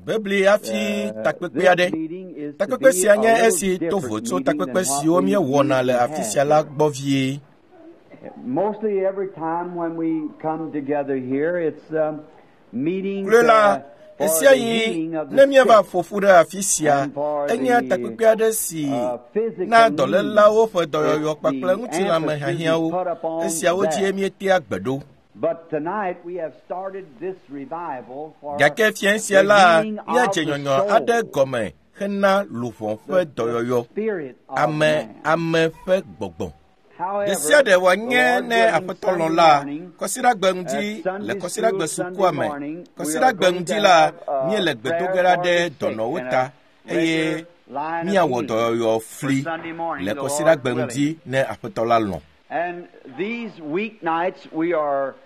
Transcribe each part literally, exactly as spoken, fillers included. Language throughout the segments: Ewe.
Biblia hafi takpekpe aɖe. Takpekpe sia nye esi to vo tso takpekpe siwo míewɔna le afi sia la gbɔ vie. Mostly every time when we come together here, it's um, meetings Kloe la, uh, for esia the yi healing of ne the míeva sick ƒo ƒu ɖe afi sia, and for enye the takpekpe aɖe si uh, physical na needs. dɔlélawo ƒe dɔyɔyɔ It's kpakple the emphasis ŋutilãmehiahiãwo. is put upon Esiawo dzie that. míetea gbe ɖo. But tonight we have started this revival for Gake fiẽ sia the la, healing of míadze the nyɔnyɔ soul, aɖe gɔme hena luʋɔ ƒe the, the dɔyɔyɔ, spirit of ame man. ame ƒe gbɔgbɔ. Ɖe sia However, ɖe the wòanye Lord ne willing, Aƒetɔ lɔ̃ Sunday la, morning, kɔsiɖagbe at ŋdi le Sunday kɔsiɖagbe school sukua Sunday me, morning, we are kɔsiɖagbe going ŋdi to la, have a míele gbe do prayer ge ɖa for ɖe the sick dɔnɔwo and ta a eye regular line of míawɔ healing dɔyɔyɔ for fli Sunday morning, le the Lord kɔsiɖagbe willing. ŋdi ne Aƒetɔ la lɔ̃. And these weeknights we are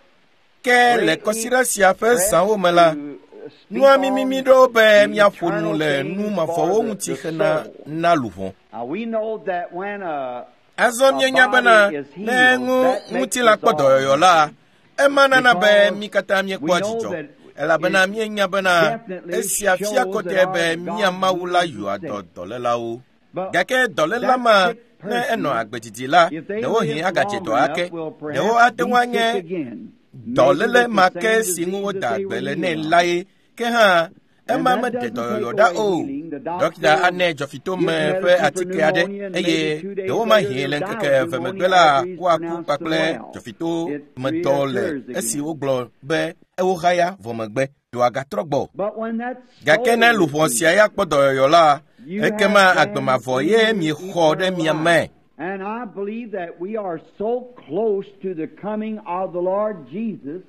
Ke le greatly kɔsiɖa sia ƒe pressed zãwo me la, to speak nua mimi on ɖo be the míaƒo nu eternal le nu things for mavɔwo the, ŋuti the hena soul. na luʋɔ. Now we know that when a, Azɔ a míenya bena body is ne healed, ŋu that makes ŋutilã us kpɔ all dɔyɔyɔ la, happy ema nana be because mí katã we míekpɔa know dzidzɔ that elabena it míenya bena definitely esia fia shows that kɔtɛ our be mía God Mawu la heals the yɔa dɔ sick. dɔlélawo. But Gake dɔléla that ma sick ne enɔ person, agbe didi la, if they ɖewohĩ live agadze long dɔ enough, ake. will Ɖewo perhaps ate be ŋu sick anye again, maybe dɔléle with the ma ke same si ŋu disease woda that they agbe were le nɛ healed of. la ye. Ke hã, And ema that meɖe doesn't take dɔyɔyɔ ɖa away o. healing. The Ɖɔkita doctor will anɛ dzɔfitome give ƒe medicine for atike aɖe pneumonia, and maybe eye two days ɖewo later mahĩ they'll le die ŋkeke of eve megbe pneumonia la after he's woaku pronounced them kpakple well. It dzɔfitomedɔ le reoccurs esi again. wogblɔ be ewohaya vɔ megbe. Dɔa gatrɔ gbɔ. But when that Gake ne soul is luʋɔ sia healed, ya kpɔ dɔyɔyɔ la, you ekema have agbe then mavɔ ye in you miexɔ ɖe eternal mia life. me. And I believe that we are so close to the coming of the Lord Jesus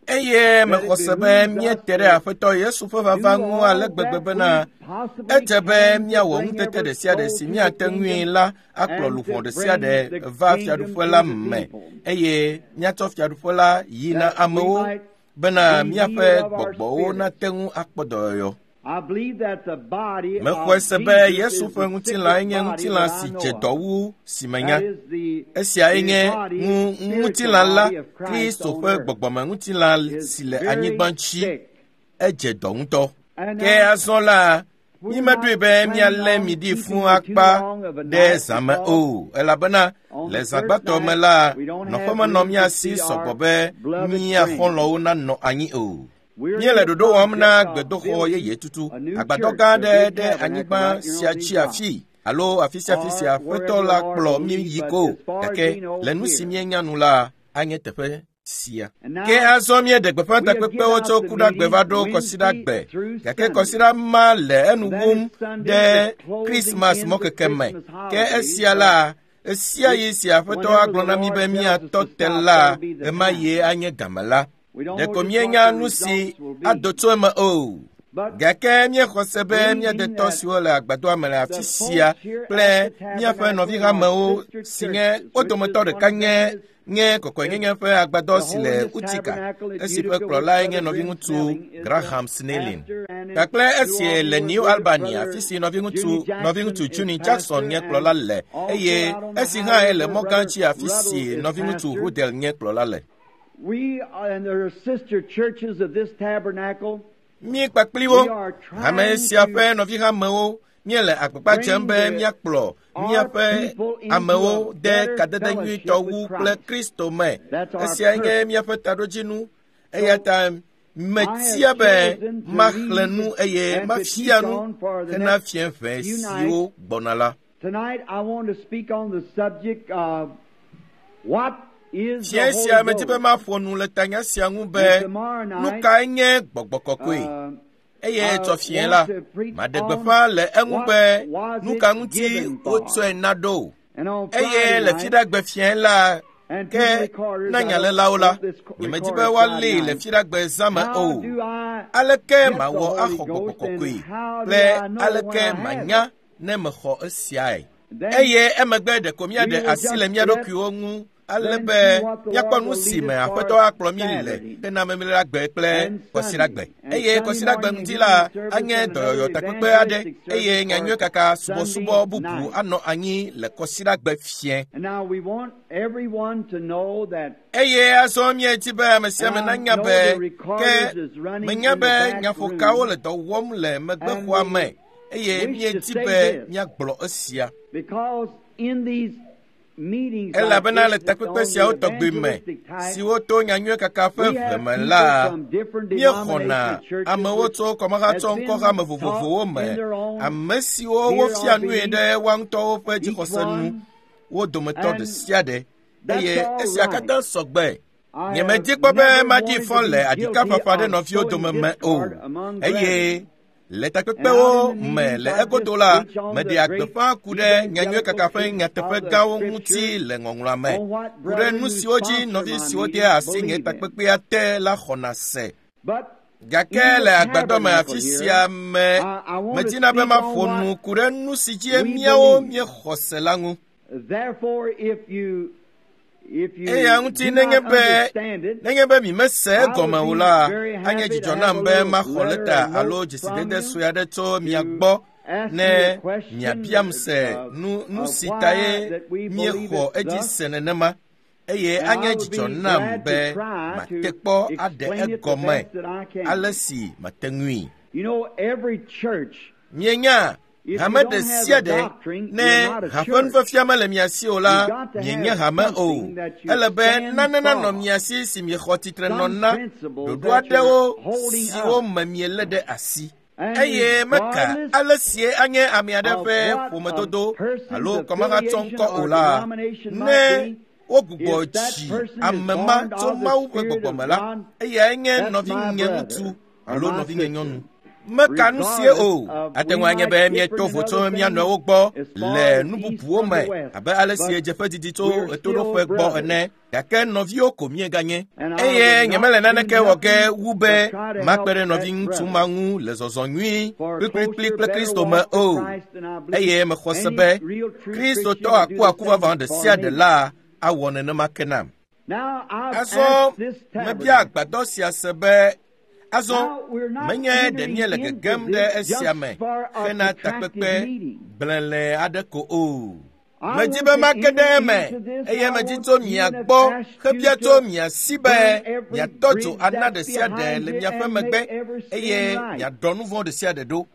Eye that it mexɔ se be behooves us míete ɖe to Aƒetɔ Yesu ƒe vava do ŋu all ale gbegbe that bena we possibly edze be can to míawɔ bring ŋutete every ɖe sia ɖe soul si to the míate ŋui kingdom la akplɔ and luʋɔ to ɖe sia bring ɖe the va kingdom fiaɖuƒe to la the me people, eye míatsɔ fiaɖuƒe la yi na that we amewo might bena be míaƒe healed of our gbɔgbɔwo spirits. nate ŋu akpɔ dɔyɔyɔ. I believe that the body Mexɔe of se be Jesus Yesu is ƒe the ŋutilãe sickest nye body ŋutilã that I si know dze of. dɔ wu si menya. That is the, Esiae the nye body, ŋu spiritual ŋutilã la, body of Christ Kristo on ƒe earth, gbɔgbɔmeŋutilã is si le very anyigba dzi. sick. Edze dɔ ŋutɔ. And Ke now azɔ la, we're mímeɖoe not be planning míalé on mi ɖi fũu keeping you too akpa long of a ɖe night zã me because o, elabena on le the zã first gbãtɔ me night la, we don't nɔƒe have menɔ room to mía si seat sɔgbɔ our be beloved mía friends. xɔlɔ̃wo nanɔ anyi o. We're in Míele the ɖoɖo wɔm na project of gbedoxɔ building yeye tutu, a new agbadɔ church, gã a aɖe big ɖe tabernacle anyigba right here sia on these dzi rocks, afii alo afi sia afi sia or wherever Aƒetɔ the la Lord kplɔ will mí lead, yi but ko. as far as Gake we know, le nu si here. míenya nu la, anye teƒe sia. And Ke now azɔ míeɖe gbeƒã we have given takpekpewo out tso the Kuɖagbe meetings va ɖo Wednesday Kɔsiɖagbe. through Gake Sunday. kɔsiɖa ma le enu And that wum is Sunday ɖe is closing Krismas in the mɔkeke me. Christmas Ke holidays, esia but la, esia which yi si Aƒetɔ whenever agblɔ the na mí Lord be tells us míatɔ to te stop, la, that'll be the ɣemaɣie time. anye game la. We don't know Ɖeko just what míenya the nu si results will ado be. tso eme o. But Gake míexɔ se be mía believing detɔ that siwo le agbadɔa me le the afi sia folks here kple at the míaƒe tabernacle and our nɔvihamewo sister si nye churches, wo which is dometɔ one ɖeka of nye them is, nye is kɔkɔenyenye ƒe agbadɔ the si le Holiness Utica, Tabernacle at esi ƒe Utica, which kplɔlae nye Brother Grim nɔviŋutsu Snelling is the Graham Snelling. pastor, and in Kpakple New esi Albany, le where New Brother, Albany, Brother afi si nɔviŋutsu Junior Jackson nɔviŋutsu is Juni Jackson pastor, nye and kplɔla le also eye out on the esi hã highway le where mɔ gã Brother dzi afi Ruddle si is nɔviŋutsu pastor. Rudel nye kplɔla le. We and the sister churches of this tabernacle, Mí kpakpli wo, we are hame trying sia to ƒe nɔvihamewo, míele agbagba dzem bring be the, míakplɔ our míaƒe people into a amewo de better kadede fellowship nyuitɔ with wu kple Christ. Kristo me. That's our Esiae nye purpose. míaƒe taɖodzinu. Eya So ta I have metia be chosen to maxlẽ read nu eye and to teach mafia nu on for the hena next fiẽ ʋɛ few nights. siwo gbɔna la. Tonight I want to speak on the subject of what is the Fiẽ Holy sia medi be Ghost. maƒo nu le tanya sia ŋu And be tomorrow nu night, kae nye gbɔgbɔ kɔkɔe. uh, Eye I tsɔ fiẽ want la, to preach maɖe on gbeƒã le eŋu what be was nu it ka ŋuti given for. wotsɔe na ɖo. And on Eye Friday le night, Fiɖagbe fiẽ la, and to ke the recorders, na I don't nyalelawo la, want this co- nyemedi be recorded woalée Friday le night. Fiɖagbe zã me How o. do I Aleke get the mawɔ Holy axɔ gbɔgbɔ Ghost and kɔkɔe how do kple I know when aleke I have it? manya ne mexɔ esiae? Then Eye emegbe ɖeko we míaɖe will asi le just mía let ɖokuiwo ŋu ale be míakpɔ nu si me Aƒetɔ akplɔ mí le hena Memleɖagbe kple Kɔsiɖagbe. Eye Kɔsiɖagbe ŋdi la anye dɔyɔyɔ takpekpe aɖe eye nyanyui kaka subɔsubɔ bubu anɔ anyi le Kɔsiɖagbe fiẽ. Eye azɔ míedi be ame sia ame nanya be ke menya be nyaƒokawo le dɔ wɔm le megbexɔa me eye míedi be míagblɔ esia. Elabena le takpekpe siawo tɔgbi me siwo to nyanyui kaka ƒe ʋe me la, míexɔna amewo tso kɔmahatsɔ ŋkɔhame vovovowo me, ame siwo wofia nui ɖe woa ŋutɔwo ƒe dzixɔse nu, wo dometɔ ɖe sia ɖe, eye esia katã sɔgbe. Nyemedi kpɔ be maɖi fɔ le aɖikaƒaƒã ɖe nɔviwo dome me o, eye le takpekpewo me le egodo la, meɖea gbeƒã ku ɖe nyanyui kaka ƒe nyateƒe gãwo ŋuti le ŋɔŋlɔa me, ku ɖe nu siwo dzi nɔvi siwo dea asi nye takpekpea te la xɔna se. Gake le agbadɔ me afi sia me, medina be maƒo nu ku ɖe nu si dzi míawo míexɔ se la ŋu. Eya ŋuti nenye be nenye be mi mese egɔme o la, anye dzidzɔ nam be maxɔ lɛta alo dzesidede sue aɖe tso mia gbɔ ne miabiam se nu nu si tae míexɔ edzi se nenema. Eye anye dzidzɔ nam be mate kpɔ aɖe egɔme ale si mate ŋui. Mienya hame ɖe sia ɖe ne haƒe nufiafia mele mia si o la, mienye hame o. Ele be nane nanɔ mia si si miexɔ tsitre nɔ na ɖoɖo aɖewo siwo me mielé ɖe asi. Eye meka ale sie anye ame aɖe ƒe ƒomedodo alo kɔmahatsɔ ŋkɔ o la, ne wogbugbɔ dzi ame ma tso Mawu ƒe gbɔgbɔ me la, eyae nye nɔvinye ŋutsu alo nɔvinye nyɔnu. Meka nu sie o. Ate ŋu anye be míeto vo tso mía nɔewo gbɔ le nu bubuwo me abe ale si dzeƒe didi tso ɣetoɖoƒe gbɔ ene, gake nɔviwo ko míeganye. Eye nyemele naneke wɔ ge wu be makpe ɖe nɔviŋutsu ma ŋu le zɔzɔ nyui kplikplikpli kple Kristo me o. Eye mexɔ se be Kristotɔ akuaku vavã ɖe sia ɖe la awɔ nenema ke nam. Azɔ mebia agbadɔ sia se be azɔ menye ɖe míele gegem ɖe esia me hena takpekpe gblẽle aɖe ko o. Medi be make ɖe eme eye medi tso mia gbɔ hebia tso mia si be miatɔ dzo ana ɖe sia ɖe le miaƒe megbe eye miaɖɔ nu vɔ̃ ɖe sia ɖe ɖo.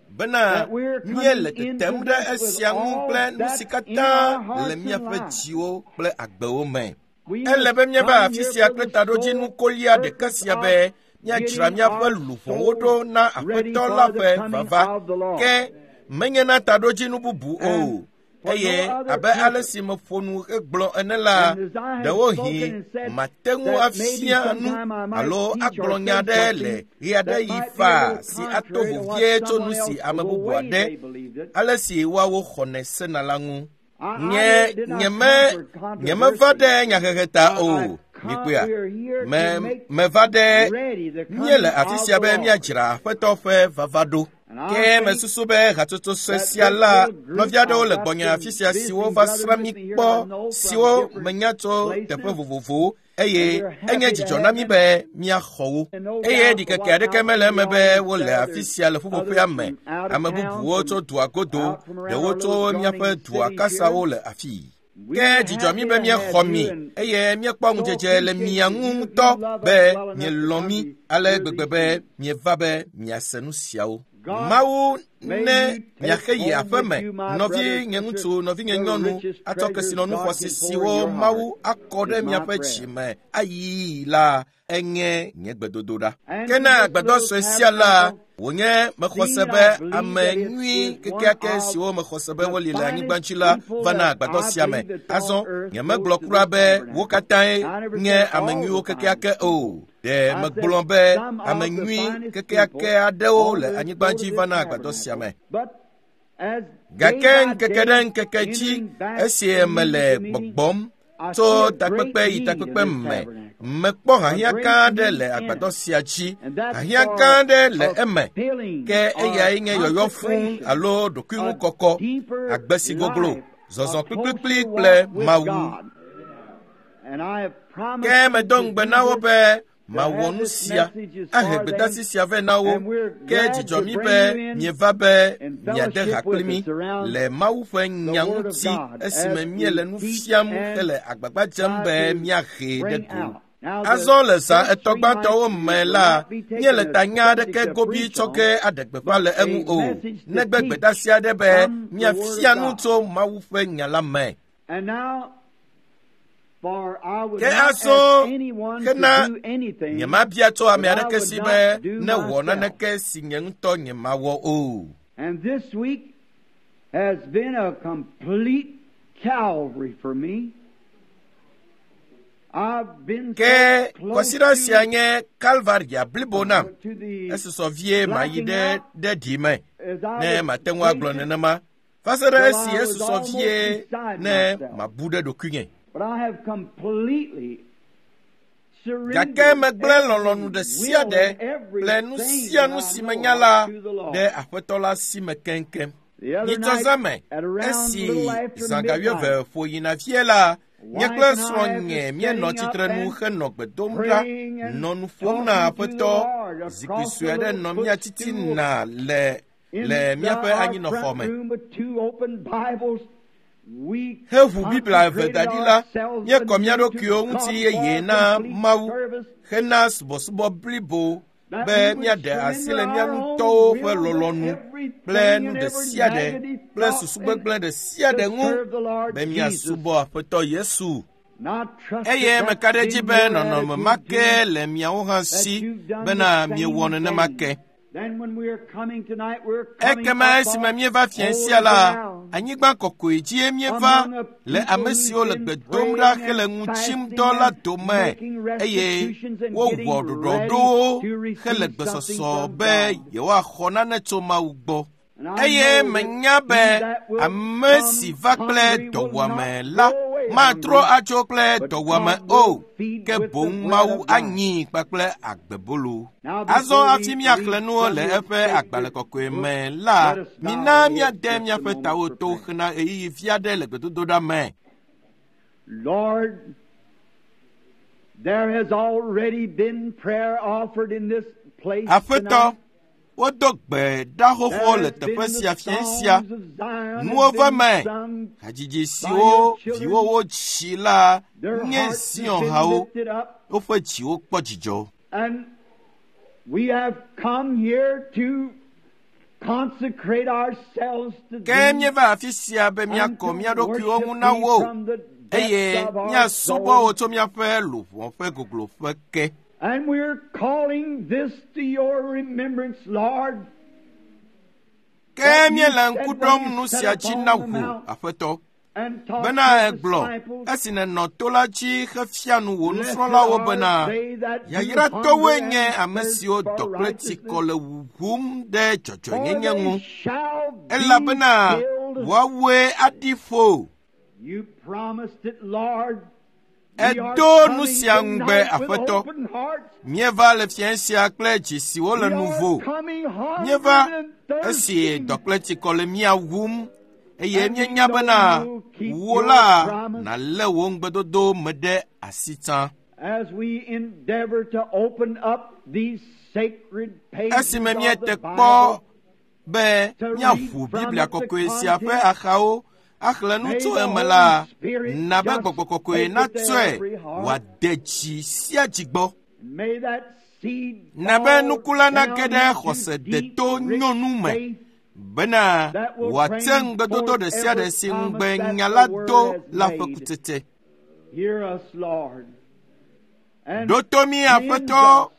Bena míele tetem ɖe esia ŋu kple nu si katã le míaƒe dziwo kple agbewo me. Ele be míava afi sia kple taɖodzinu kolia ɖeka sia be míadzra míaƒe luʋɔwo ɖo na Aƒetɔ la ƒe vava, ke menye na taɖodzinu bubu o. Eye abe ale si meƒo nu hegblɔ ene la, ɖewohĩ mate ŋu afia nu alo agblɔ nya aɖe le ɣeaɖeɣi faa si ato vevie tso nu si ame bubu aɖe ale si woawo xɔnɛ sena la ŋu. Nye nyeme nyemeva ɖe nyahehe ta o. Mikpɔea, me meva ɖe míele afi sia be míadzra Aƒetɔ ƒe vava ɖo. Ke mesusu be hatsotso sue sia la, nɔvi aɖewo le gbɔnye afi sia siwo va srã mí kpɔ, siwo menya tso teƒe vovovowo, eye enye dzidzɔ na mí be míaxɔ wo. Eye ɖikeke aɖeke mele eme be wole afi sia le ƒuƒoƒea me. Ame bubuwo tso dua godo, ɖewo tso míaƒe dua kasawo le afii. Ke dzidzɔ mí be míexɔ mi eye míekpɔ ŋudzedze le mia ŋu ŋutɔ be mielɔ̃ mí ale gbegbe be mieva be miase nu siawo. Mawu ne miaxe yi aƒe me, nɔvinye ŋutsu, nɔvinye nyɔnu, atsɔ kesinɔnu xɔasi siwo Mawu akɔ ɖe miaƒe dzi me ayii la, enye nye gbedodoɖa. Ke na agbadɔ sue sia la, wònye mexɔ se be ame nyui kekeake siwo mexɔ se be woli le anyigba dzi la va na agbadɔ sia me. Azɔ nyemegblɔ kura be wo katãe nye ame nyuiwo kekeake o. Ɖe megblɔ be ame nyui kekeake aɖewo le anyigba dzi va na agbadɔ sia me. Gake ŋkeke ɖe ŋkeke dzi esi mele gbɔgbɔm tso takpekpe yi takpekpe me, mekpɔ hiahiã gã aɖe le agbadɔ sia dzi. Hiahiã gã aɖe le eme, ke eyae nye yɔyɔ fũu alo ɖokuiŋukɔkɔ, agbe si goglo, zɔzɔ kplikplikpli kple Mawu. Ke medo ŋugbe na wo be mawɔ nu sia, ahe gbedeasi sia vɛ na wo. Ke dzidzɔ mí be mieva be miade ha kpli mí le Mawu ƒe nya ŋuti esime míele nu fiam hele agbagba dzem be míahee ɖe go. Azɔ le zã etɔ̃ gbãtɔwo me la, míele tanya aɖeke gobi tsɔ ge aɖe gbeƒã le eŋu o, negbe gbedeasi aɖe be míafia nu tso Mawu ƒe nya la me. Ke azɔ hena nyemabia tso ame aɖeke si be newɔ naneke si nye ŋutɔ nyemawɔ o. And this week has been a complete Calvary for me. I've been Ke so close kɔsiɖa sia to, nye Kalvaria blibo nam. to the Esusɔ vie mayi ɖe ɖe ɖi me as I ne was mate ŋu agblɔ patient, nenema. Va se ɖe esi esusɔ vie ne mabu ɖe ɖokuinye. But I have completely surrendered Gake megblẽ lɔlɔ̃nu ɖe sia will ɖe and everything kple nu sia nu that I si know menya of la to the Lord. ɖe Aƒetɔ la si me keŋkeŋ. The other Nyitsɔ night, zã me, at around esi little after zã ga midnight, wuieve ƒo yina vie la, nye wife kple and I, after srɔ̃nye míenɔ standing up tsitre nu and henɔ gbe dom ɖa, praying and nɔ nu ƒom na talking to the Aƒetɔ. Lord Zikpui across sue the aɖe little nɔ mía footstool titina le in le the, míaƒe our anyinɔxɔ front me. room with two open Bibles. We Heʋu Biblia eve da consecrated ɖi la, ourselves míekɔ mía anew to ɖokuiwo God ŋuti for yeye a na complete Mawu service hena subɔsubɔ blibo that be we would míaɖe asi le surrender mía our own ŋutɔwo ƒe will and lɔlɔ̃nu kple everything nu and ɖe every sia ɖe negative kple thought susu and gbegblẽ ɖe sia to ɖe ŋu serve the Lord be Jesus. míasubɔ Aƒetɔ Yesu. And I trust Eye that meka that's ɖe edzi been be your nɔnɔme ma attitude ke too, le miawo hã that si you've done bena the miewɔ same nenema thing. ke. Then when we are coming tonight, we're coming Ekema up esime on míeva fiẽ holy sia la, ground anyigba kɔkɔe dzie míeva among a le people ame who's siwo le been gbe dom ɖa praying hele and ŋu tsim fasting dɔ la and dome making eye restitutions and wowɔ getting ready ɖoɖoɖowo to hele receive something gbesɔsɔ from be God. yewoaxɔ nane tso Mawu gbɔ. And I Eye know that menya he be that will ame come si va kple hungry will dɔwuame not la go away matrɔ hungry, atso kple but dɔwuame God o, will feed ke with the boŋ bread Mawu of life. anyi kpakple agbebolo. Now, Azɔ before hafi we míaxlẽ read nuwo from le his eƒe agbalẽ sacred kɔkɔe book, me la, let us bow mina our heads míade just a míaƒe moment tawo for to prayer. hena ɣeyiɣi vi aɖe le gbedodoɖa me. Lord, there has already been prayer offered in this place Aƒetɔ, tonight. wodo gbe ɖa xoxo There le has teƒe been the sia fiẽ sia. songs of Zion Nuwo have va been me. sung Hadzidzi by your siwo children. viwowo tsi la Their nye hearts have Zion been hawo. lifted up, Woƒe dziwo kpɔ dzidzɔ. and we have come here to consecrate ourselves to Ke Thee míeva afi sia be and míakɔ to mía ɖokuiwo worship ŋu na Thee wò from the eye depths of our míasubɔ wò soul. tso míaƒe luʋɔ ƒe gogloƒe ke. And we're calling this to your remembrance, Lord, Ke that you míele said ŋku when ɖom you nu sat sia dzi upon na the wò, mount Aƒetɔ. and taught Bena your egblɔ disciples, esi nènɔ to la dzi hefia nu wò Blessed nusrɔ̃lawo are bena they that do yayratɔwoe hunger nye and ame thirst siwo for dɔ kple tsikɔ righteousness, le wuwum ɖe for dzɔdzɔenyenye they ŋu shall be elabena filled. woawoe aɖi ƒo. You promised it, Lord. We are Èdo nu coming sia ŋugbe, tonight with Aƒetɔ. open hearts. Míeva le fiẽ sia kple dzi siwo le We nu are vo. coming hungry Míeva and esi thirsting. dɔ kple tsikɔ le mía wum eye And we míenya know bena you'll keep wò your la promise nàlé wò ŋugbedodo me ɖe asi tsã. as we endeavor to open up these sacred pages Esime of the míete kpɔ Bible be to read míaʋu from Biblia it the kɔkɔe sia ƒe content, axawo axlẽ nu may tso the eme Holy la, Spirit na be just Gbɔgbɔ Kɔkɔe take it to natsɔe every heart. wòade dzi sia dzi gbɔ. May that seed Na be fall nuku la down nage ɖe into xɔse deep, deto rich nyɔnu me faith bena that will wòate bring ŋugbedodo forth ɖe sia ɖe every si promise ŋugbe that nya the la Word do has la ƒe made. kutsetse. Hear us, Lord, and Ɖo to mí, cleanse Aƒetɔ, us.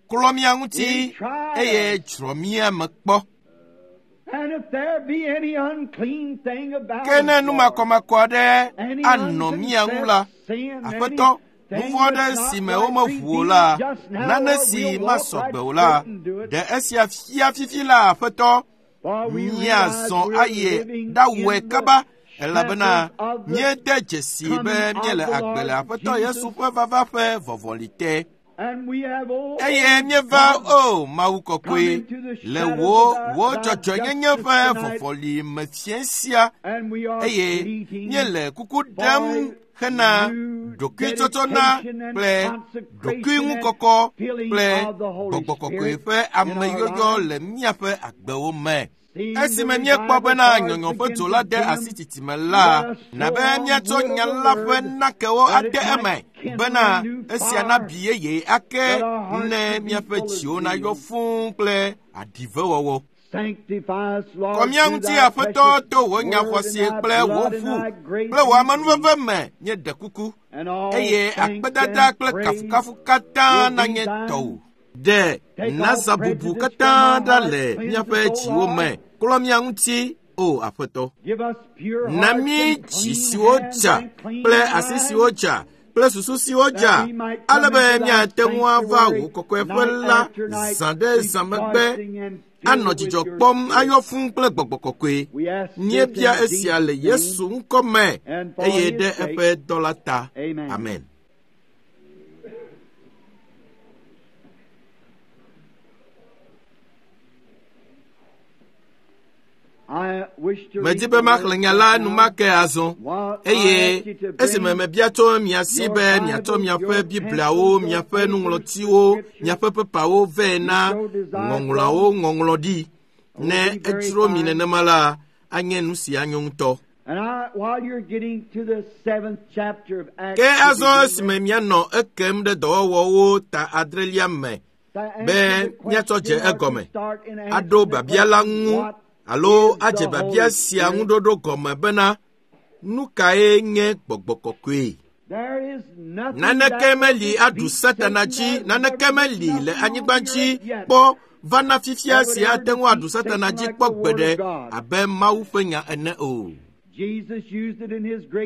klɔ mía ŋuti And try eye us. dzrɔ mía me kpɔ. And if there be any unclean thing about Ke ne us, nu Lord, makɔmakɔ aɖe any anɔ mía ŋu la, unconfessed sin, Aƒetɔ, nu anything vɔ̃ aɖe that's not si me right womeʋu o revealed la, just now, nane or si we'll walk masɔ right gbe o la, straight and do it. ɖe esia fia fifi la, Aƒetɔ, For we realize míazɔ we're ayi living ɖawɔe in the kaba elabena shadows of the míede dzesi be coming of míele the agbe le Lord Aƒetɔ Yesu Jesus. ƒe vava ƒe vɔvɔli te. Eye míeva o Mawu kɔkɔe le wò wò dzɔdzɔenyenye ƒe vɔvɔli me fiẽ sia eye míele kuku ɖem hena ɖokuitsɔtsɔna kple ɖokuiŋukɔkɔ kple gbɔgbɔ kɔkɔe ƒe ameyɔyɔ le míaƒe agbewo me. Esime míekpɔ bena nyɔnyɔ ƒe dzo la de asi tsitsime la, na be míatsɔ nya la ƒe nakewo ade eme bena esia nabi yeye ake ne míaƒe dziwo nayɔ fũu kple aɖivewɔwɔ. Kɔ mía ŋuti Aƒetɔ to wò nya xɔasi kple wò ʋu kple wò amenuveve me míeɖe kuku eye akpedada kple kafukafu katã nanye tɔwò. Ɖe nazabubu katã ɖa le míaƒe dziwo me klɔ mía ŋuti o Aƒetɔ. Na mí dzi siwo dza kple asi siwo dza kple susu siwo dza ale be míate ŋu ava wò kɔkɔeƒe la zã ɖe zã megbe anɔ dzidzɔ kpɔm ayɔ fũu kple gbɔgbɔ kɔkɔe. Míebia esia le Yesu ŋkɔ me eye ɖe eƒe dɔ la ta. Amen. Medi be maxlẽ nya la enumake azɔ eye esime mebia tso mia si be miatsɔ miaƒe Bibliawo, miaƒe nuŋlɔtiwo, miaƒe pepawo vɛ na ŋɔŋlɔawo ŋɔŋlɔ ɖi. Ne edzro mi nenema la, anye nu si anyo ŋutɔ. Ke azɔ esime mianɔ ekem ɖe dɔwɔwɔwo ta adrelia me be míatsɔ dze egɔme, aɖo biabia la ŋu alo adze biabia sia ŋuɖoɖo gɔme bena nu kae nye gbɔgbɔ kɔkɔe? Naneke meli aɖu Satana dzi, naneke meli le anyigba dzi kpɔ vana fifia si ate ŋu aɖu Satana dzi kpɔ gbeɖe abe Mawu ƒe nya ene o.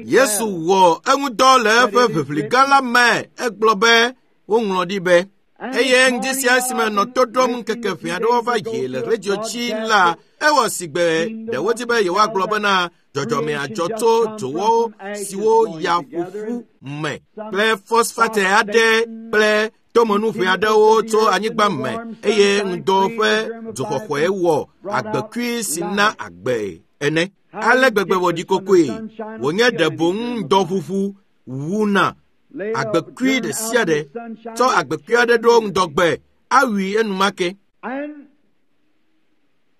Yesu wɔ eŋudɔ le eƒe ʋiʋli gã la me egblɔ be woŋlɔ ɖi be eye ŋdi sia esime nɔ to ɖom ŋkeke ʋɛ aɖewo va yi le redio dzi la ewɔ sigbe ɖe wodi be yewoagblɔ bena dzɔdzɔme adzɔ tso dzowɔwo siwo ya ƒoƒu me kple fosfate aɖe kple tomenuʋɛ aɖewo tso anyigba me eye ŋdɔ ƒe dzoxɔxɔe wɔ agbekui si na agbe ene. Ale gbegbe wòɖi kokoe wònye ɖe boŋ ŋdɔʋuʋu wuna agbekui ɖe sia ɖe tsɔ agbekui aɖe ɖo ŋdɔgbe awui enumake.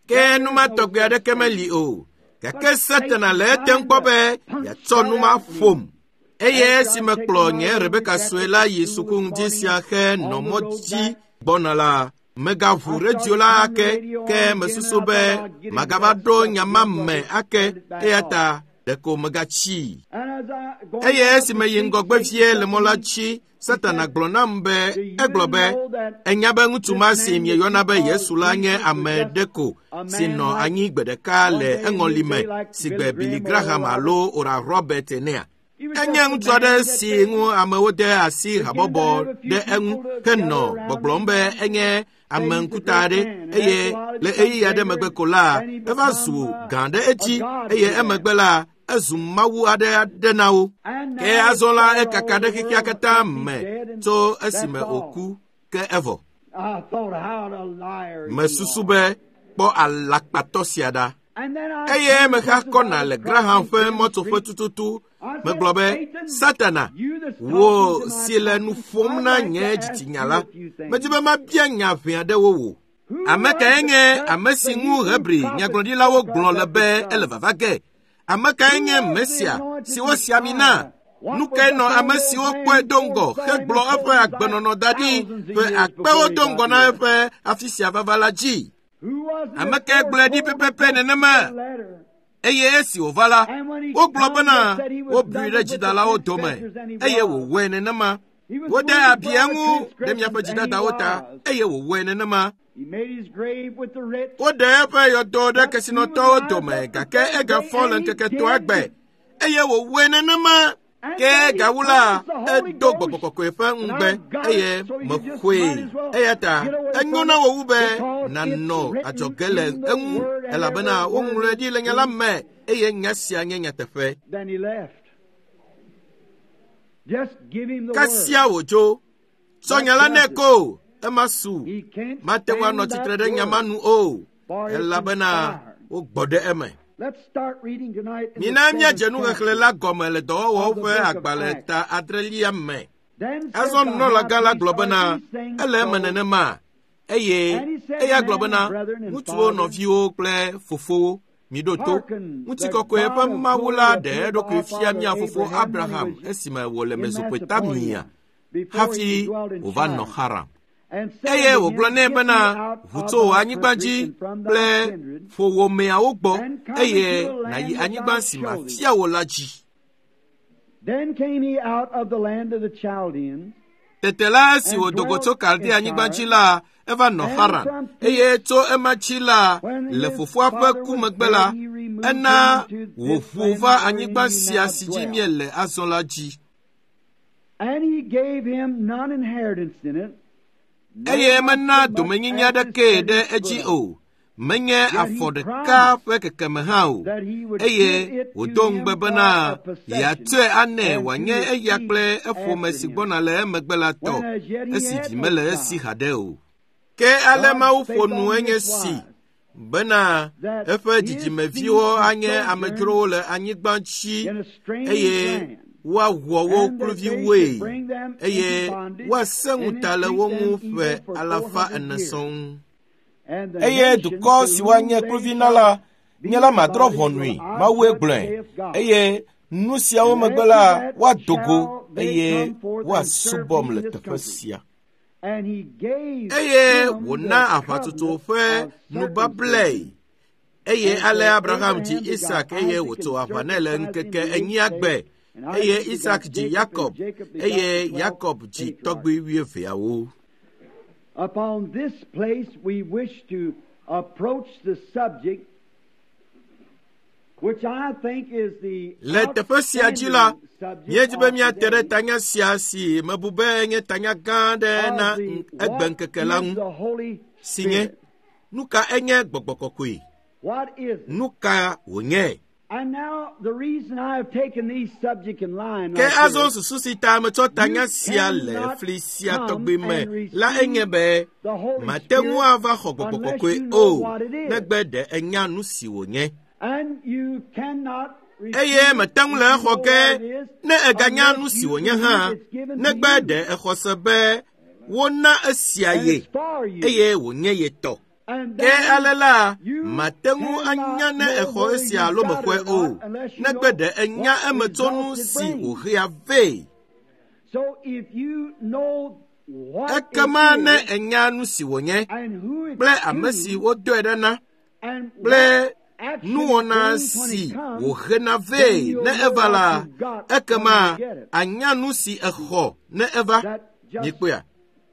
Ke numa tɔgbe aɖeke meli o gake Satana le etem kpɔ be yeatsɔ numa ƒom. Eye esime kplɔ nye Rebeka sue la yi suku ŋdi sia xe nɔ mɔ dzi gbɔna la, megaʋu redio la ake ke mesusu be magava ɖo nya ma me ake eya ta ɖeko megatsii. Eye esime yi ŋgɔgbe vie le mɔ la dzi, Satana gblɔ nam be egblɔ be enya be ŋutsu ma si mieyɔna be Yesu la nye ame ɖe ko si nɔ anyi gbe ɖeka le eŋɔli me si gbe Billy Graham alo Oral Robert enea. Enye ŋutsu aɖe si ŋu amewo de asi habɔbɔ ɖe eŋu henɔ gbɔgblɔm be enye ame ŋkuta aɖe eye le ɣeyiɣi aɖe megbe ko la eva zu gã ɖe edzi eye emegbe la ezu mawu aɖe aɖe na wo. Ke azɔ la ekaka ɖe xexea katã me tso esime wòku ke evɔ. Mesusu be kpɔ alakpatɔ sia ɖa. Eye mexa kɔna le Graham ƒe mɔtsoƒe tututu. Megblɔ be, Satana, wò si le nu ƒom na nye dzitsinya la, medi be mabia nya ʋɛ aɖewo wò. Ame kae nye ame si ŋu Hebri nyagblɔɖilawo gblɔ le be ele vava ge? Ame kae nye Mesia si wosi ami na? Nu kae nɔ ame siwo kpɔe do ŋgɔ hegblɔ eƒe agbenɔnɔ da ɖi ƒe akpewo do ŋgɔ na eƒe afi sia vava la dzi? Ame kae gblɔe ɖi pɛpɛpɛ nenema? Eye esi wòva la, wogblɔ bena wobui ɖe dzidalawo dome eye wòwɔe nenema. Wode abi eŋu ɖe miaƒe dzidadawo ta eye wòwɔe nenema. Woɖe eƒe yɔdo ɖe kesinɔtɔwo dome gake egafɔ le ŋkeke etɔ̃a gbe eye wòwɔe nenema. Ke gawu la, edo gbɔgbɔ kɔkɔe ƒe ŋugbe eye mexɔe. Eya ta enyo na wò wu be nànɔ adzɔge le eŋu elabena woŋlɔe ɖi le nya la me eye nya sia nye nyateƒe. Kasia wòdzo. Tsɔ nya la nɛ ko, ema su. He can't Mate ŋu stand anɔ tsitre that ɖe nya ma word, nu o, for it's elabena inspired. wogbɔ ɖe eme. Let's start reading tonight in the Mina míadze seventh nuxexlẽ chapter. la gɔme le dɔwɔwɔwo ƒe agbalẽ ta adrelia me. Then said Azɔ the high nunɔlagã la priest, gblɔ bena, Are these things ele eme so? nenema. Eye And he said, eya gblɔ Man, bena, brethren, and ŋutsuwo, fathers, nɔviwo kple fofowo, miɖo to. hearken, the Ŋutikɔkɔe ƒe God of Mawu glory la ɖe appeared to eɖokui our fia father mía fofo Abraham when he Abraham was esime wòle in Mesopotamia Mesopotamia, before hafi he dwelt in wòva nɔ Charan. Haran. And said Eye unto wògblɔ him, nɛ Get bena, thee out ʋu of tso wò thy anyigba country dzi and from thy kple kindred, ƒowòmeawo gbɔ and come eye into the nàyi land that anyigba I si show thee. mafia wò la dzi. Then came he out of the land of the Chaldeans, Tete la esi and wòdo go dwelt tso Kaldea in anyigba dzi Charan. la, eva nɔ And Haran. from thence, Eye tso ema dzi la, when le his fofoa ƒe father ku was megbe la, dead, he removed ena him to this wòʋu land va wherein anyigba ye sia now si dzi dwell. míele azɔ la dzi. And he gave him none inheritance in it, no Eye not mena so much domenyinyi as his aɖekee ɖe seventh edzi foot of it. o, menye Yet he afɔ ɖeka promised ƒe kekeme hã o. that he would Eye give it to wòdo him ŋugbe for bena a possession yeatsɔe anɛ and to wòanye his eya seed kple eƒome after si him, gbɔna le emegbe la tɔ, when as yet he esi had vi no mele esi child. haɖe o. Ke ale God Mawu spake ƒo nu on enye this si wise, bena that eƒe his seed dzidzimeviwo should anye sojourn amedzrowo le anyigba dzi in a strange eye land, woawɔ wo and that they should kluviwoe bring them into eye bondage woasẽ and ŋuta le entreat wo them ŋu evil ƒe for four alafa hundred ene years. sɔŋ. And the Eye nations dukɔ to si whom woanye they kluvi na shall la, be nye la in madrɔ̃ bondage ʋɔnui, will I Mawue judge, gblɔe. saith God. Eye nu siawo And megbe after la, that woado go shall they eye come forth and serve woasubɔm me in le this teƒe country. sia. And he gave Eye him wòna the aʋatsotso covenant ƒe of nubablae. circumcision. Eye And ale so Abraham dzi Abraham begot Isak eye Isaac, wòtso and aʋa nɛ le circumcised him ŋkeke the eighth enyia day. gbe. And Eye Isaac begot Isak dzi Jacob, and Yakob Jacob begot eye the twelve Yakob dzi patriarchs. tɔgbui wuieveawo. Upon this place we wish to approach the subject which I think is the Le teƒe sia dzi la, outstanding subject míedi be of míate ɖe today tanya sia si mebu be nye tanya gã aɖe na of the what egbeŋkeke la is ŋu, the Holy si nye Spirit. nu ka enye gbɔgbɔ kɔkɔe? What is it? Nu ka wònye? And now the reason I have taken these subject in line Ke like azɔ this, susu si ta metsɔ tanya you sia le cannot fli sia come tɔgbi me and la enye receive be the Holy mate ŋu Spirit ava xɔ gbɔgbɔ unless kɔkɔe you know o what it is. negbe ɖe enya nu si wònye. And you cannot receive Eye it mete ŋu if le you exɔ know ge what it is ne eganya unless nu si you wònye believe hã it's given to negbe you ɖe exɔ se be wona esia and ye it's for you. eye wònye ye tɔ. And Ke then ale la, you mate ŋu anya cannot ne know exɔ whether esia you alo got it mexɔe or o not unless you negbe know ɖe enya what emetsonu results it si brings. wòhea vɛ. So if you know what it Ekema ne is enya nu si wònye and who it's kple ame si to wodɔe ɖe na and kple what action it nuwɔna brings when si it comes, wòhena then vɛ you'll ne know eva what la, you've got when ekema you get it. anya nu si exɔ ne eva. That just Mikpɔea,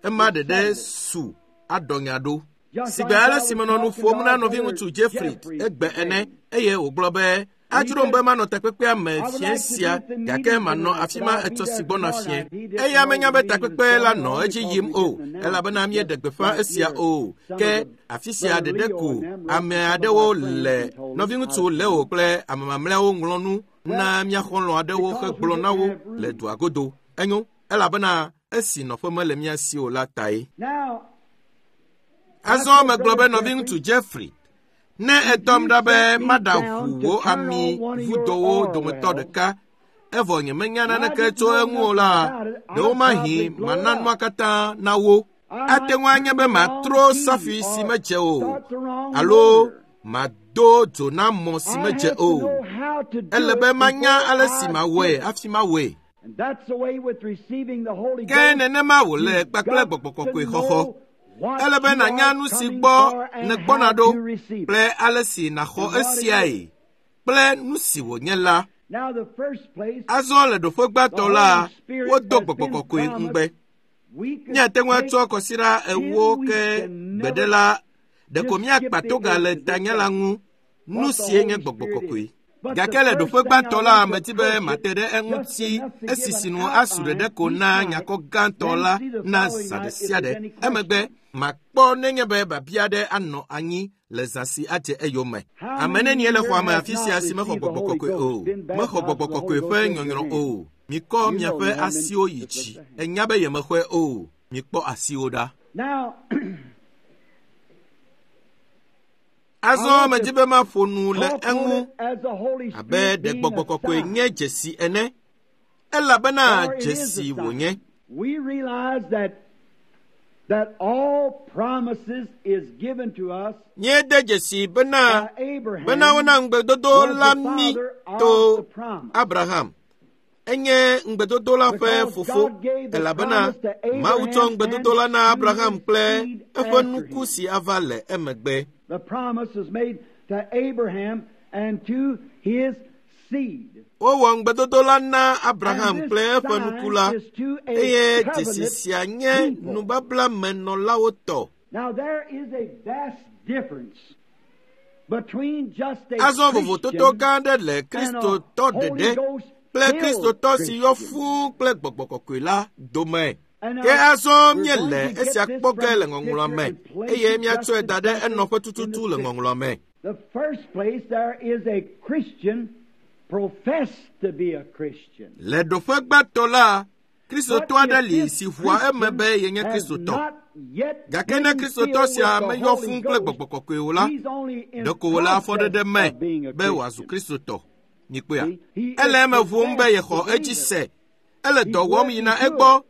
ema is ɖeɖe settled it. su aɖɔ nya ɖo. Just Sigbe like ale I si was menɔ nu talking ƒom to na our nɔviŋutsu brother Jeffrey Jeffrey egbe ene today. eye wògblɔ be And he adzrom said, be manɔ takpekpea me I would fiẽ like to be sia at the gake meeting manɔ tonight, afi but ma I'll be etsɔ there si gbɔna tomorrow fiẽ. night. He didn't Eya know menya the be meeting was takpekpe la going nɔ on edzi because yim we o didn't announce elabena it míeɖe just gbeƒã right esia here. o. Some Ke of the afi sia Brother ɖeɖe Leo ko and them wrote ame to some of aɖewo our friends le and told us nɔviŋutsu how to Leo come. kple ame mamlɛawo ŋlɔ nu Well, na mía xɔlɔ̃ aɖewo because we hegblɔ na didn't wo have le room. dua godo. Enyo elabena esi nɔƒe mele mía si o la tae. Now, I Azɔ said, megblɔ be Brother nɔviŋutsu Jeffrey, Jeffrey, ne if edɔm you ɖa be set me maɖa down ʋu to wò turn ami on one of your vudowo oil dometɔ wells, ɖeka evɔ nyemenya and I naneke didn't tso know eŋu o nothing la, about it, I'd ɖewomahi probably blow it mana nua up. katã na wo. I Ate might ŋu anye turn be the wrong matrɔ key safi si or medze o start the wrong alo motor. mado dzo na mɔ si I medze have to o. know how to do Ele be it manya before ale si I mawɔe do it. hafi mawɔe. And that's the way with receiving the Holy Ke Ghost. nenema wòle You've kpakple got gbɔgbɔ to kɔkɔe xɔxɔ. know what Ele be you nànya are nu si coming gbɔ for and nègbɔna how ɖo to receive it kple ale si nàxɔ and what it is. esiae kple nu si wònye la. Now, the first place, Azɔ le ɖoƒe the gbãtɔ la, Holy Spirit wodo has gbɔgbɔ been kɔkɔe ŋugbe. promised. We could Míate ŋu take atsɔ kɔsiɖa ten ewo weeks ke and gbeɖe never la, ɖeko just skip míakpa the toga le edge of this tanya la subject, ŋu. Nu what the sie nye Holy gbɔgbɔ Spirit kɔkɔe. is. But the Gake le ɖoƒe first thing I gbãtɔ la, want to medi be approach it mate ɖe just eŋuti enough to esi give an sinu asu ɖeɖe outline ko each na night, nyakɔ gãtɔ then la see the na following zã ɖe night if sia there's ɖe. any Emegbe question. makpɔ nenye be biabia aɖe anɔ anyi le zã si adze eyome. How Ame many nenie le here xɔa me has afi not sia si mexɔ received the gbɔgbɔ Holy kɔkɔe Ghost, o? been Mexɔ baptized gbɔgbɔ with the kɔkɔe Holy ƒe Ghost? Raise your nyɔnyrɔ hand. o. Mikɔ You know miaƒe you haven't been. asiwo yi Just lift dzi. the hand. Enya be yemexɔe o. Mikpɔ asiwo ɖa. Azɔ medi be maƒo nu le eŋu abe ɖe gbɔgbɔ kɔkɔe nye dzesi ene, elabena dzesi wònye. Míede dzesi bena bena wona ŋugbedodo la mí to Abraham. Enye ŋugbedodo la ƒe fofo, elabena Mawu tsɔ ŋugbedodo la na Abraham kple eƒe nuku si ava le emegbe. Wowɔ ŋugbedodo la na Abraham kple eƒe nuku la, eye dzesi sia nye nubablamenɔlawo tɔ. Azɔ vovototo gã aɖe le Kristotɔ ɖeɖe kple Kristotɔ si yɔ fũu kple gbɔgbɔ kɔkɔe la dome. Ke azɔ míele esia kpɔ ge le ŋɔŋlɔa me, eye míatsɔe da ɖe enɔƒe tututu le ŋɔŋlɔa me. Le ɖoƒe gbãtɔ la, Kristotɔ aɖe li si ʋua eme be yenye Kristotɔ. Gake ne Kristotɔ sia meyɔ fũu kple gbɔgbɔ kɔkɔe o la, ɖeko wòle afɔɖeɖe me be wòazu Kristotɔ. Mikpɔea? Ele eme ʋum be yexɔ edzi se. Ele dɔ wɔm yina egbɔ,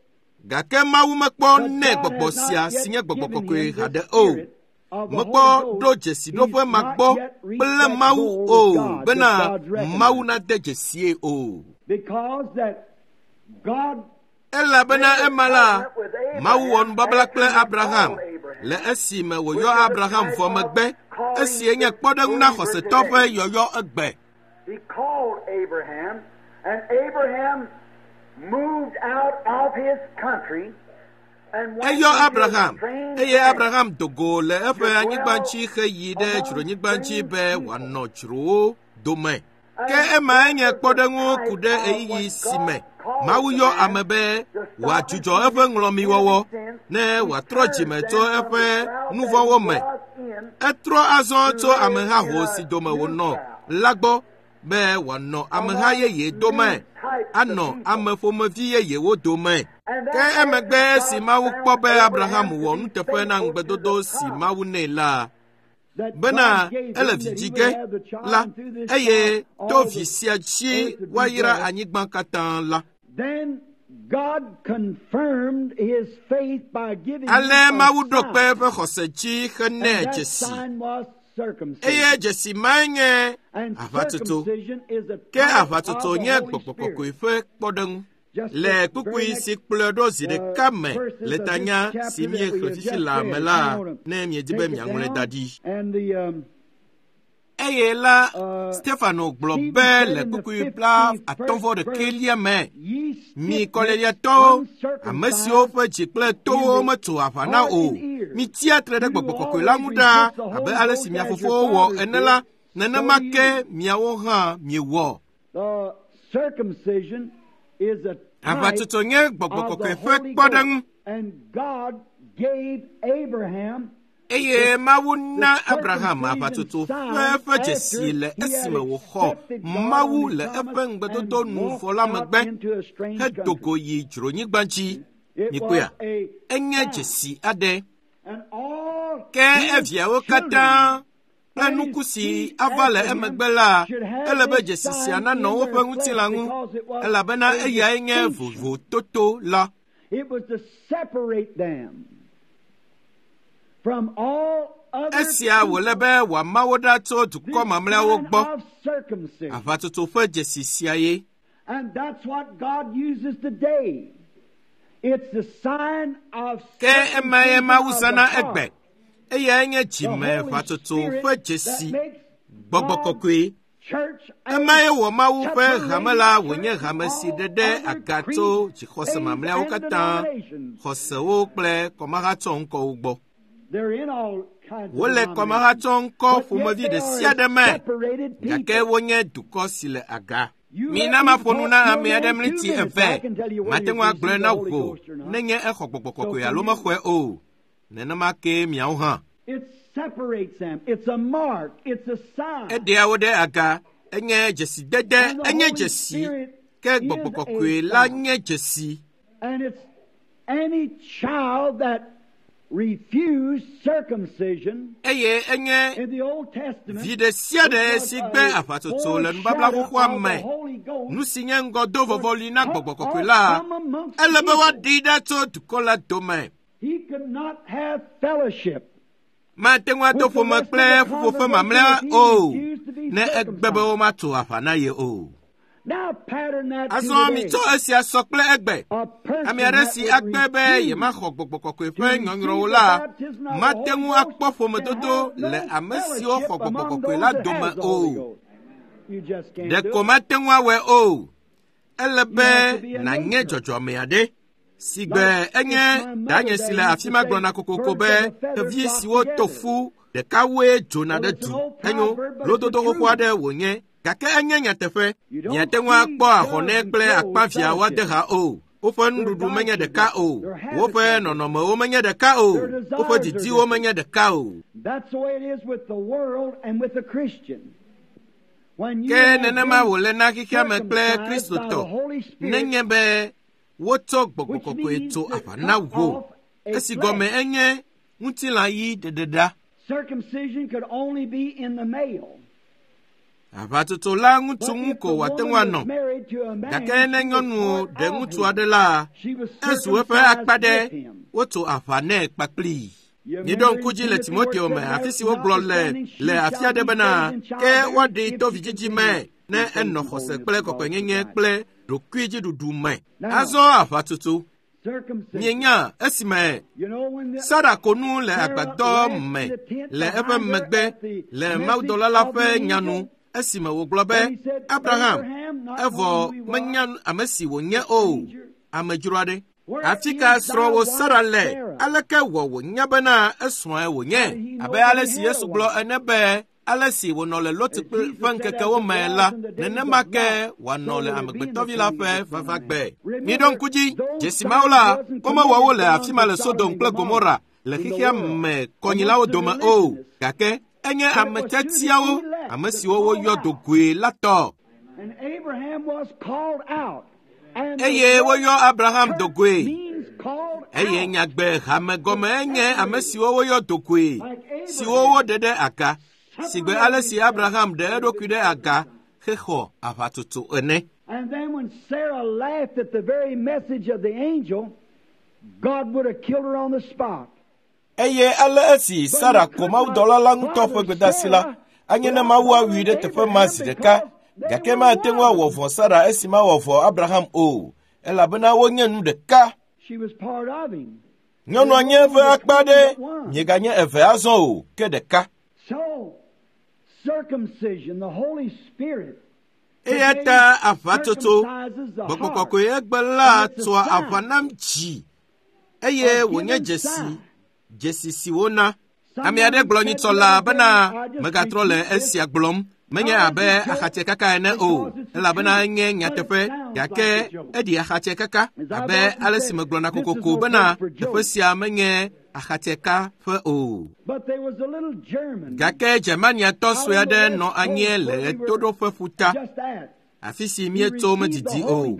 gake Mawu mekpɔ nɛ gbɔgbɔ sia si nye gbɔgbɔ kɔkɔe haɖe o. Mekpɔ ɖo dzesiɖoƒe ma gbɔ kple Mawu o bena Mawu nade dzesie o. Elabena ema la, Mawu wɔ nubabla kple Abraham le esime wòyɔ Abraham vɔ megbe, esi nye kpɔɖeŋu na xɔsetɔ ƒe yɔyɔ egbe. He called Abraham, and Abraham moved out of his country. Eyɔ Abraham, eye Abraham do go le eƒe anyigba dzi heyi ɖe dzronyigba dzi be wòanɔ dzrowo dome. Ke emae nye kpɔɖeŋu ku ɖe ɣeyiɣi si me Mawu yɔ ame be wòadzudzɔ eƒe ŋlɔmiwɔwɔ ne wòatrɔ dzime tso eƒe nuvɔ̃wo me. Etrɔ azɔ tso amehaho si dome wònɔ la gbɔ be wòanɔ ameha yeye dome, anɔ ame ƒomevi yeyewo dome. Ke emegbe esi Mawu kpɔ be Abraham wɔ nuteƒe na ŋugbedodo si Mawu nɛ la, bena ele vi dzi ge la, eye to vi sia dzi woayra anyigba katã la. Ale Mawu ɖo kpe eƒe xɔse dzi henɛ dzesi. Eye dzesi mae nye aʋatsotso. Ke aʋatsotso nye gbɔgbɔ kɔkɔe ƒe kpɔɖeŋu. Le kpukpui si kplɔe ɖo zi ɖeka me le tanya si míexlẽ fifi la me la, ne miedi be miaŋlɔe da ɖi. Eye la, Stefano gblɔ be le kpukpui bla atɔ̃ vɔ ɖekɛlia me, mi kɔleliatɔwo, ame siwo ƒe dzi kple towo metso aʋa na o, mitsia tre ɖe gbɔgbɔ kɔkɔe la ŋu ɖaa abe ale si mia fofowo wɔ ene la, nenema ke miawo hã miewɔ. Aʋatsotso nye gbɔgbɔ kɔkɔe ƒe kpɔɖeŋu. Eye Mawu na Abraham aʋatsotso ƒe eƒe dzesi le esime wòxɔ Mawu le eƒe ŋugbedodo nu vɔ la megbe hedo go yi dzronyigba dzi. Mikpɔea? Enye dzesi aɖe. Ke eviawo katã kple nuku si ava le emegbe la, ele be dzesi sia nanɔ woƒe ŋutilã ŋu, elabena eyae nye vovototo la. Esia wòle be wòama wo ɖa tso dukɔ mamlɛawo gbɔ. Aʋatsotso ƒe dzesi sia ye. Ke emae Mawu zãna egbe. Eyae nye dzimeʋatsotso ƒe dzesi, gbɔgbɔ kɔkɔe. Emae wɔ Mawu ƒe hame la wònye hame si ɖe ɖe aga tso dzixɔse mamlɛawo katã, xɔsewo kple kɔmahatsɔŋkɔwo gbɔ. Wole kɔmahatsɔŋkɔ ƒomevi ɖe sia ɖe me, gake wonye dukɔ si le aga. Mina maƒo nu na ame aɖe mliti eve, mate ŋu agblɔe na wò nenye exɔ gbɔgbɔ kɔkɔe alo mexɔe o. Nenema ke miawo hã. Eɖea wo ɖe aga, enye dzesidede, enye dzesi, ke gbɔgbɔ kɔkɔe la nye dzesi. Eye enye vi ɖe sia ɖe si gbe aʋatsotso le nubabla xoxoa me, nu si nye ŋgɔdo vɔvɔli na gbɔgbɔ kɔkɔe la, ele be woaɖee ɖa tso dukɔ la dome. Mate ŋu ado ƒome kple ƒuƒoƒe mamlɛa o, ne egbe be womatso aʋa na ye o. Azɔ mitsɔ esia sɔ kple egbe. Ame aɖe si agbe be yemaxɔ gbɔgbɔ kɔkɔe ƒe nyɔnyrɔwo la, mate ŋu akpɔ ƒomedodo le ame siwo xɔ gbɔgbɔ kɔkɔe la dome o. Ɖeko mate ŋu awɔe o. Ele be nànye dzɔdzɔme aɖe. Si gbe enye danye si le afi ma gblɔna kokoko be xevi siwo to fu ɖekawoe dzona ɖe du. Enyo lododo xoxo aɖe wònye. Gake enye nyateƒe. Miate ŋu akpɔ ahɔnɛ kple akpaviã woade ha o. Woƒe nuɖuɖu menye ɖeka o. Woƒe nɔnɔmewo menye ɖeka o. Woƒe didiwo menye ɖeka o. Ke nenema wòle na xexea me kple Kristotɔ nenye be wotsɔ gbɔgbɔ kɔkɔe tso aʋa na wò. Esi gɔme enye ŋutilã ɣi ɖeɖeɖa. Aʋatsotso la ŋutsu ŋu ko wòate ŋu anɔ. Gake ne nyɔnu ɖe ŋutsu aɖe la, ezu eƒe akpa ɖe, wotso aʋa nɛ kpakplii. Miɖo ŋku dzi le Timoteo me, afi si wogblɔ le le afi aɖe bena, ke woaɖee to vidzidzi me ne enɔ xɔse kple kɔkɔenyenye kple ɖokuidziɖuɖu me. Azɔ aʋatsotso. Mienya esime Sara ko nu le agbadɔ me le eƒe megbe le mawudɔla la ƒe nyanu esime wògblɔ be Abraham evɔ menya ame si wònye o, amedzro aɖe. Afi ka srɔ̃wò Sara le? Aleke wɔ wònya bena esrɔ̃e wònye? Abe ale si Yesu gblɔ ene be ale si wònɔ le Lot ƒe ŋkekewo me la, nenema ke wòanɔ le amegbetɔvi la ƒe vavagbe. Miɖo ŋku dzi, dzesi mawo la, womewɔ wo le afi ma le Sodom kple Gomora le xexea me kɔnyilawo dome o, gake enye ame tiatiawo, ame siwo woyɔ do goe la tɔ. Eye woyɔ Abraham do goe. Eye nyagbe hame gɔme enye ame siwo woyɔ do goe, siwo woɖe ɖe aga. Sigbe ale si Abraham ɖe eɖokui ɖe aga hexɔ aʋatsotso ene. And then when Sarah laughed at the very message of the angel, God would have killed her on the spot. Eye ale esi Sara ko mawudɔla la ŋutɔ ƒe gbedeasi la, anye ne Mawu awui ɖe teƒe ma zi ɖeka, gake mate ŋu awɔ vɔ̃ Sara esi mawɔ vɔ̃ Abraham o, elabena wonye nu ɖeka. She was part of him. Nyɔnua nye eƒe akpa ɖe, mieganye eve azɔ o, ke ɖeka. So, circumcision, the Holy Spirit, Eya ta aʋatsotso, gbɔgbɔ kɔkɔe egbe la tsoa aʋa nam dzi, eye wònye dzesi, dzesi si wona. Ame aɖe gblɔ nyitsɔ la bena megatrɔ le esia gblɔm, menye abe axatsɛkaka ene o, elabena enye nyateƒe, gake eɖi axatsɛkaka abe ale si megblɔna kokoko bena teƒe sia menye axatsɛka ƒe o. But there was a little German Gake Germaniatɔ sue aɖe nɔ anyi le ɣetoɖoƒe ƒuta, just at. afi si míetso medidi o.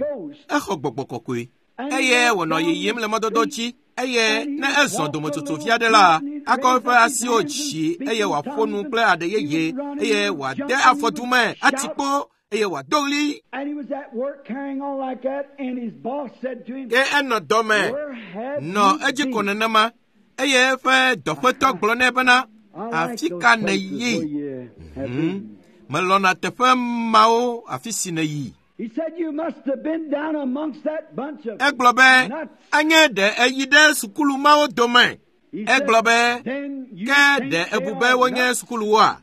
Exɔ gbɔgbɔ kɔkɔe eye wònɔ yiyim le mɔdodo dzi eye ne ezɔ dometsotso vi aɖe la, akɔ eƒe asiwo dzi eye wòaƒo nu kple aɖe yeye eye wòade afɔ du me ati kpo eye wòado ɣli. And he was at work carrying on like that, and his boss said to him, Ke enɔ dɔme Where have nɔ you edzi ko been? nenema eye eƒe dɔƒetɔ gblɔ nɛ bena I like afi those ka places nèyi? where you have been. Melɔna teƒe mawo afi si nèyi. He said, You must have been down amongst that bunch of. Egblɔ be anye ɖe eyi ɖe sukulu mawo dome. He said, Egblɔ be Then you ke think ɖe they ebu be are wonye nuts? sukuluwoa?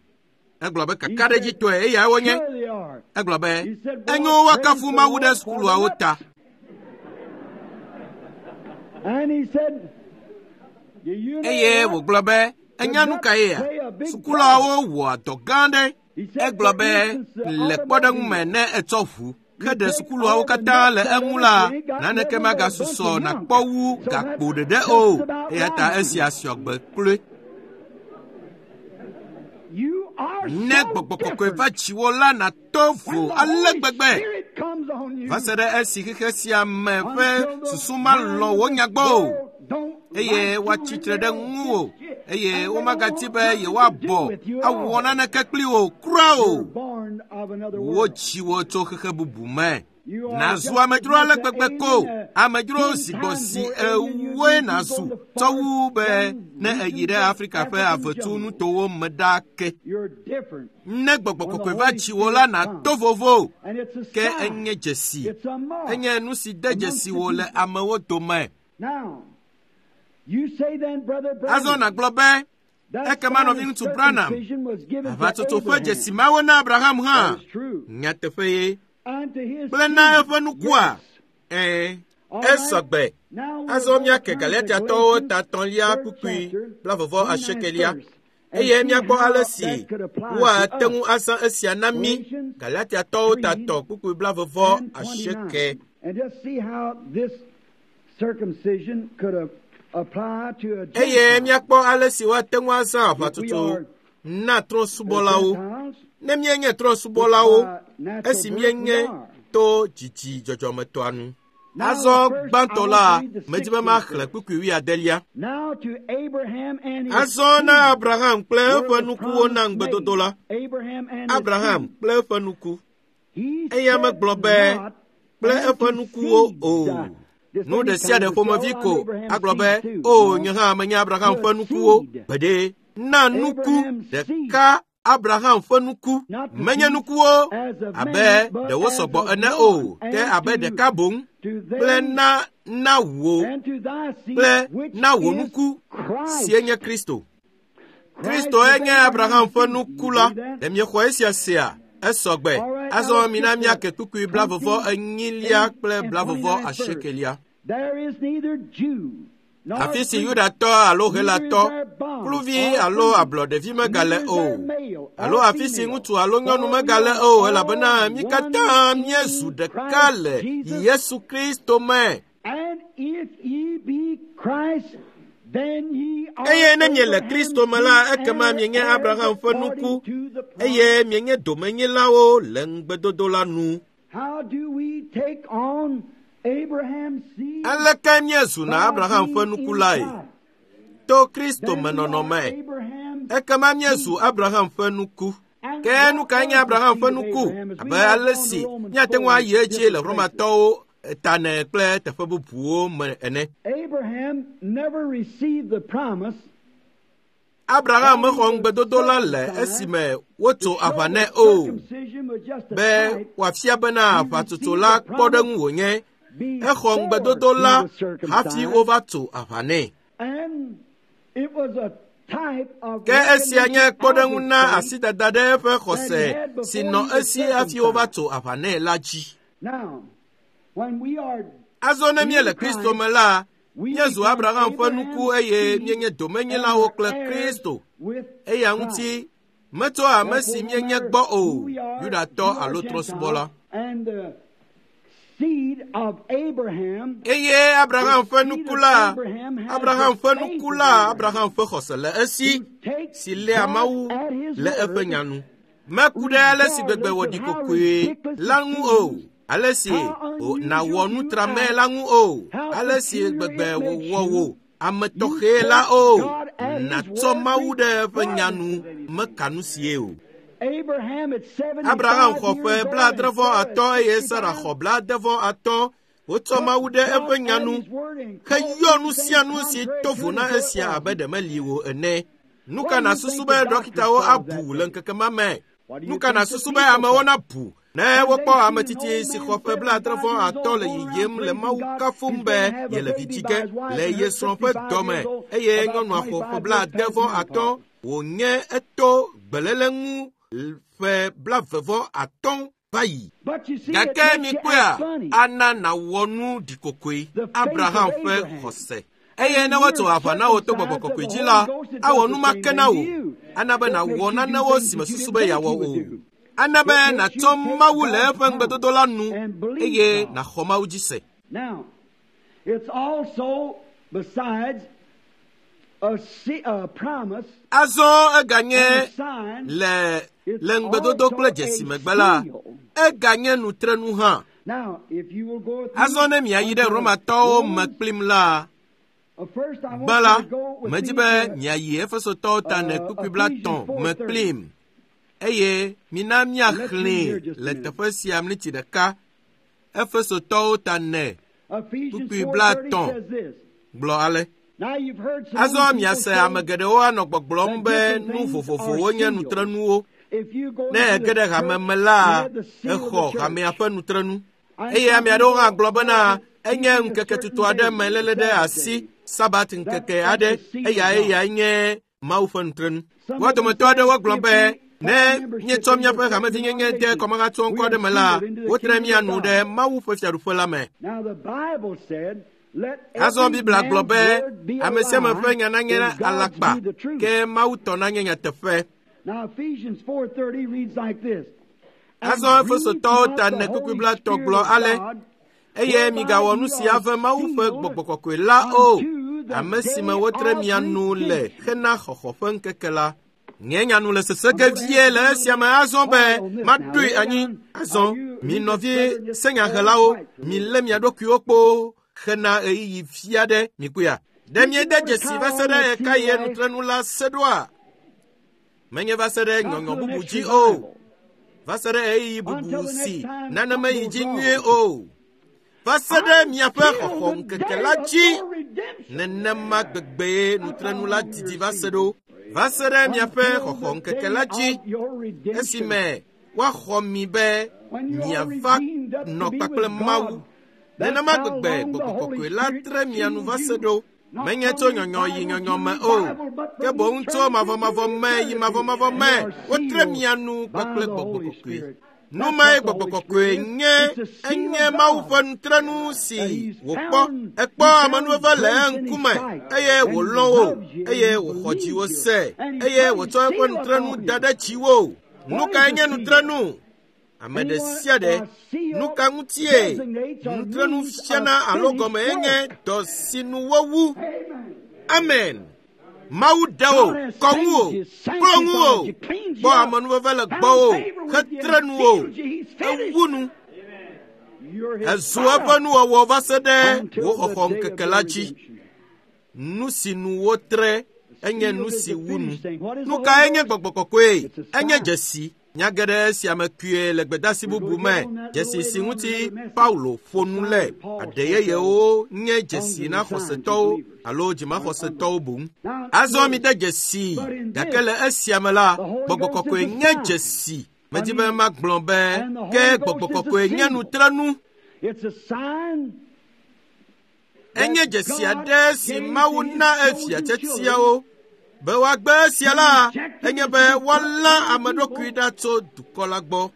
Egblɔ be kakaɖedzitɔe eyae wonye. Sure they are. Egblɔ be He said, "Well, enyo woakafu praise the Mawu ɖe Lord for the sukuluawo nuts." ta. And he said, Do you know Eye what? wògblɔ be enya nu ka yea? Sukuluawo wɔa dɔ gã aɖe. He said, Egblɔ "For be instance, the le kpɔɖeŋu me ne etsɔ ʋu ke ɖe sukuluawo katã le eŋu la, naneke magasusɔ nàkpɔ wu gakpo ɖeɖe o. Eya ta esia sɔgbe kloe. You are Ne so gbɔgbɔ kɔkɔe different. va dziwò la nàto vo When the ale Holy gbegbe. Spirit Va se ɖe esi xexe sia me ƒe susu malɔ̃ wò nya gbɔ o, eye woatsi tre ɖe ŋuwò, eye womagati be yewoabɔ awɔ naneke kpli wò kura o. Wotsi wò tso xexe bubu me. Nàzu amedzro ale gbegbe ko, amedzro si gbɔ si ewoe nàzu tsɔ wu be ne èyi ɖe Afrika ƒe avetu nutowo me ɖaa ke. Ne gbɔgbɔ kɔkɔe va tsi wò la, nàto vovo. Ke enye dzesi, enye nu si de dzesi wò le amewo dome. Azɔ nàgblɔ be, ekema nɔviŋutsu Branham, aʋatsotso ƒe dzesi mawo na Abraham hã. Nyateƒe ye. Kple na eƒe nukua. Ɛ̃, esɔgbe. Azɔ míake Galatiatɔwo ta etɔ̃lia kpukpui blaeve asiekelia eye míakpɔ ale si woate ŋu azã esia na mí. Galatiatɔwo ta etɔ̃ kpukpui blaeve asieke. Eye míakpɔ ale si woate ŋu azã aʋatsotso na trɔ̃subɔlawo. Ne míenye trɔ̃subɔlawo, esi míenye to dzidzi dzɔdzɔmetɔa nu. Azɔ gbãtɔ la, medi be maxlẽ kpukpui wuiadelia. Azɔ na Abraham kple eƒe nukuwo na ŋugbedodo la. Abraham kple eƒe nuku. Eya megblɔ be kple eƒe nukuwo o. Nu ɖe sia ɖe ƒomevi ko agblɔ be, o nye hã menye Abraham ƒe nukuwo. Gbeɖe, na nuku ɖeka Abraham ƒe nuku. Menye nukuwo abe ɖe wosɔgbɔ ene o, ke abe ɖeka boŋ kple na na wò kple na wò nuku sie nye Kristo. Kristoe nye Abraham ƒe nuku la. Ɖe miexɔ esia sea? Esɔgbe. Azɔ mina míake kpukpui blaeve enyilia kple blaeve asiekelia. Afi si Yudatɔ alo Helatɔ, kluvi alo ablɔɖevi megale o, alo afi si ŋutsu alo nyɔnu megale o, elabena mí katã míezu ɖeka le Yesu Kristo me. Eye ne miele Kristo me la, ekema mienye Abraham ƒe nuku, eye mienye domenyilawo le ŋugbedodo la nu. Aleke míezuna Abraham ƒe nuku lae? To Kristo me nɔnɔme. Ekema míezu Abraham ƒe nuku. Ke nu kae nye Abraham ƒe nuku? Abe ale si míate ŋu ayi edzi le Romatɔwo tane kple teƒe bubuwo me ene. Abraham mexɔ ŋugbedodo la le esime wotso aʋa nɛ o, be wòafia bena aʋatsotso la kpɔɖeŋu wònye. Exɔ ŋugbedodo la hafi wova tso aʋa nɛ. Ke esia nye kpɔɖeŋu na asidada ɖe eƒe xɔse si nɔ esi hafi wova tso aʋa nɛ la dzi. Azɔ ne míele Kristo me la, míezu Abraham ƒe nuku eye míenye domenyilawo kple Kristo. Eya ŋuti metso ame si míenye gbɔ o, Yudatɔ alo trɔ̃subɔla. Eye Abraham ƒe nuku la, Abraham ƒe nuku la, Abraham ƒe xɔse le esi si léa Mawu le eƒe nya nu. Meku ɖe ale si gbegbe wòɖi kokoe la ŋu o, ale si nàwɔ nu trame la ŋu o, ale si gbegbe wòwɔ wò ame tɔxɛ la o, nàtsɔ Mawu ɖe eƒe nya nu meka nu sie o. Abraham xɔ ƒe blaadre vɔ atɔ̃ eye Sara xɔ blaade vɔ atɔ̃. Wotsɔ Mawu ɖe eƒe nya nu heyɔ nu sia nu si to vo na esia abe ɖe meli o ene. Nu ka nàsusu be ɖɔkitawo abu le ŋkeke ma me? Nu ka nàsusu be amewo nabu ne wokpɔ ame tsitsi si xɔ ƒe blaadre vɔ atɔ̃ le yiyim le Mawu kafum be yele vi dzi ge le ye srɔ̃ ƒe dɔme eye nyɔnua xɔ ƒe blaade vɔ atɔ̃ wònye eto gbeléle ŋu ƒe blaeve vɔ atɔ̃ va yi. Gake mikpɔea, ana nàwɔ nu ɖikokoe Abraham ƒe xɔse. Eye ne woatso aʋa na wò to gbɔgbɔ kɔkɔe dzi la, awɔ nu ma ke na wò. Ana be nàwɔ nanewo si mesusu be yeawɔ o. Ana be nàtsɔ Mawu le eƒe ŋugbedodo la nu eye nàxɔ Mawu dzi se. Azɔ eganye le le ŋugbedodo kple dzesi megbe la, eganye nutrenu hã. Azɔ ne miayi ɖe Romatɔwo me kplim la, gbã la, medi be miayi Efesotɔwo ta ne kpukpui blaetɔ̃ me kplim eye mina míaxlẽe le teƒe sia miniti ɖeka. Efesotɔwo ta ne kpukpui blaetɔ̃ gblɔ ale. Azɔ miase ame geɖewo anɔ gbɔgblɔm be nu vovovowo nye nutrenuwo. Ne ege ɖe hame me la, exɔ hamea ƒe nutrenu. Eye ame aɖewo hã gblɔ bena enye ŋkeke tutu aɖe me léle ɖe asi, Sabat ŋkeke aɖe, eya eyae nye Mawu ƒe nutrenu. Wo dometɔ aɖewo gblɔ be ne míetsɔ míaƒe hamevinyenye de kɔmahatsɔ ŋkɔ aɖe me la, wotre mía nu ɖe Mawu ƒe fiaɖuƒe la me. Azɔ Biblia gblɔ be ame sia ame ƒe nya nanye alakpa, ke Mawu tɔ nanye nyateƒe. Azɔ Efesotɔwo ta ne kpukpui blaetɔ̃ gblɔ ale, eye migawɔ nu si ave Mawu ƒe gbɔgbɔ kɔkɔe la o, ame si me wotre mia nu le hena xɔxɔ ƒe ŋkeke la. Nye nya nu le sese ge vie le esia me azɔ be maɖoe anyi. Azɔ mi nɔvi senyahelawo, milé mia ɖokuiwo kpoo hena ɣeyiɣi vi aɖe mikuya. Ɖe miede dzesi va se ɖe ɣekaɣie nutrenu la se ɖoa? Menye va se ɖe nyɔnyɔ bubu dzi o, va se ɖe ɣeyiɣi bubu si nane meyi dzi nyuie o, va se ɖe miaƒe xɔxɔ ŋkeke la dzi. Nenema gbegbee nutrenu la didi va se ɖo, va se ɖe miaƒe xɔxɔ ŋkeke la dzi, esime woaxɔ mi be miava nɔ kpakple Mawu. Nenema gbegbe gbɔgbɔ kɔkɔe la tre mia nu va se ɖo. Menye tso nyɔnyɔ yi nyɔnyɔ me o, ke boŋ tso mavɔmavɔ me yi mavɔmavɔ me, wotre mia nu kpakple gbɔgbɔ kɔkɔe. Nu mae gbɔgbɔ kɔkɔe nye, enye Mawu ƒe nutrenu si wòkpɔ. Ekpɔ amenuveve le eŋkume, eye wòlɔ̃ wo, eye wòxɔ dziwo se, eye wòtsɔ eƒe nutrenu da ɖe dziwò. Nu kae nye nutrenu? Ame ɖe sia ɖe, nu ka ŋutie nutrenu fiana alo gɔme enye dɔ si nu wowu? Amen. Mawu ɖe wò, kɔ ŋu wò, kplɔ ŋu wò, kpɔ amenuveve le gbɔwò, hetre nu wò, ewu nu. Ezu eƒe nuwɔwɔ va se ɖe wò xɔxɔ ŋkeke la dzi. Nu si nu wotre enye nu si wu nu. Nu kae nye gbɔgbɔ kɔkɔe? Enye dzesi. Nya geɖe sia me kpuie le gbedasi bubu me, dzesi si ŋuti Paulo ƒo nu le. Aɖe yeyewo nye dzesi na xɔsetɔwo alo dzimaxɔsetɔwo boŋ. Azɔ mide dzesi, gake le esia me la, gbɔgbɔ kɔkɔe nye dzesi. Medi be magblɔ be ke gbɔgbɔ kɔkɔe nye nutrenu. Enye dzesi aɖe si Mawu na efia tiatiawo. Be woagbe esia la, enye be woalã ame ɖokui ɖa tso dukɔ la gbɔ.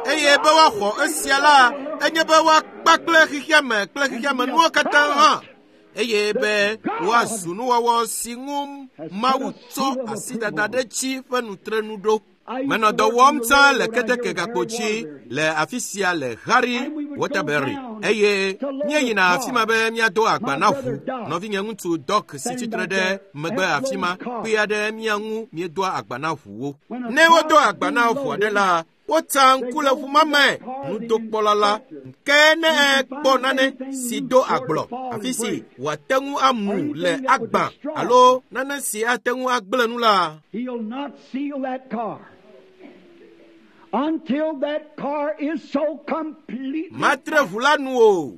Eye be woaxɔ esia la, enye be woakpa kple xexeame kple xexeamenuwo katã hã. Eye be woazu nuwɔwɔ si ŋu Mawu tsɔ asidada ɖe dzi ƒe nutrenu ɖo. Menɔ dɔ wɔm tsã le keteke gakpo dzi le afi sia le Harry Waterbury eye míeyina afi ma be míado agba na ʋu. Nɔvinye ŋutsu Doc si tsitre ɖe megbe afi ma kpea ɖe mía ŋu míedoa agba na ʋuwo. Ne wodo agba na ʋu aɖe la, wotsa ŋku le ʋu ma me nudokpɔla la ke ne ekpɔ nane si do agblɔ afi si wòate ŋu amu le agbã alo nane si ate ŋu agblẽ nu la, matre ʋu la nu o.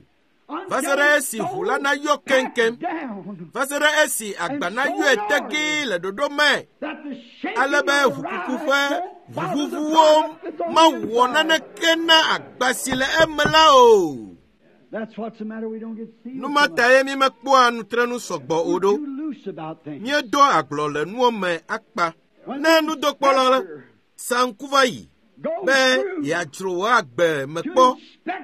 Va se ɖe esi ʋu la nayɔ keŋkeŋ, va se ɖe esi agba nayɔe tegee le ɖoɖo me, ale be ʋukuku ƒe ʋuʋuʋuwo mawɔ naneke na agba si le eme la o. Nu ma tae mímekpɔa nutrenu sɔgbɔ o ɖo. Míedoa agblɔ le nuwo me akpa. Ne nudokpɔla sa ŋku va yi be yeadzro wò agbe me kpɔ,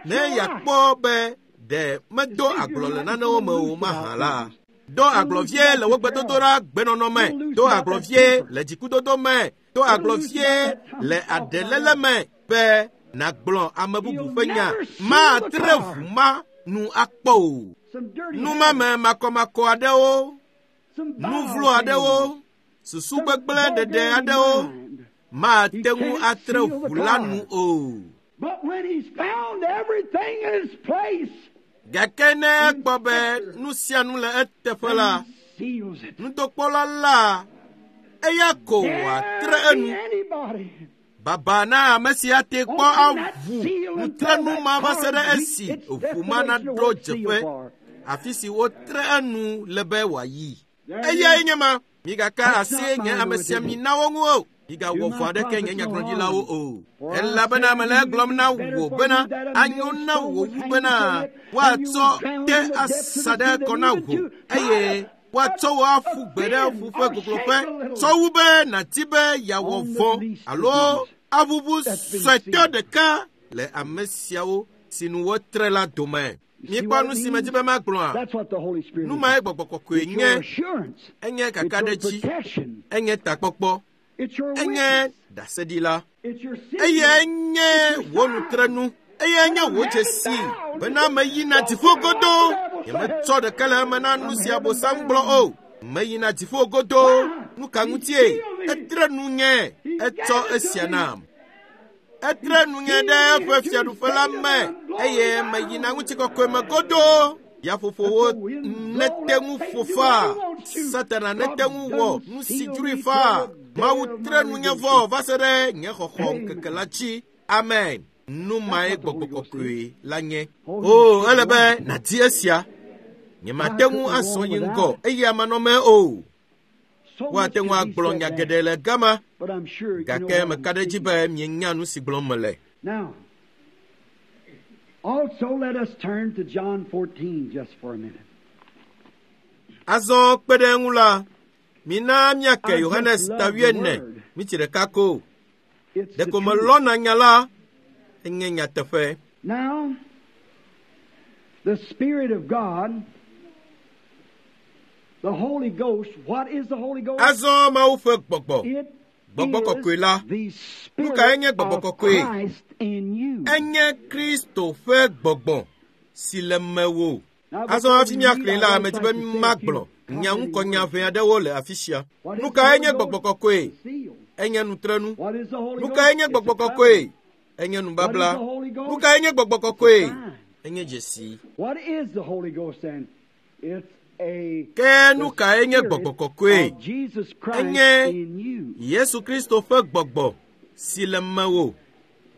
ne yeakpɔ be ɖe medo agblɔ le nanewo me o mahã la, do agblɔ vie le wò gbedodoɖa gbenɔnɔ me, do agblɔ vie le dzikudodo me, do agblɔ vie le aɖelele me be nàgblɔ ame bubu ƒe nya. Matre ʋu ma nu akpɔ o. Numame makɔmakɔ aɖewo, nu vlo aɖewo, susu gbegblẽ ɖeɖe aɖewo mate ŋu atre ʋu la nu o. Gake ne ekpɔ be nu sia nu le eteƒe la, nudokpɔla la eya ko wòatre enu. Baba na ame si ate kpɔ aʋu nutrenu ma va se ɖe esi ʋu ma naɖo dzeƒe afi si wotre enu le be wòayi. Eyae nye ma. Migaka asi nye ame sia minawo ŋu o. Migawɔ vɔ̃ aɖeke nye nyagblɔɖilawo o. Elabena mele egblɔm na wò bena anyo na wò wu bena woatsɔ te asa ɖe kɔ na wò eye woatsɔ wò aƒu gbe ɖe ƒu ƒe gogloƒe tsɔ wu be nàdi be yeawɔ vɔ̃ alo aʋuʋu suetɔ ɖeka le ame siawo si nu wotre la dome. Mikpɔ nu si medzi be magblɔa? Nu mae gbɔgbɔ kɔkɔe nye. Enye kakaɖedzi, enye takpɔkpɔ, enye ɖaseɖila, eye nye wò nutrenu, eye nye wò dzesi bena meyina dziƒo godoo. Nyemetsɔ ɖeke le eme na nu si Abosam gblɔ o. Meyina dziƒo godoo. Nu ka ŋutie? Etre nu nye, etsɔ esia nam. Etre nu nye ɖe eƒe fiaɖuƒe la me eye meyina ŋutikɔkɔe me godoo. Yaƒoƒowo nete ŋu ƒo faa, Satana nete ŋu wɔ nu si dzroe faa. Mawu tre nu nye vɔ va se ɖe nye xɔxɔ ŋkeke la dzi. Amen. Nu mae gbɔgbɔ kɔkɔe la nye. O, ele be nàdi esia. Nyemate ŋu azɔ yi ŋgɔ eye amanɔmee o. Woate ŋu agblɔ nya geɖe le gama, gake meka ɖe edzi be mienya nu si gblɔm mele. Also, let us turn to John fourteen just for a minute. Azɔ kpe ɖe eŋu la, mina míake Yohanes ta wuiene mitsi ɖeka ko. Ɖeko melɔ̃na nya la, enye nyateƒe. Now, the Spirit of God, the Holy Ghost, what is the Holy Ghost? Azɔ Mawu ƒe gbɔgbɔ, gbɔgbɔ kɔkɔe la, nu kae nye gbɔgbɔ kɔkɔe? Enye Kristo ƒe gbɔgbɔ si le mewò. Azɔ hafi míaxlẽe la, medzi be magblɔ nya ŋkɔnya ʋɛ aɖewo le afi sia. Nu kae nye gbɔgbɔ kɔkɔe? Enye nutrenu. Nu kae nye gbɔgbɔ kɔkɔe? Enye nubabla. Nu kae nye gbɔgbɔ kɔkɔe? Enye dzesi. Ke nu kae nye gbɔgbɔ kɔkɔe? Enye Yesu Kristo ƒe gbɔgbɔ si le mewò.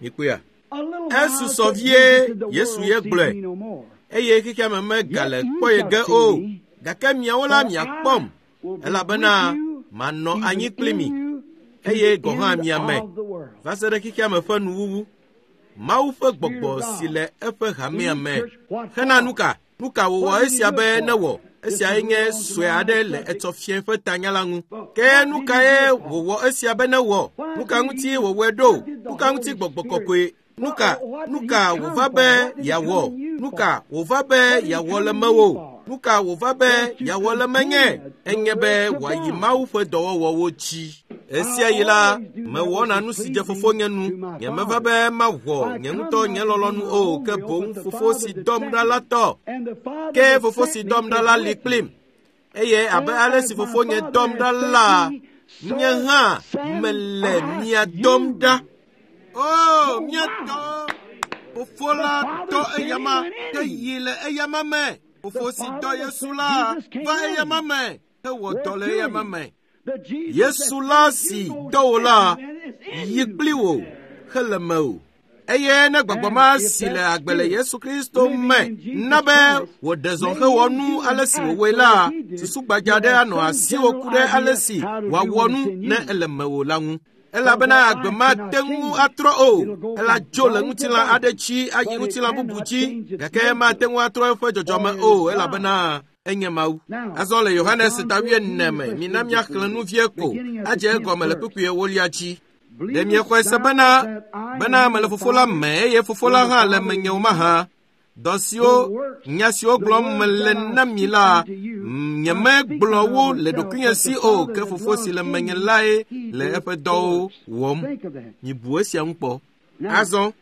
Mikpɔea? Esusɔ vie Yesu ye gblɔe eye xexea me megale kpɔ ye ge o. Gake miawo la miakpɔm elabena manɔ anyi kpli mi eye gɔ̃ hã mia me va se ɖe xexea me ƒe nuwuwu. Mawu ƒe gbɔgbɔ si le eƒe hamea me. Hena nu ka? Nu ka wòwɔ esia be newɔ? Esiae nye sue aɖe le etsɔ fia ƒe tanya la ŋu. Ke nu kae wòwɔ esia be newɔ? Nu ka ŋuti wòwɔe ɖo? Nu ka ŋuti gbɔgbɔ kɔkɔe? Nu ka nu ka wòva be yeawɔ? Nu ka wòva be yeawɔ le mewò? Nu ka wòva be yeawɔ le menye? Enye be wòayi Mawu ƒe dɔwɔwɔwo dzi. Esia yi la, mewɔna nu si dze fofonye nu. Nyemeva be mawɔ nye ŋutɔ nye lɔlɔ̃nu o, ke boŋ fofo si dɔm ɖa la tɔ. Ke fofo si dɔm ɖa la li kplim. Eye abe ale si fofonye dɔm ɖa la, nye hã mele mia dɔm ɖa. O, mía tɔ! Fofo la dɔ eyama, ke yi le eyama me. Fofo si dɔ Yesu la va eyama me, hewɔ dɔ le eyama me. Yesu la si dɔ wò la yi kpli wò hele mewò. Eye ne gbɔgbɔ ma si le agbe le Yesu Kristo me na be wòɖe zɔ hewɔ nu ale si wòwɔe la, susu gbadza aɖe anɔ asiwò ku ɖe ale si wòawɔ nu ne ele mewò la ŋu. Elabena agbe mate ŋu atrɔ o. Ela dzo le ŋutilã aɖe dzi ayi ŋutilã bubu dzi, gake mate ŋu atrɔ eƒe dzɔdzɔme o elabena enye Mawu. Azɔ le Yohanes ta wuiene me, mina míaxlẽ nu vie ko adze egɔme le kpukpui ewolia dzi. Ɖe miexɔe se bena bena mele fofo la me eye fofo la hã le menye o mahã? Dɔ siwo nya siwo gblɔm mele na mi la, nyemegblɔ wo le ɖokuinye si o, ke fofo si le menye lae le eƒe dɔwo wɔm. Mibu esia ŋu kpɔ. Azɔ,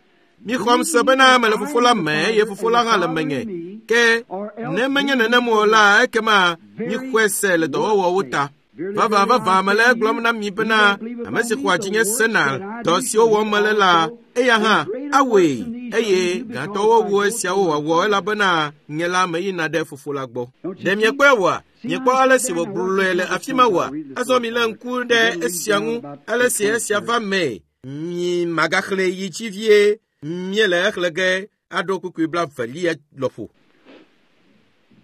mixɔm se bena mele fofo la me eye fofo la hã le menye, Ke ne menye nenem o la, ekema mixɔe se le dɔwɔwɔwo ta. Vavã vavã mele egblɔm na mi bena ame si xɔa dzinye sena dɔ siwo wɔm mele la, eya hã awɔe eye gãtɔwo wu esiawo wòawɔ elabena nye la meyina ɖe fofo la gbɔ. Ɖe miekpɔe oa? Miekpɔ ale si wògblɔe le afi ma oa? Azɔ milé ŋku ɖe esia ŋu, ale si esia va mee. Mi magaxlẽe yi dzi vie, míele exlẽ ge aɖo kpukpui blavelia lɔƒo.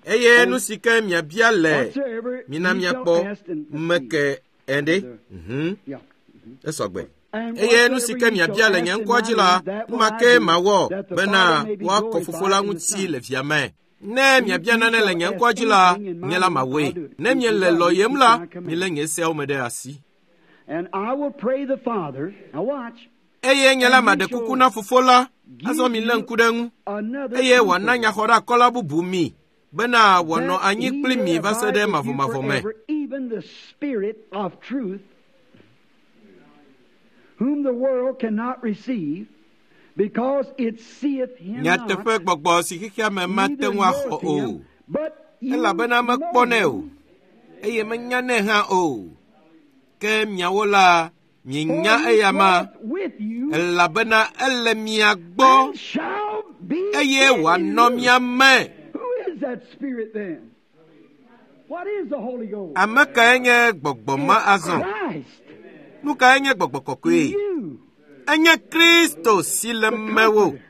Eye nu si ke miabia le mina miakpɔ meke ene. Mhm. Esɔgbe. Eye nu si ke miabia le nye ŋkɔa dzi la, nu ma ke mawɔ bena woakɔ fofo la ŋuti le via me. Ne miabia nane le nye ŋkɔa dzi la, nye la mawɔe. Ne miele lɔyem la, milé nye seawo me ɖe asi. And I will pray the Father. Now watch. Eye nye la maɖe kuku na fofo la, azɔ milé ŋku ɖe eŋu. Another Eye wòana comforter, nyaxɔɖeakɔla bubu mi bena wòanɔ that anyi he kpli may mi va se abide ɖe with you mavɔmavɔ me. forever, even the Spirit of truth, whom the world cannot receive, because it seeth him not, Nyateƒe gbɔgbɔ si xexea me mate neither ŋu axɔ knoweth o, him, but you elabena know mekpɔnɛ o, him, eye menyanɛ hã o. Ke miawo la, for mienya he eya ma, dwelleth with you elabena ele mia gbɔ and shall be eye in wòanɔ you. mia me. Who is that Spirit then? What is the Holy Ghost? Ame kae nye gbɔgbɔ ma azɔ? Christ. Nu kae nye gbɔgbɔ kɔkɔe? You. Enye Kristo si le The mewò. Comforter.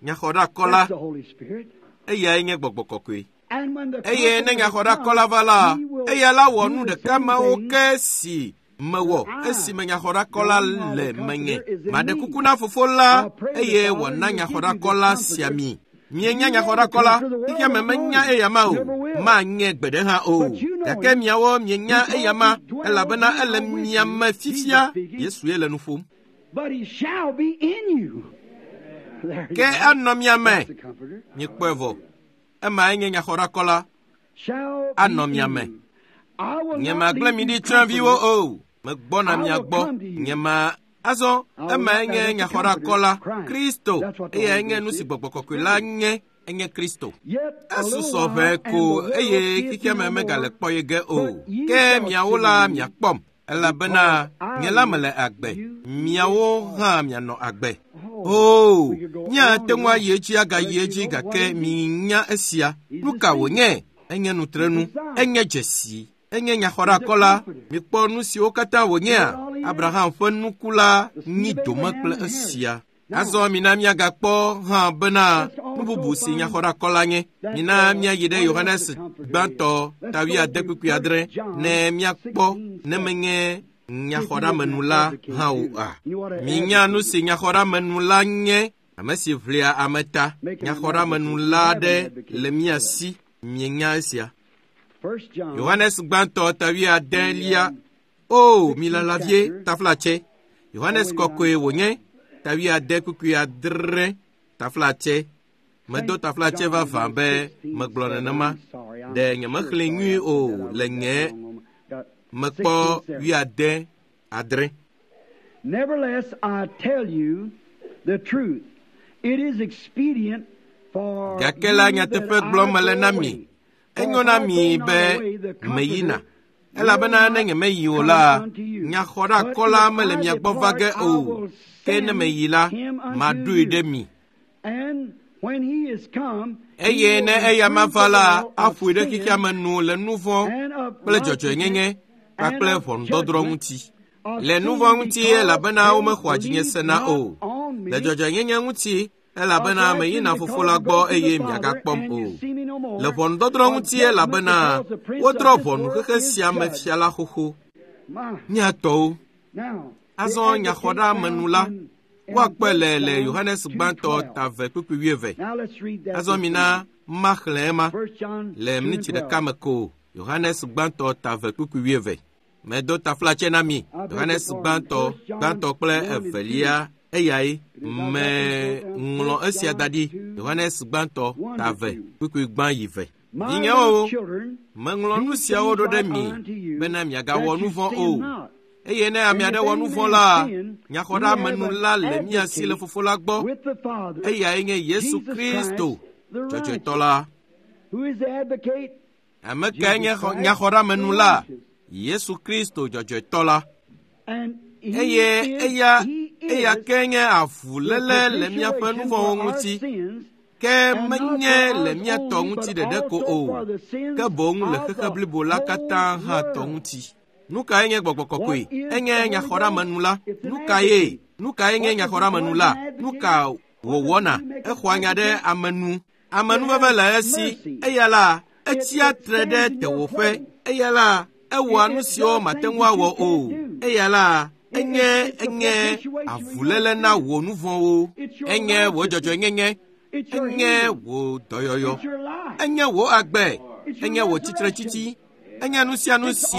Nyaxɔɖeakɔla, That's the Holy Spirit. eyae nye gbɔgbɔ kɔkɔe. And when the Eye ne Comforter nyaxɔɖeakɔla va la, comes, he will eya la wɔ do nu the ɖeka same mawo thing ke si mewɔ esime nyaxɔɖeakɔla le menye. Maɖe kuku na fofo la eye wòana nyaxɔɖeakɔla sia mi. Mienya nyaxɔɖeakɔla, xexea me menya eya ma o, manye gbe ɖe hã o. Gake miawo mienya eya ma, elabena ele mia me fifia. Yesue le nu ƒom. But he shall be in you. There you Ke go. anɔ mia me. That's the Comforter. Miekpɔe vɔ. Emae nye nyaxɔɖeakɔla. Shall be Anɔ mia in me. you. I will Nye not magblẽ leave mi you ɖi tsyɔ̃eviwo comfortless. o. Megbɔna mia gbɔ. Nye ma azɔ emae nye nyaxɔɖeakɔla Kristo. Eyae nye nu si gbɔgbɔ kɔkɔe la nye. Enye Kristo. Yet a little Esusɔ while, ʋɛ and ko the world eye seeth xexea me me no megale more, kpɔ ye ge o. but ye Ke shall miawo see la me, miakpɔm elabena nye la mele agbe. Miawo hã mianɔ agbe. Oh, O, we could go on míate and ŋu on. ayi edzi agayi Let you edzi know what gake it is. minya esia. He's Nu the ka seed. wònye? Enye nutrenu, He's the sign. enye dzesi, enye He's the nyaxɔɖeakɔla. comforter. Mikpɔ nu siwo katã You know what wònyea? all he is? Abraham ƒe nuku la The seed nyi of dome Abraham kple inherited. esia. Now, Azɔ mina míagakpɔ hã bena let's nu also bubu si find nyaxɔɖeakɔla nye. that Mina uh, míayi ɖe what else Yohanes the Comforter is. gbãtɔ Let's ta go wuiade to kpukpui adre First John ne míakpɔ sixteen ne seven. menye If you nyaxɔɖeamenu would la advocate hã too. oa. You ought to Minya nu advocate si it. nyaxɔɖeamenu la nye, ame si ʋlia ame ta. Make him an Nyaxɔɖeamenu advocate. You la have an ɖe advocate le for mía that. si. Mienya esia. First John, Yohanes gbãtɔ ta the wuiadelia. um, O, mi sixteenth lala vie chapter. taflatse. Oh, Yohanes wait, I'm kɔkɔe sorry. wònye ta wuiade kpukpui adre taflatse. Medo Saint taflatse John vavã is be sixteen megblɔ seven. nenema. I'm sorry. I'm Ɖe sure nyemexlẽe sorry nyuie I o said that. I le wrote that nye wrong moment. Got mekpɔ sixteen seven. wuiade adre. Nevertheless, I tell you the truth. It is expedient for Gake la you that nyateƒe I gblɔm mele go na mi. away. For Enyo if na I go mi not be away, the meyina. Comforter will Elabena ne not nyemeyi o come la, unto you. But nyaxɔɖeakɔla if mele I mia gbɔ va depart, ge I o. will Ke ne send meyi la, him unto maɖoe ɖe you. mi. And when he is come, he Eye will ne eya reprove mava the la, world of aƒoe ɖe xexea sin me nu le nu vɔ̃ and of kple righteousness dzɔdzɔenyenye and kpakple of ʋɔnudɔdrɔ̃ judgment, ŋuti. of Le nu sin vɔ̃ ŋuti because elabena they womexɔa dzinye believe sena not o. on Le me, dzɔdzɔenyenye ŋuti of elabena meyina righteousness fofo because la I gbɔ go to the eye Father miagakpɔm and you o. see me no Le more, ʋɔnudɔdrɔ̃ of ŋuti judgment elabena because the prince of wodrɔ̃ this ʋɔnu world xexe is sia me judged. fia la xoxo. My. Míatɔwo. Now, the Azɔ advocate nyaxɔɖeamenu found la, in, in woakpɔe First le le John Yohanes two gbãtɔ twelve. ta eve kpukpui wuieve. Now let's read that Azɔ this mina morning. maxlẽ ema First John le two and miniti ɖeka twelve. me ko. Yohanes gbãtɔ ta eve kpukpui wuieve. Medo taflatse na mi. I beg your Yohanes pardon. gbãtɔ First John gbãtɔ kple one and two. evelia eyae It is I got this wrote down. meŋlɔ First esia da John ɖi. two Yohanes gbãtɔ one ta to eve two. kpukpui gbã yi ve. My Vinyewo, little children, meŋlɔ nu these siawo things ɖo ɖe write mi I unto you, bena miagawɔ that nu you vɔ̃ sin o. not. Eye ne ame And aɖe if wɔ any nu vɔ̃ man la, sin, we have nyaxɔɖeamenu an la le mía si le advocate fofo la gbɔ. with the Father, Eyae nye Yesu Jesus Kristo, Christ, the dzɔdzɔetɔ righteous. la. Ame kae nye nyaxɔɖeamenu la? Yesu Kristo dzɔdzɔetɔ la. Eye eya eya ke nye avuléle le míaƒe nu vɔ̃wo ŋuti, ke menye le mía tɔ ŋuti ɖeɖe ko o, ke boŋ le xexe blibo la katã hã tɔ ŋuti. Nu kae nye gbɔgbɔ kɔkɔe? Enye nyaxɔɖeamenu la. Nu kae? Nu kae nye nyaxɔɖeamenu la? Nu ka wòwɔna? Exɔa nya ɖe ame nu. Amenuveve le esi. Eya la, etsia tre ɖe tewòƒe. Eya la, ewɔa nu siwo mate ŋu awɔ o. Eya la, enye enye avuléle na wò nu vɔ̃wo. Enye wò dzɔdzɔenyenye. Enye wò dɔyɔyɔ. Enye wò agbe. Enye wò tsitretsitsi. Enye nu sia nu si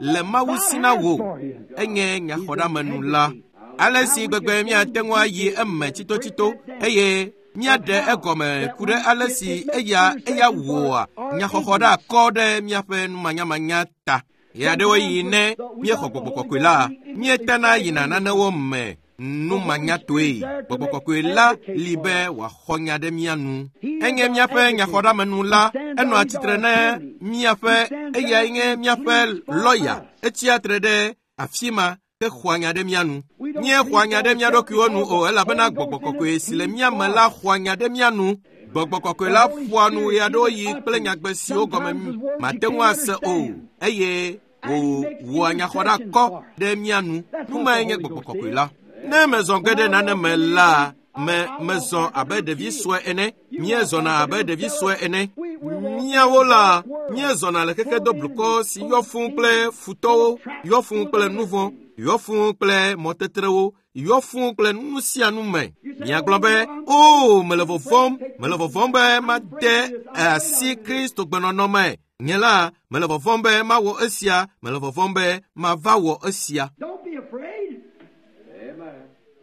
le Mawu si na wò. Enye nyaxɔɖeamenu la. Ale si gbegbe míate ŋu ayi eme tsitotsito eye míaɖe egɔme ku ɖe ale si eya eya wɔa nyaxɔxɔ ɖe akɔ ɖe míaƒe numanyamanya ta. Ɣeaɖewoɣi ne míexɔ gbɔgbɔ kɔkɔe la, míetana yina nanewo me numanyatoe. Gbɔgbɔ kɔkɔe la li be wòaxɔ nya ɖe mía nu. Enye míaƒe nyaxɔɖeamenu la. Enɔa tsitre ne míaƒe eyae nye míaƒe lɔya. Etsia tre ɖe afi ma ke xɔa nya ɖe mía nu. Míexɔa nya ɖe mía ɖokuiwo nu o, elabena gbɔgbɔ kɔkɔe si le mía me la xɔa nya ɖe mía nu. Gbɔgbɔ kɔkɔe la ƒoa nu ɣeaɖewoɣi kple nyagbe siwo gɔme mate ŋu ase o, eye wòwɔa nyaxɔɖeakɔ ɖe mía nu. Nu mae nye gbɔgbɔ kɔkɔe la. Ne mezɔ ge ɖe nane me la, me mezɔ abe ɖevi sue ene. Míezɔna abe ɖevi sue ene. Míawo la, míezɔna le xexe doblukɔ si yɔ fũu kple futɔwo, yɔ fũu kple nu vɔ̃, yɔ fũu kple mɔtetrewo, yɔ fũu kple nu sia nu me. Miagblɔ be, "O, mele vɔvɔ̃m, mele vɔvɔ̃m be made asi Kristo gbenɔnɔ me. Nye la, mele vɔvɔ̃m be mawɔ esia, mele vɔvɔ̃m be mava wɔ esia."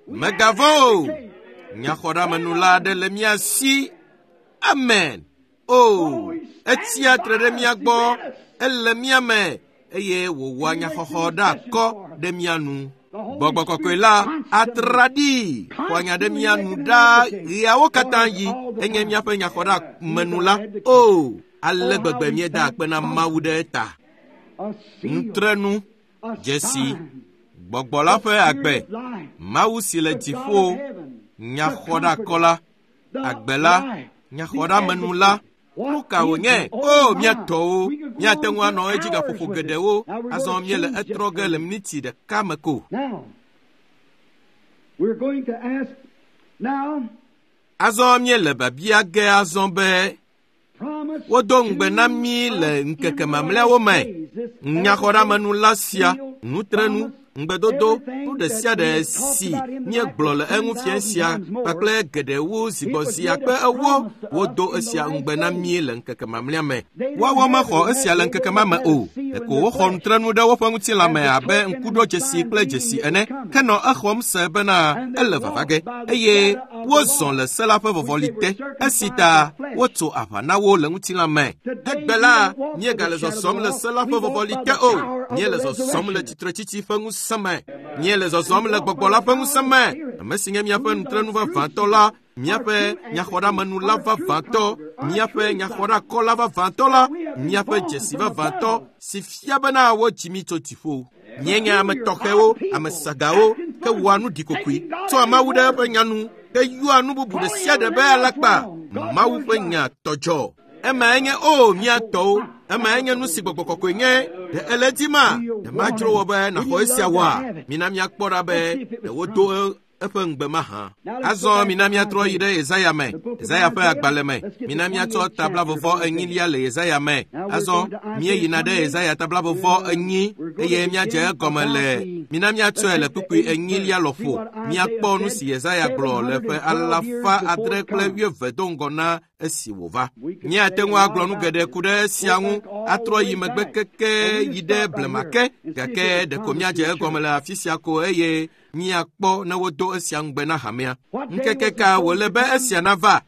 Megavɔ̃ o. Nyaxɔɖeamenu la aɖe le mía si. Amen. O, etsia tre ɖe mía gbɔ, ele mía me, eye wòwɔa nyaxɔxɔ ɖe akɔ ɖe mía nu. Gbɔgbɔ kɔkɔe la atraɖii xɔa nya ɖe mía nu ɖaa ɣeawo katã yi. Enye míaƒe nyaxɔɖeamenu la. O, ale gbegbe míeda akpe na Mawu ɖe eta. Nutrenu, dzesi, gbɔgbɔ la ƒe agbe, Mawu si le dziƒo, nyaxɔɖeakɔ la, agbe la, nyaxɔɖeamenu la. Nu ka wònye? O, mía tɔwo, míate ŋu anɔ edzi gaƒoƒo geɖewo. Azɔ míele etrɔ ge le miniti ɖeka me ko. Azɔ míele biabia ge azɔ be wodo ŋugbe na mí le ŋkeke mamlɛawo me. Nyaxɔɖeamenu la sia, nutrenu, ŋugbedodo, nu ɖe sia ɖe si míegblɔ le eŋu fia sia kpakple geɖewo zi gbɔ zi akpe ewo, wodo esia ŋugbe na mí le ŋkeke mamlɛa me. Woawo mexɔ esia le ŋkeke ma me o. Ɖeko woxɔ nutrenu ɖe woƒe ŋutilã me abe ŋkuɖodzesi kple dzesi ene, ke nɔ exɔm se bena ele vava ge, eye wozɔ le se la ƒe vɔvɔli te, esi ta wotso aʋa na wo le ŋutilã me. Egbe la, míegale zɔzɔm le se la ƒe vɔvɔli te o. Míele zɔzɔm le tsitretsitsi ƒe ŋusẽ me. Míele zɔzɔm le gbɔgbɔ la ƒe ŋusẽ me. Ame si nye míaƒe nutrenu vavãtɔ la, míaƒe nyaxɔɖeamenu la vavãtɔ, míaƒe nyaxɔɖeakɔ la vavãtɔ la, míaƒe dzesi vavãtɔ si fia bena wodzi mí tso dziƒo. Míenye ame tɔxɛwo, ame sagawo, ke wɔa nu ɖikokoe, tsɔa Mawu ɖe eƒe nya nu, ke yɔa nu bubu ɖe sia ɖe be alakpa. Mawu ƒe nya tɔdzɔ. Emae nye o mía tɔwo. Emae nye nu si gbɔgbɔ kɔkɔe nye. Ɖe ele dzi ma? Ɖe madzro wɔ be nàxɔ esia wɔa? Mina míakpɔ ɖa be ɖe wodo eƒe ŋugbe mahã. Azɔ mina míatrɔ yi ɖe Yesaya me, Yesaya ƒe agbalẽ me. Mina míatsɔ tablavɔvɔ enyilia le Yesaya me. Azɔ míeyina ɖe Yesaya tablavɔvɔ enyi eye míadze egɔme le mina míatsɔe le kpukpui enyilia lɔƒo. Míakpɔ nu si Yesaya gblɔ le ƒe alafa adre kple wuieve do ŋgɔ na esi wòva. Míate ŋu agblɔ nu geɖe ku ɖe esia ŋu, atrɔ yi megbe keke yi ɖe blema ke, gake ɖeko míadze egɔme le afi sia ko eye míakpɔ ne wodo esia ŋugbe na hamea. Ŋkeke ka wòle be esia nava?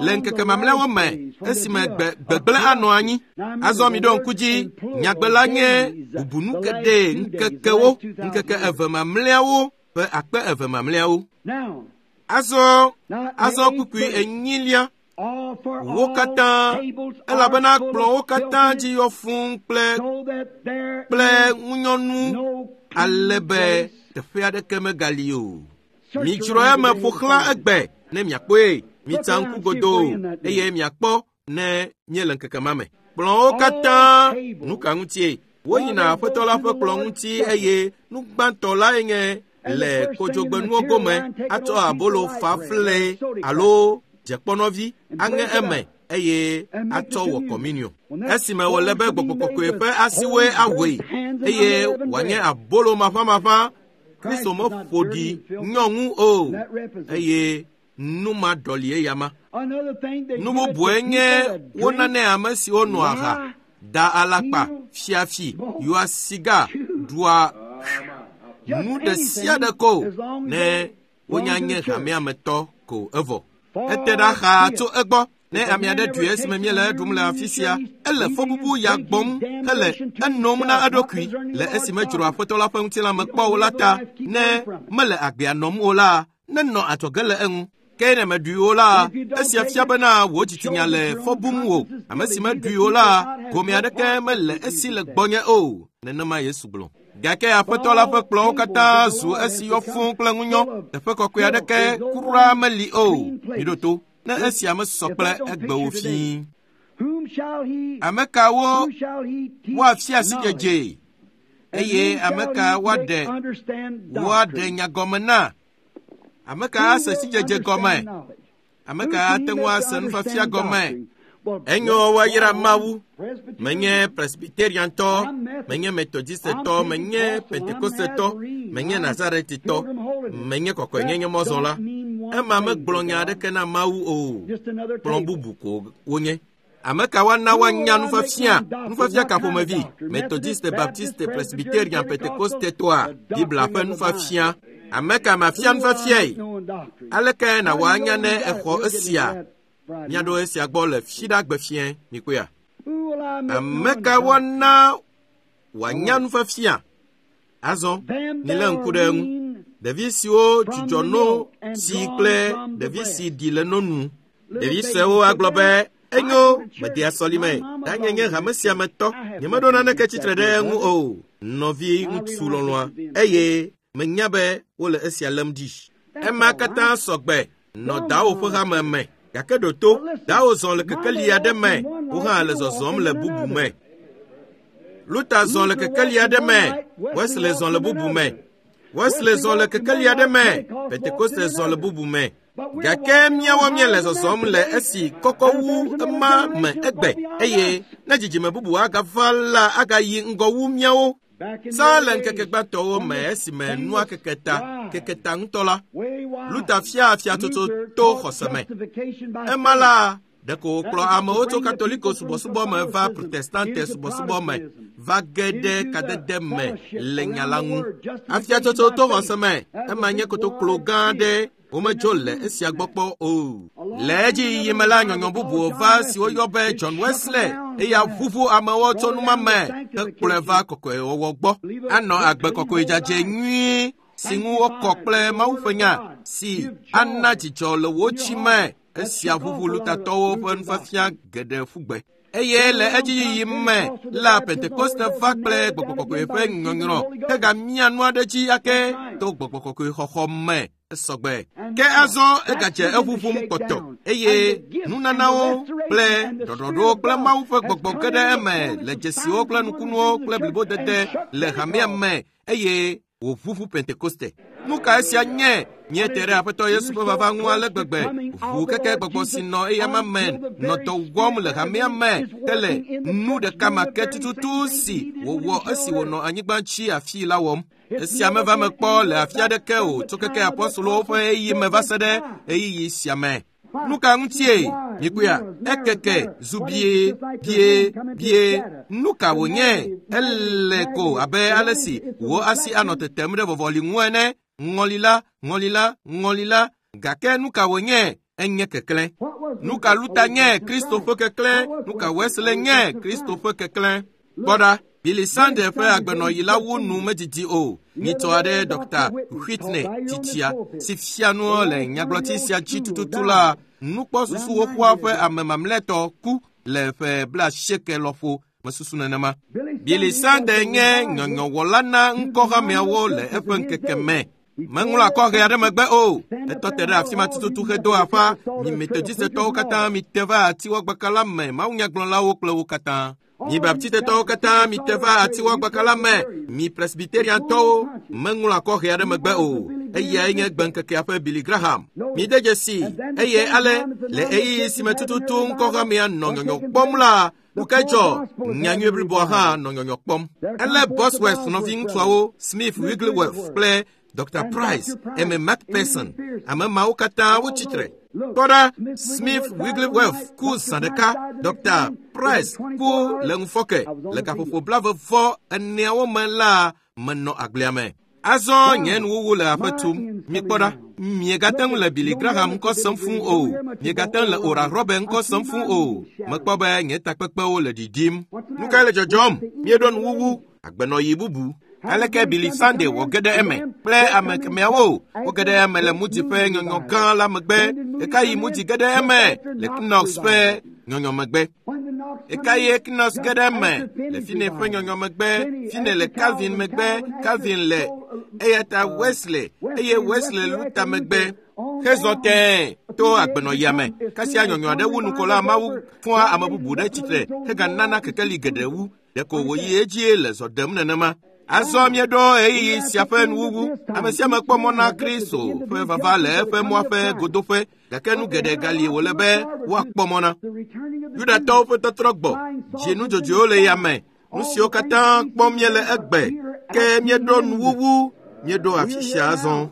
Le ŋkeke mamlɛawo me, esime gbe gbegblẽ anɔ anyi. Azɔ miɖo ŋku dzi, nyagbe la nye bubunu geɖe ŋkekewo, ŋkeke eve mamlɛawo ƒe akpe eve mamlɛawo. Azɔ azɔ kpukpui enyilia Wo katã, elabena kplɔ̃wo katã dzi yɔ fũu kple kple ŋunyɔnu ale be teƒe aɖeke megali o. Midzro eme ƒo xlã egbe ne miakpɔe. Mitsa ŋku godoo eye miakpɔ ne míele ŋkeke ma me. Kplɔ̃wo katã, nu ka ŋutie? Woyina Aƒetɔ la ƒe kplɔ̃ ŋuti eye nu gbãtɔ lae nye le kodzogbenuwo gome atsɔ abolo fafle alo dzekpɔnɔvi aŋe eme eye atsɔ wɔ kɔminio. Esime wòle be Gbɔgbɔ Kɔkɔe ƒe asiwoe awɔe eye wòanye abolo maʋamaʋã, Kristo meƒo ɖi nyɔŋu o eye nu ma ɖɔli eyama. Nu bubue nye wonanɛ ame siwo nɔa ha, da alakpa, fiafi, yɔa siga, ɖua nu ɖe sia ɖe ko ne wonya nye hamea me tɔ ko evɔ. Ete ɖa xaa tso egbɔ ne ame aɖe ɖui esime míele eɖum le afi sia. Ele fɔbubu ya gbɔm hele enom na eɖokui le esime dzro Aƒetɔ la ƒe ŋutilã me kpɔ o la ta. Ne mele agbea nɔm o la, nenɔ adzɔge le eŋu. Ke ne meɖui o la, esia fia bena wò dzitsinya le fɔ bum wò. Ame si meɖui o la, gome aɖeke mele esi le gbɔnye o. Nenema Yesu gblɔ. Gake Aƒetɔ la ƒe kplɔ̃wo katã zu esi yɔ fũu kple ŋunyɔ. Teƒe kɔkɔe aɖeke kura meli o. Miɖo to, ne esia mesɔ kple egbewo fĩi. Ame kawo woafia sidzedze eye ame ka woaɖe woaɖe nya gɔme na? Ame ka ase sidzedze gɔme? Ame ka ate ŋu ase nufiafia gɔme? Enyo woayra Mawu. Menye Presbyteriantɔ, menye Methodistetɔ, menye Pentekostetɔ, menye Nazaretitɔ, menye kɔkɔenyenye mɔzɔla. Ema megblɔ nya aɖeke na Mawu o. Kplɔ̃ bubu ko wonye. Ame ka woana woanya nufiafia? Nufiafia ka ƒomevi? Methodiste, Baptiste, Presbyterian, Pentekostetɔa? Biblia ƒe nufiafia. Ame ka mafia nufiafiae? Aleke nàwɔ anya ne exɔ esia? Míaɖo esia gbɔ le fiɖagbe fiẽ, mikpɔea? Ame ka woana wòanya nufiafia? Azɔ, milé ŋku ɖe eŋu. Ɖevi siwo dzudzɔ no si kple ɖevi si ɖi le no nu. Ɖevi suewo agblɔ be, enyo, medea sɔlime, danye nye hame sia me tɔ, nyemeɖo naneke tsitre ɖe eŋu o. Nɔvi ŋutsu lɔlɔ̃a, eye menya be wole esia lém ɖi. Ema katã sɔgbe nɔ dawo ƒe hame me. Gake ɖo to, dawo zɔ le kekeli aɖe me, wo hã le zɔzɔm le bubu me. Luther zɔ le kekeli aɖe me, Wesley zɔ le bubu me. Wesley zɔ le kekeli aɖe me, Pentekoste zɔ le bubu me. Gake míawo míele zɔzɔm le esi kɔkɔ wu ema me egbe eye ne dzidzime bubu agava la agayi ŋgɔ wu míawo. Tsã le ŋkeke gbãtɔwo me esime nua keke ta, keke ta ŋutɔ la, Luther fia afiatsotso to xɔse me. Ema la, ɖeko wòkplɔ amewo tso Katoliko subɔsubɔ me va Protestante subɔsubɔ me, va ge ɖe kadede me le nya la ŋu. Afiatsotso to xɔse me, ema nye kotoklo gã aɖe womedzo le esia gbɔ kpɔ o. Le edziyiyi me la, nyɔnyɔ bubuwo va si woyɔ be John Wesley, eya ʋuʋu amewo tso numa me hekplɔe va kɔkɔewɔwɔ gbɔ. Anɔ agbe kɔkɔe dzadzɛ nyuie si ŋu wokɔ kple Mawu ƒe nya si ana dzidzɔ le wò tsi me. Esia ʋuʋu Luthertɔwo ƒe nufiafia geɖe ƒu gbe. Eye le edziyiyi me la, Pentekoste va kple Gbɔgbɔ Kɔkɔe ƒe nyɔnyrɔ hegamia nu aɖe dzi ake to Gbɔgbɔ Kɔkɔe xɔxɔ me. Esɔgbe. Ke azɔ egadze eʋuʋum kpɔtɔ eye nunanawo kple ɖɔɖɔɖowo kple Mawu ƒe gbɔgbɔ ge ɖe eme le dzesiwo kple nukunuwo kple blibodede le hamea me eye wòʋuʋu Pentekoste. Nu ka esia nye? Míete ɖe Aƒetɔ Yesu ƒe vava ŋu ale gbegbe. Ʋu keke gbɔgbɔ si nɔ eyama me nɔ dɔ wɔm le hamea me hele nu ɖeka ma ke tututu si wòwɔ esi wònɔ anyigba dzi afii la wɔm. Esia meva me kpɔ le afi aɖeke o tso keke apɔstolowo ƒe ɣeyiɣi me va se ɖe ɣeyiɣi sia me. Nu ka ŋutie? Mikpɔea, ekeke zu bie, bie, bie. Nu ka wònye? Ele ko abe ale si wò asi anɔ tetem ɖe vɔvɔli ŋu ene. Ŋɔli la, ŋɔli la, ŋɔli la. Gake nu ka wònye? Enye keklẽ. Nu ka Luther nye? Kristo ƒe keklẽ. Nu ka Wesley nye? Kristo ƒe keklẽ. Kpɔ ɖa, Billy Sunday ƒe agbenɔɣi la wu nu medidi o. Nyitsɔ aɖe Dɔkta Whitney tsitsia si fia nu le nyagblɔti sia dzi tututu la Nukpɔsusu xoxoa ƒe ame mamlɛtɔ ku le ƒe blaasieke lɔƒo mesusu nenema. Billy Sunday nye nyɔnyɔwɔla na ŋkɔhameawo le eƒe ŋkeke me. Meŋlɔ akɔhe aɖe megbe o. Etɔ te ɖe afi ma tututu hedo aƒa. Mi Methodistetɔwo katã mite va atiwɔgbaka la me, mawunyagblɔlawo kple wo katã. Mi Baptistetɔwo katã mite va atiwɔgbaka la me, mi Presbyteriantɔwo meŋlɔ akɔhe aɖe megbe o. Eyae nye gbeŋkekea ƒe Billy Graham. Mide dzesi eye ale le ɣeyiɣi si me tututu ŋkɔhamea nɔ nyɔnyɔ kpɔm la, nu kae dzɔ? Nyanyui bliboa hã nɔ nyɔnyɔ kpɔm. Ele Bosworth nɔviŋutsuawo, Smith Wigglesworth kple Doctor Price, M. McPherson, ame mawo katã wotsi tre. Kpɔ ɖa, Smith Wigglesworth ku zã ɖeka, Doctor Price ku le ŋufɔke le gaƒoƒo blaeve vɔ eneawo me la menɔ agblea me. Azɔ nye nuwuwu le aƒe tum. Mikpɔ ɖa, miegate ŋu le Billy Graham ŋkɔ sem fũu o. Miegate ŋu le Oral Roberts ŋkɔ sem fũu o. Mekpɔ be nye takpekpewo le ɖiɖim. Nu kae le dzɔdzɔm? Míeɖo nuwuwu, agbenɔɣi bubu. Aleke Billy Sunday wɔ ge ɖe eme kple ame kemɛawo? Woge ɖe eme le Moody ƒe nyɔnyɔ gã la megbe. Ɣekaɣi Moody ge ɖe eme le Knox ƒe nyɔnyɔ megbe. Ɣekaɣie Knox ge ɖe eme le Finney ƒe nyɔnyɔ megbe. Finney le Calvin megbe. Calvin le eya ta Wesley eye Wesley Luther megbe. Hezɔ tẽe to agbenɔɣia me. Kasia nyɔnyɔ aɖe wu nukola Mawu fɔa ame bubu ɖe tsitre heganana kekeli geɖe wu. Ɖeko wòyi edzie le zɔ ɖem nenema. Azɔ míeɖo ɣeyiɣi sia ƒe nuwuwu. Ame sia ame kpɔ mɔ na Kristo ƒe vava le eƒe mɔa ƒe godoƒe, gake nu geɖe gali wòle be woakpɔ mɔ na. Yudatɔwo ƒe tɔtrɔ gbɔ, dzinudzodzoewo le yame, nu siwo katã kpɔm míele egbe, ke míeɖo nuwuwu, míeɖo afi sia azɔ.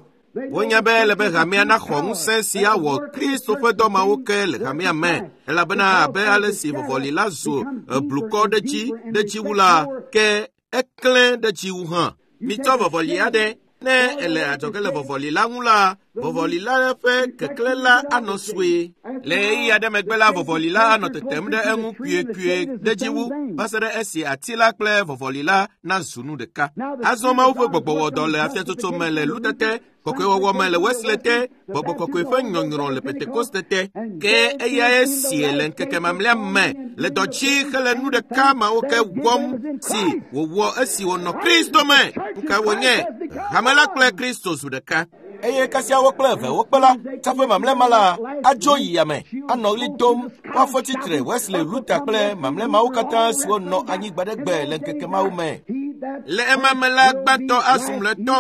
Wonya be ele be hamea naxɔ ŋusẽ si awɔ Kristo ƒe dɔ mawo ke le hamea me, elabena abe ale si vɔvɔli la zu blukɔ ɖe dzi ɖe dzi wu la, ke eklẽ ɖe dzi wu hã. Mitsɔ vɔvɔli aɖe, ne ele adzɔge le vɔvɔli la ŋu la, vɔvɔli la ƒe keklẽ la anɔ sue. Le ɣeyiɣi aɖe megbe la, vɔvɔli la anɔ tetem ɖe eŋu kpuiekpuie ɖe dzi wu va se ɖe esi ati la kple vɔvɔli la nazu nu ɖeka. Azɔ Mawu ƒe gbɔgbɔ wɔ dɔ le afiatsotso me le Luther te, kɔkɔewɔwɔ me le Wesley te, gbɔgbɔ kɔkɔe ƒe nyɔnyrɔ le Pentekoste te. Ke eyae sie le ŋkeke mamlɛa me le dɔ dzi hele nu ɖeka mawo ke wɔm si wòwɔ esi wònɔ Kristo me. Nu kae wònye? Hame la kple Kristo zu ɖeka. Eye kasia wo kple eve wokpe la, tsaƒe mamlɛ ma la adzo yi yame, anɔ ɣli dom, woafɔ tsitre Wesley, Luther kple mamlɛ mawo katã siwo nɔ anyigba ɖe gbe le ŋkeke mawo me. Le ema me la, gbãtɔ azu mlɔetɔ,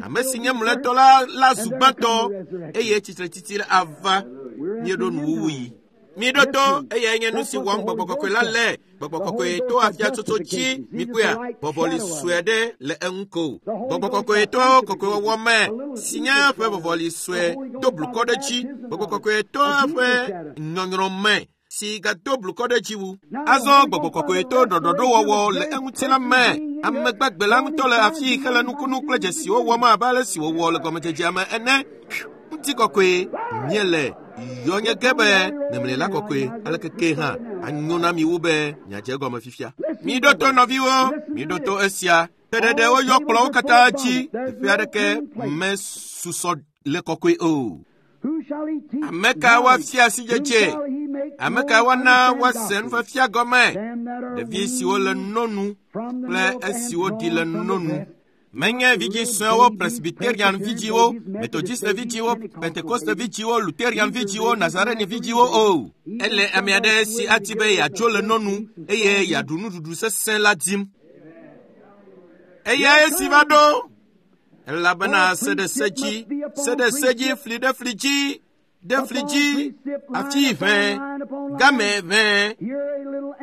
ame si nye mlɔetɔ la la zu gbãtɔ, eye tsitretsitsi ava. Míeɖo nuwuwuɣi. Míeɖo to, eyae nye nu si wɔm gbɔgbɔ kɔkɔe la le. Gbɔgbɔ kɔkɔe to afiatsotso dzi, mikpɔea, vɔvɔli sue aɖe le eŋu ko. Gbɔgbɔ kɔkɔe to kɔkɔewɔwɔ me si nye eƒe vɔvɔli sue do blukɔ ɖe dzi. Gbɔgbɔ kɔkɔe to eƒe nyɔnyrɔ me si gado blukɔ ɖe dzi wu. Azɔ gbɔgbɔ kɔkɔe to ɖɔɖɔɖowɔwɔ le eŋuti la me. Ame gbagbe la ŋutɔ le afii hele nukunu kple dzesiwo wɔm abe ale si wòwɔ le gɔmedzedzea me ene. Ŋutikɔkɔe míele yɔnye ge be memlɛla kɔkɔe aleke ke hã anyo na mi wu be miadze egɔme fifia. Miɖo to nɔviwo, miɖo to esia. Teɖeɖe woyɔ kplɔ̃wo katã dzi, teƒe aɖeke mesusɔ le kɔkɔe o. Ame ka woafia asidzedze? Ame ka woana woase nufiafia gɔme? Ɖevi siwo le nonu kple esiwo ɖi le nonu. Menye vidzĩ suewo, Presbyterian vidzĩwo, Methodist vidzĩwo, Pentecost vidzĩwo, Lutherian vidzĩwo, Nazarene vidzĩwo o. Ele ame aɖe si adi be yeadzo le nonu eye yeaɖu nuɖuɖu sesẽ la dim. Eyae si va ɖo, elabena se ɖe se dzi, se ɖe se dzi, fli ɖe fli dzi, ɖe fli dzi, afi ʋẽ, game ʋẽ.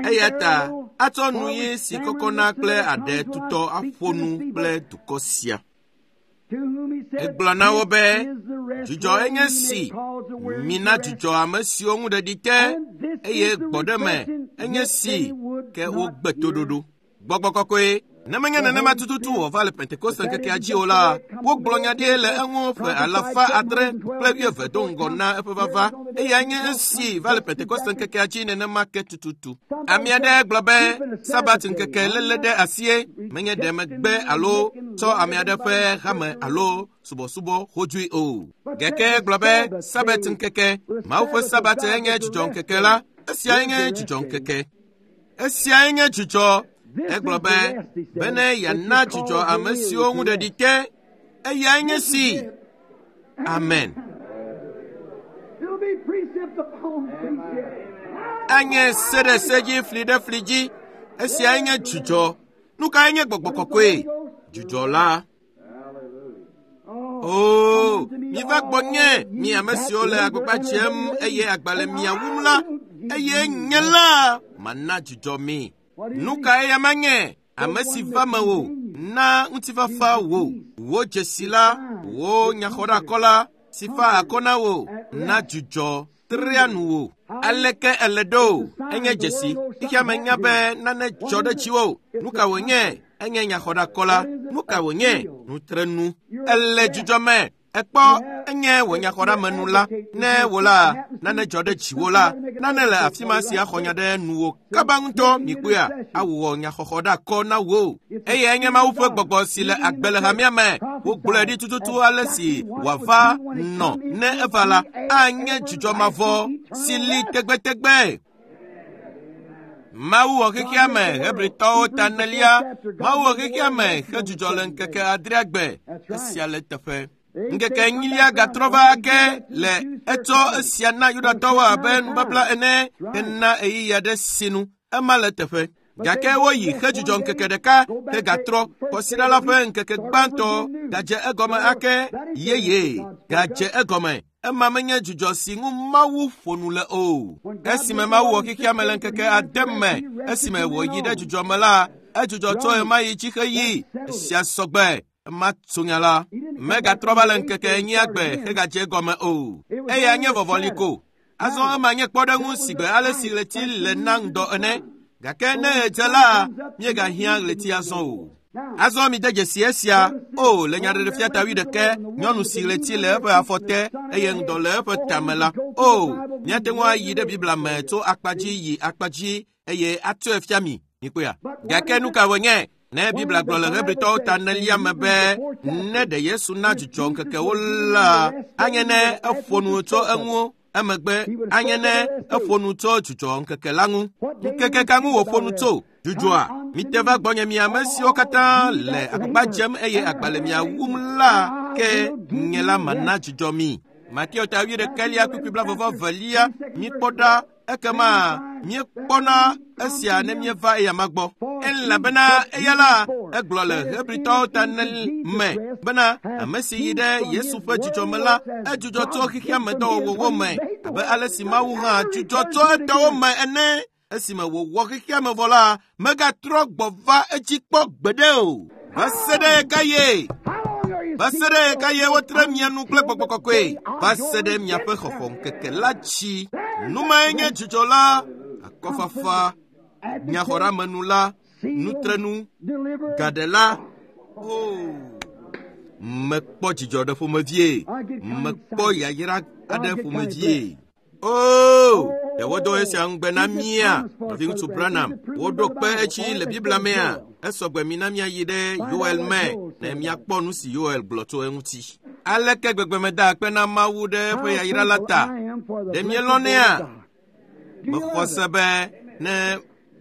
Eya ta atsɔ nu ɣi si kɔkɔna kple aɖe tutɔ aƒo nu kple dukɔ sia. Egblɔ na wo be, dzudzɔ enye si, mina dzudzɔ ame siwo ŋu ɖeɖi te, eye gbɔɖeme enye si, ke wogbe toɖoɖo. Gbɔgbɔ kɔkɔe, ne menye nenema tututu wòva le Pentekoste ŋkekea dzi o la, wogblɔ nya ɖi le eŋu ƒe alafa adre kple wuieve do ŋgɔ na eƒe vava. Eyae nye esi va le Pentekoste ŋkekea dzi nenema ke tututu. Ame aɖe gblɔ be Sabat ŋkeke léle ɖe asie menye ɖe megbe alo Migatsɔ ame aɖe ƒe hame alo subɔsubɔ xodzui o. Gake gblɔ be Sabat ŋkeke, Mawu ƒe Sabat enye dzidzɔ ŋkeke la, esiae nye dzidzɔ ŋkeke. Esiae nye dzidzɔ. Egblɔ be bene yeana dzidzɔ ame siwo ŋu ɖeɖi te, eyae nye si. Amen. Anye se ɖe se dzi, fli ɖe fli dzi. Esiae nye dzidzɔ. Nu kae nye gbɔgbɔ kɔkɔe? Dzidzɔ la. Oo, miva gbɔnye, mi ame siwo le agbagba dzem eye agba le mia wum la, eye nye la mana dzidzɔ mi. Nu kae ya manye? Ame si va mewò, na ŋutifafa wò, wò dzesi la, wò nyaxɔɖeakɔ la, si fa akɔ na wò, na dzidzɔ trea nu wò. Aleke ele ɖo? Enye dzesi. Xexea me nya be nane dzɔ ɖe dziwò. Nu ka wònye? Enye nyaxɔɖeakɔ la. Nu ka wònye? Nutrenu. Ele dzidzɔ me. Ekpɔ enye wò nyaxɔɖeamenu la. Ne wò la, nane dzɔ ɖe dziwò la, nane le afi ma si axɔ nya ɖe nuwò kaba ŋutɔ mikpɔea, awɔ nyaxɔxɔɖeakɔ na wò. Eye enye Mawu ƒe gbɔgbɔ si le agbe le hamea me. Wogblɔe ɖi tututu ale si wòava nɔ ne eva la, anye dzidzɔ mavɔ si li tegbetegbe. Mawu wɔ xexea me, Hebritɔwo ta enelia. Mawu wɔ xexea me hedzudzɔ le ŋkeke adrea gbe. Esia le teƒe. Ŋkeke enyilia gatrɔ va ake le etsɔ esia na Yudatɔwo abe nubabla ene hena ɣeyiɣi aɖe sinu. Ema le teƒe. Gake woyi hedzudzɔ ŋkeke ɖeka hegatrɔ kɔsiɖa la ƒe ŋkeke gbãtɔ gadze egɔme ake yeye gadze egɔme. Ema menye dzudzɔ si ŋu Mawu ƒo nu le o. Esime Mawu wɔ xexea me le ŋkeke ade me, esime wòyi ɖe dzudzɔ me la, edzudzɔ tso ɣemaɣi dzi heyi. Esia sɔgbe. Ema tso nya la. Megatrɔ va le ŋkeke enyia gbe hegadze egɔme o. Eya nye vɔvɔli ko. Azɔ ema nye kpɔɖeŋu si gbe ale si ɣleti le na ŋdɔ ene. Gake ne ɣedze la, míegahiã ɣleti azɔ o. Azɔ mide dzesi esia. O, le Nyaɖeɖefia ta wuiɖekɛ, nyɔnu si ɣleti le eƒe afɔ te eye ŋdɔ le eƒe tame la. O, míate ŋu ayi ɖe Biblia me tso akpa dzi yi akpa dzi eye atsɔe fia mi. Mikpɔea? Gake nu ka wònye? Ne Biblia gblɔ le Hebritɔwo ta enelia me be ne ɖe Yesu na dzidzɔ ŋkekewo la, anye ne eƒo nu tso eŋu. Emegbe anye ne eƒo nu tso dzidzɔ ŋkeke la ŋu. Ŋkeke ka ŋu wòƒo nu tso? Dzudzɔa. Mite va gbɔnye mi ame siwo katã le agbagba dzem eye agba le mia wum la, ke nye la mana dzidzɔ mi. Mateo ta wuiɖekɛlia kpukpui blaeve velia, mikpɔ ɖa ekema míekpɔna esia ne míeva eyama gbɔ. Elabena eya la, egblɔ le Hebritɔwo ta ene me bena ame si yi ɖe Yesu ƒe dzidzɔ me la, edzudzɔ tso xexea me dɔwɔwɔwo me abe ale si Mawu hã dzudzɔ tso etɔwo me ene. Esime wòwɔ xexea me vɔ la, megatrɔ gbɔ va edzi kpɔ gbeɖe o. Va se ɖe ɣekaɣie? Va se ɖe ɣekaɣie wotre mia nu kple gbɔgbɔ kɔkɔe? Va se ɖe miaƒe xɔxɔ ŋkeke la dzi. Nu mae nye dzidzɔ la, akɔfafa, nyaxɔɖeamenu la, nutrenu, gaɖela. O, mekpɔ dzidzɔ ɖe ƒomevie, mekpɔ yayra aɖe ƒomevie. O, ɖe wodo esia ŋugbe na mía, nɔviŋutsu Branham. Woɖo kpe edzi le Biblia mea. Esɔgbe mi na míayi ɖe Yoel me ne míakpɔ nu si Yoel gblɔ tso eŋuti. Aleke gbegbe meda akpe na Mawu ɖe eƒe yayra la ta? Ɖe mielɔ̃nɛa? Mexɔ se be ne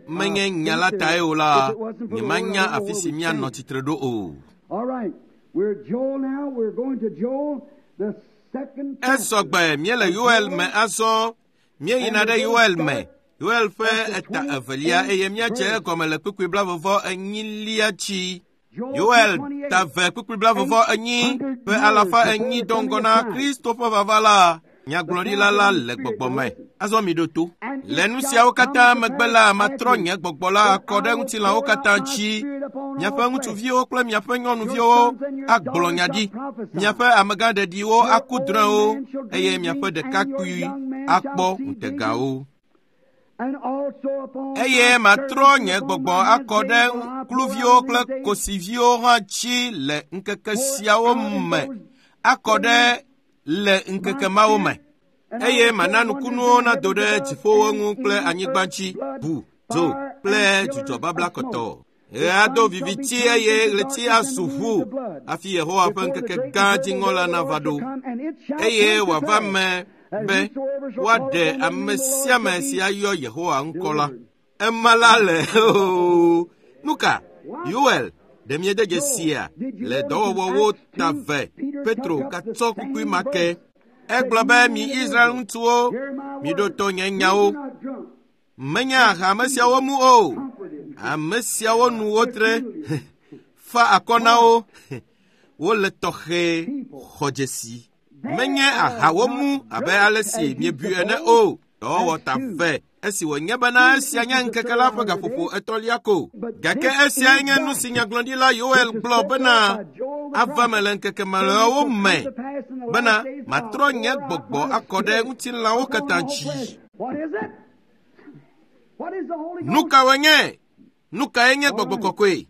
menye nya la tae o la, nyemanya afi si míanɔ tsitre ɖo o. All right, we're Joel now. We're going to Joel, the second chapter. Esɔgbe míele Yoel me azɔ. Míeyina ɖe Yoel me. Yoel ƒe eta evelia eye míadze egɔme le kpukpui blaeve enyilia dzi. Yoel ta ve kpukpui blaeve enyi ƒe alafa enyi do ŋgɔ na Kristo ƒe vava la. Nyagblɔɖila la le gbɔgbɔ me. Azɔ mi ɖo to. Le nu siawo katã megbe la, matrɔ nye gbɔgbɔ la akɔ ɖe ŋutilãwo katã dzi. Miaƒe ŋutsuviwo kple miaƒe nyɔnuviwo agblɔ nya ɖi. Miaƒe amegãɖeɖiwo aku drɔ̃ewo eye miaƒe ɖekakpui akpɔ ŋutegawo. And also upon Eye my matrɔ nye servants gbɔgbɔ upon my akɔ ɖe handmaidens shall I kluviwo pour out kple in those days. kosiviwo hã dzi le ŋkeke siawo me akɔ ɖe le ŋkeke mawo me. Eye mana nukunuwo nado ɖe dziƒowo ŋu kple anyigba dzi, ʋu, dzo kple dzudzɔ babla kɔtɔ. Ɣe ado viviti eye ɣleti azu ʋu hafi Yehowa ƒe ŋkeke gã dziŋɔ la nava ɖo. Eye wòava me be woaɖe ame sia ame si ayɔ Yehowa ŋkɔ la. Ema la le oo. Nu ka? Yoel, ɖe miede dzesia le dɔwɔwɔwo ta ve Petro gatsɔ kpukpui ma ke. Egblɔ be mi Israel ŋutsuwo, miɖo to nye nyawo. Menye aha ame siawo mu o. Ame siawo nu wotre fa akɔ na wo. Wole tɔxɛ xɔ dzesi. Menye ahawo mu abe ale si miebui ene o. Dɔwɔwɔ ta ve esi wònye bena esia nye ŋkeke la ƒe gaƒoƒo etɔ̃lia ko. Gake esiae nye nu si nyagblɔɖila Yoel gblɔ bena ava me le ŋkeke mamlɛawo me bena matrɔ nye gbɔgbɔ akɔ ɖe ŋutilãwo katã dzi. Nu ka wònye? Nu kae nye gbɔgbɔ kɔkɔe?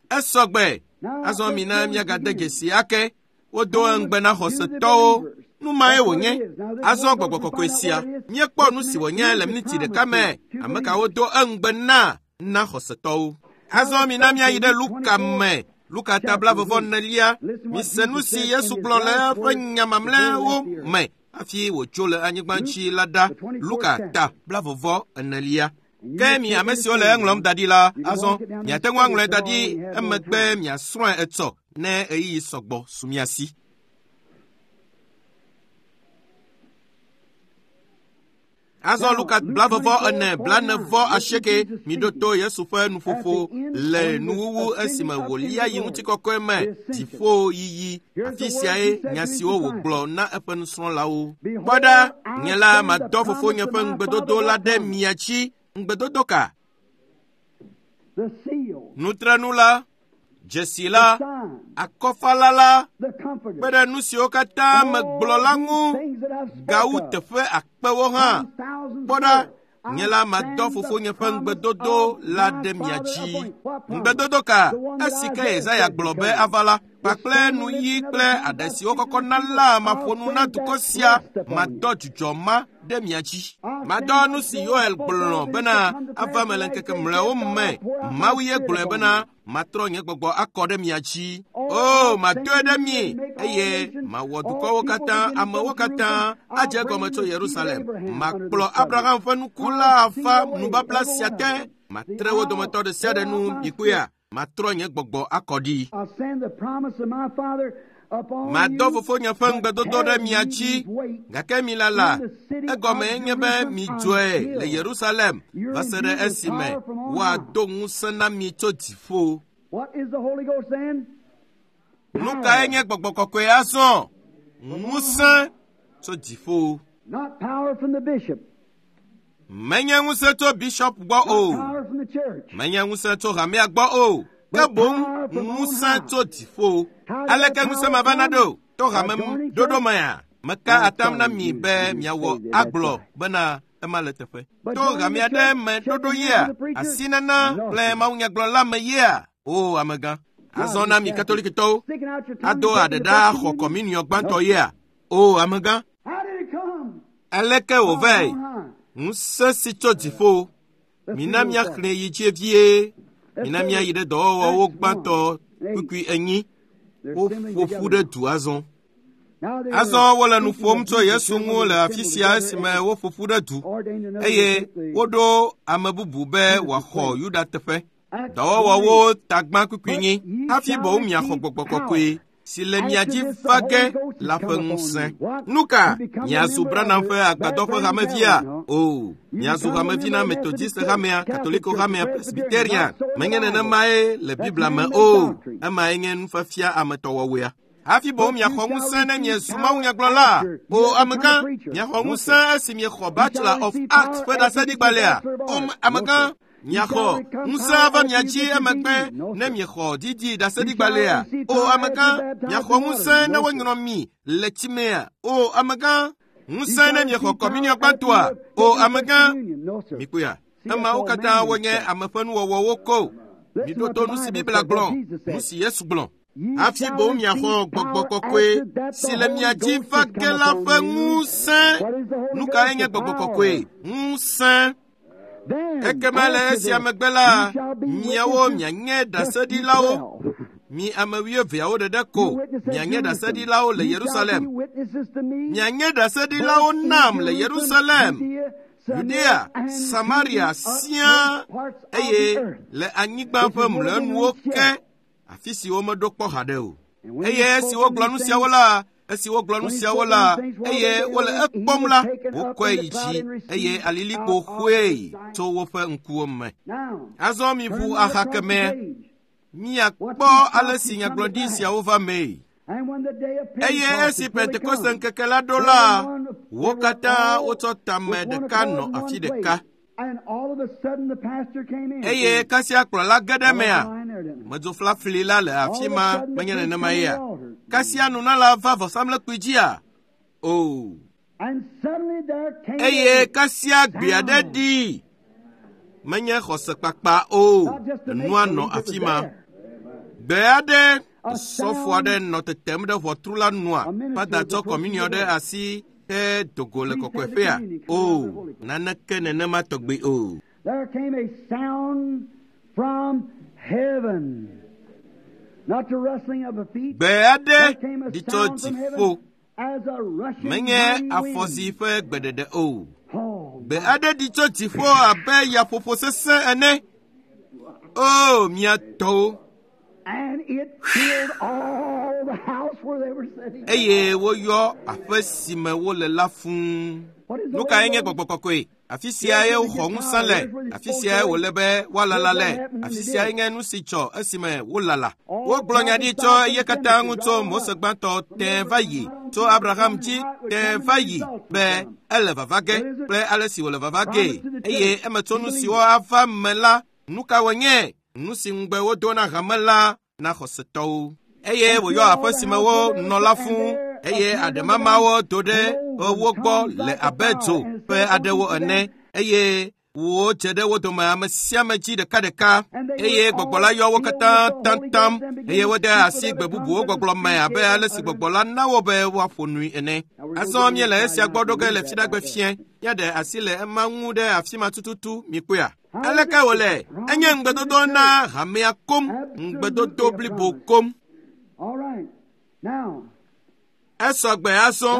Esɔ gbe. Azɔ mina míagade dzesi ake. Wodo ŋugbe na xɔsetɔwo. Nu mae wònye. Azɔ gbɔgbɔ kɔkɔe sia, míekpɔ nu si wònye le miniti ɖeka me. Ame kawo do eŋugbe na na xɔsetɔwo. Azɔ mina míayi ɖe Luka me. Luka ta blaeve enelia. Mise nu si Yesu gblɔ le eƒe nya mamlɛawo me hafi wòtso le anyigba dzi la ɖa. Luka ta blaeve enelia. Ke mi ame siwo le eŋlɔm da ɖi la, azɔ miate ŋu aŋlɔe da ɖi emegbe miasrɔ̃e etsɔ ne ɣeyiɣi sɔgbɔ su mia si. Azɔ Luka blaeve ene blaene vɔ asieke miɖo to Yesu ƒe nuƒoƒo le nuwuwu esime wòlia yi ŋutikɔkɔe me dziƒo yiyi. Afi siae nya siwo wògblɔ na eƒe nusrɔ̃lawo. Kpɔ ɖa, nye la madɔ fofonye ƒe ŋugbedodo la ɖe mia dzi. Ŋugbedodo ka? Nutrenu la, dzesi la, akɔfala la, kpe ɖe nu siwo katã megblɔ la ŋu, gawu teƒe akpewo hã. Kpɔ ɖa, nye la madɔ fofonye ƒe ŋugbedodo la ɖe mia dzi. Ŋugbedodo ka? Esi ke Yesaya gblɔ be ava la, kpakple nuyi kple aɖe siwo kɔkɔna la maƒo nu na dukɔ sia, madɔ dzudzɔ ma ɖe mia dzi. Madɔ nu si Yoel gblɔ bena ava me le ŋkeke mlɔewo me. Mawu ye gblɔe bena matrɔ nye gbɔgbɔ akɔ ɖe mia dzi. O, madoe ɖe mi eye mawɔ dukɔwo katã, amewo katã adze egɔme tso Yerusalem. Makplɔ Abraham ƒe nuku la ava nubabla sia te. Matre wo dometɔ ɖe sia ɖe nu mikpɔea. Matrɔ nye gbɔgbɔ akɔ ɖi. Madɔ fofonye ƒe ŋugbedodo ɖe mia dzi, gake mi lala, egɔme nye be midzɔe le Yerusalem va se ɖe esime woado ŋusẽ na mi tso dziƒo. Nu kae nye gbɔgbɔ kɔkɔe azɔ? Ŋusẽ tso dziƒo. Menye ŋusẽ tso bishop gbɔ o. Menye ŋusẽ tso hamea gbɔ o. Ke boŋ ŋusẽ tso dziƒo. Aleke ŋusẽ ma va na ɖo? To hame ɖoɖo mea? Meka atam na mi be miawɔ agblɔ bena ema le teƒe. To hamea ɖe me ɖoɖo yea? Asinana kple mawunyagblɔla me yea? O amegã. Azɔ na mi katolikitɔwo ado aɖe ɖa xɔ kɔminiɔ gbãtɔ yea? O amegã. Aleke wòvae? Ŋusẽ si tso dziƒo. Mina míaxlẽ yi dzi vie. Mina míayi ɖe dɔwɔwɔwo gbãtɔ kpukpui enyi. Woƒo ƒu ɖe du azɔ. Azɔ wole nu ƒom tso Yesu ŋu le afi sia esime woƒo ƒu ɖe du eye woɖo ame bubu be wòaxɔ Yuda teƒe. Dɔwɔwɔwo tagbã kpukpui nyi hafi boŋ miaxɔ gbɔgbɔ kɔkɔe si le mia dzi va ge la ƒe ŋusẽ. Nu ka? Miazu Branham ƒe agbadɔ ƒe hamevia? O, miazu hamevi na Methodist hamea, Katoliko hamea, Presbyterian. Menye nenemae le Biblia me o. Emae nye nufiafia ametɔwɔwɔea. Hafi boŋ miaxɔ ŋusẽ ne miezu mawunyagblɔla. O amegã, miaxɔ ŋusẽ esi miexɔ Bachelor of Arts ƒe ɖaseɖigbalẽa. O amegã, miaxɔ ŋusẽ ava mia dzi emegbe ne miexɔ didi ɖaseɖigbalẽa. O amegã, miaxɔ ŋusẽ ne wonyrɔ mi le tsimea. O amegã, ŋusẽ ne miexɔ kɔminiɔ gbãtɔa. O amegã, mikpɔea, emawo katã wonye ame ƒe nuwɔwɔwo ko. Miɖo to nu si Biblia gblɔ, nu si Yesu gblɔ. Hafi boŋ miaxɔ gbɔgbɔ kɔkɔe si le mia dzi va ge la ƒe ŋusẽ. Nu kae nye gbɔgbɔ kɔkɔe? Ŋusẽ. Ekema le esia megbe la, miawo mianye ɖaseɖilawo. Mi ame wuieveawo ɖeɖe ko mianye ɖaseɖilawo le Yerusalem. Mianye ɖaseɖilawo nam le Yerusalem, Yudea, Samaria siaa, eye le anyigba ƒe mlɔenuwo ke, afi si womeɖo kpɔ haɖe o. Eye esi wogblɔ nu siawo la, esi wogblɔ nu siawo la, eye wole ekpɔm la, wokɔe yi dzi, eye alilikpo xoe tso woƒe ŋkuwo me. Azɔ miʋu axa kemɛ, miakpɔ ale si nyagblɔɖi siawo va mee. Eye esi Pentekoste ŋkeke la ɖo la, wo katã wotsɔ tame ɖeka nɔ afi ɖeka. Eye kasia kplɔla ge ɖe mea, medzoflafli la le afi ma, menye nenema yea? Kasia nunala va vɔsamlekpui dzia? O. Eye kasia gbe aɖe ɖi. Menye xɔsekpakpa o, nua nɔ afi ma. Gbe aɖe, sɔfo aɖe nɔ tetem ɖe ʋɔtru la nua, fada tsɔ kɔminiɔ ɖe asi he dogo le kɔkɔeƒea. O, naneke nenema tɔgbi o. There came a sound from heaven. Not the rustling of a feet. Gbe aɖe ɖi tso dziƒo. Menye afɔzi ƒe gbeɖeɖe o. Gbe aɖe ɖi tso dziƒo abe yaƒoƒo sesẽ ene. O, mia tɔwo. And it filled all the house where they were sitting. Eye woyɔ aƒe si me wole la fũu. Nu kae nye gbɔgbɔ kɔkɔe? Afi siae woxɔ ŋusẽ le, afi siae wòle be woalala le, afi siae nye nu si dzɔ esime wolala. Wogblɔ nya ɖi tso eye katã ŋu tso Mose gbãtɔ tẽ va yi, tso Abraham dzi tẽ va yi be ele vava ge kple ale si wòle vava gee. Eye emetsonu siwo ava me la, nu ka wònye? Nu si ŋugbe wodo na hame la na xɔsetɔwo. Eye wòyɔ aƒe si me wonɔ la fũu, eye aɖemamawo do ɖe wo gbɔ le abe dzo ƒe aɖewo ene, eye wodze ɖe wo dome ame sia ame dzi ɖekaɖeka, eye gbɔgbɔ la yɔ wo katã taŋtaŋ, eye wode asi gbe bubuwo gbɔgblɔ me abe ale si gbɔgbɔ la na wo be woaƒo nui ene. Azɔ míele esia gbɔ ɖo ge le fiɖagbe fiẽ, míaɖe asi le ema ŋu ɖe afi ma tututu, mikpɔea? Aleke wòle? Enye ŋugbedodo na hamea kom, ŋugbedodo blibo kom. All right. Now, Esɔgbe azɔ.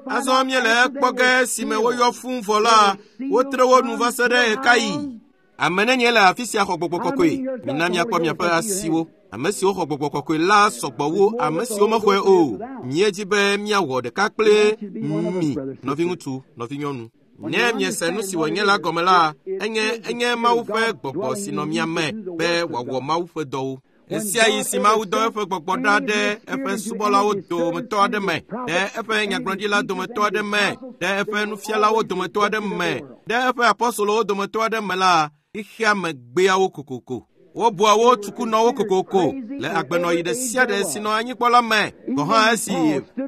Azɔ míele ekpɔ ge si me woyɔ fũu vɔ la, wotre wo nu va se ɖe ɣekaɣi. Ame nenye le afi sia xɔ gbɔgbɔ kɔkɔe? Mina miakpɔ miaƒe asiwo. Ame siwo xɔ gbɔgbɔ kɔkɔe la sɔgbɔ wu ame siwo mexɔe o. Míedzi be míawɔ ɖeka kple mi, nɔviŋutsu, nɔvinyɔnu. Ne miese nu si wònye la gɔme la, enye enye Mawu ƒe gbɔgbɔ si nɔ mia me be wòawɔ Mawu ƒe dɔwo. Ɣesiaɣi si Mawu dɔ eƒe gbɔgbɔ ɖa ɖe eƒe subɔlawo dometɔ aɖe me, ɖe eƒe nyagblɔɖila dometɔ aɖe me, ɖe eƒe nufialawo dometɔ aɖe me, ɖe eƒe apɔstolowo dometɔ aɖe me la, xexea me gbea wo kokoko. Wobua wo tsukunɔwo kokoko le agbenɔɣi ɖe sia ɖe si nɔ anyikpɔ la me. Gɔ̃ hã esi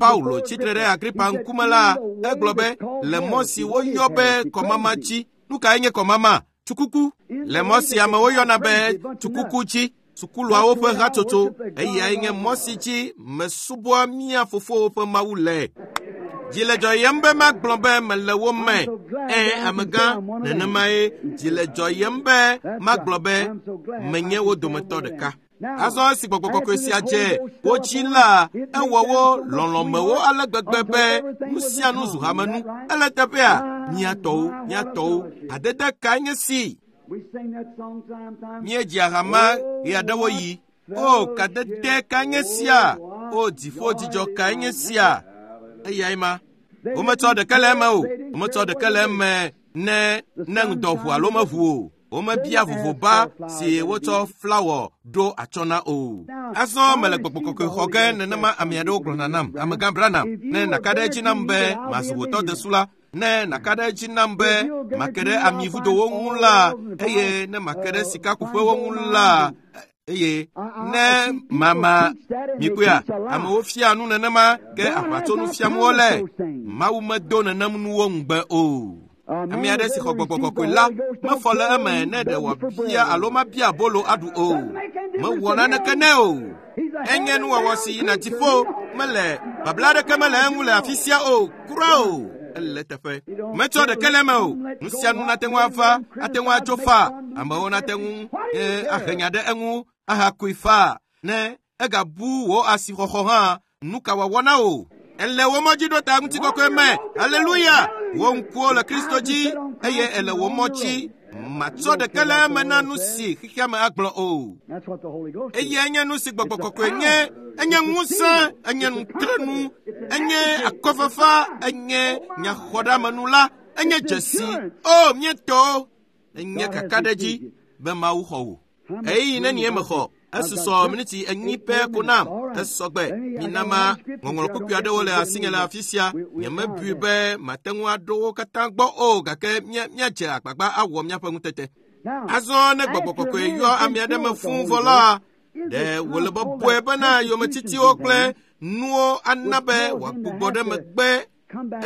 Paulo tsitre ɖe Agripa ŋkume la, egblɔ be le mɔ si woyɔ be kɔmama dzi. Nu kae nye kɔmama? Tsukuku. Le mɔ si amewo yɔna be tsukuku dzi, sukuluawo ƒe hatsotso, eyae nye mɔ si dzi mesubɔa mía fofowo ƒe Mawu le. Dzi le dzɔyem be magblɔ be mele wo me. Ẽ, amegã, nenemae dzi le dzɔyem be magblɔ be menye wo dometɔ ɖeka. Azɔ esi gbɔgbɔ kɔkɔe sia dze wo dzi la, ewɔ wo lɔlɔ̃mewo ale gbegbe be nu sia nu zu hamenu. Ele teƒea, mía tɔwo, mía tɔwo, hadede kae nye si? we sing that song sometime. Míedzia hama ɣeaɖewoɣi. O, kadede kae nye sia? O, dziƒo dzidzɔ kae nye sia? Eyae ma. Wometsɔ ɖeke le eme o. Wometsɔ ɖeke le eme ne ne ŋdɔ ʋu alo meʋu o. Womebia vovoba si wotsɔ flawɔ ɖo atsɔ na o. Azɔ mele gbɔgbɔ kɔkɔe xɔ ge nenema ame aɖewo gblɔna nam. Amegã Branham, ne nàka ɖe edzi nam be mazu wò tɔdesu la, ne nàka ɖe edzi nam be make ɖe amivudowo ŋu la, eye ne make ɖe sikakuƒewo ŋu la, eye ne mama mikpɔea, amewo fia nu nenema ke aʋatsonu fiam wole. Mawu medo nenem nuwo ŋugbe o. Ame aɖe si xɔ gbɔgbɔ kɔkɔe la mefɔ le eme ne ɖe wòabia alo mabia abolo aɖu o. Mewɔ naneke nɛ o. Enye nuwɔwɔ si yina dziƒo, mele babla aɖeke mele eŋu le afi sia o, kura o. Ele teƒe. Metsɔ ɖeke le eme o. Nu sia nu nate ŋu ava, ate ŋu atso faa. Amewo nate ŋu ahe nya ɖe eŋu ahakui faa. Ne egabu wò asixɔxɔ hã, nu ka wòawɔ na wò? Ele wò mɔ dzi ɖo ta ŋutikɔkɔe me. Aleluya! Wò ŋkuwo le Kristo dzi eye ele wò mɔ dzi. Matsɔ ɖeke le eme na nu si xexea me agblɔ o. Eyae nye nu si gbɔgbɔ kɔkɔe nye. Enye ŋusẽ, enye nutrenu, enye akɔfafa, enye nyaxɔɖeamenu la, enye dzesi. O, míetɔwo, enye kakaɖedzi be Mawu xɔ wò. Ɣeyiɣi nenie mexɔ? Esusɔ miniti enyi pɛ ko nam. Esɔgbe. Minama ŋɔŋlɔ kpukpui aɖewo le asinye le afi sia. Nyemebui be mate ŋu aɖo wo katã gbɔ o, gake míadze agbagba awɔ míaƒe ŋutete. Azɔ ne gbɔgbɔ kɔkɔe yɔ ame aɖe me fũu vɔ la, ɖe wòle bɔbɔe bena yometitiwo kple nuwo ana be wòagbugbɔ ɖe megbe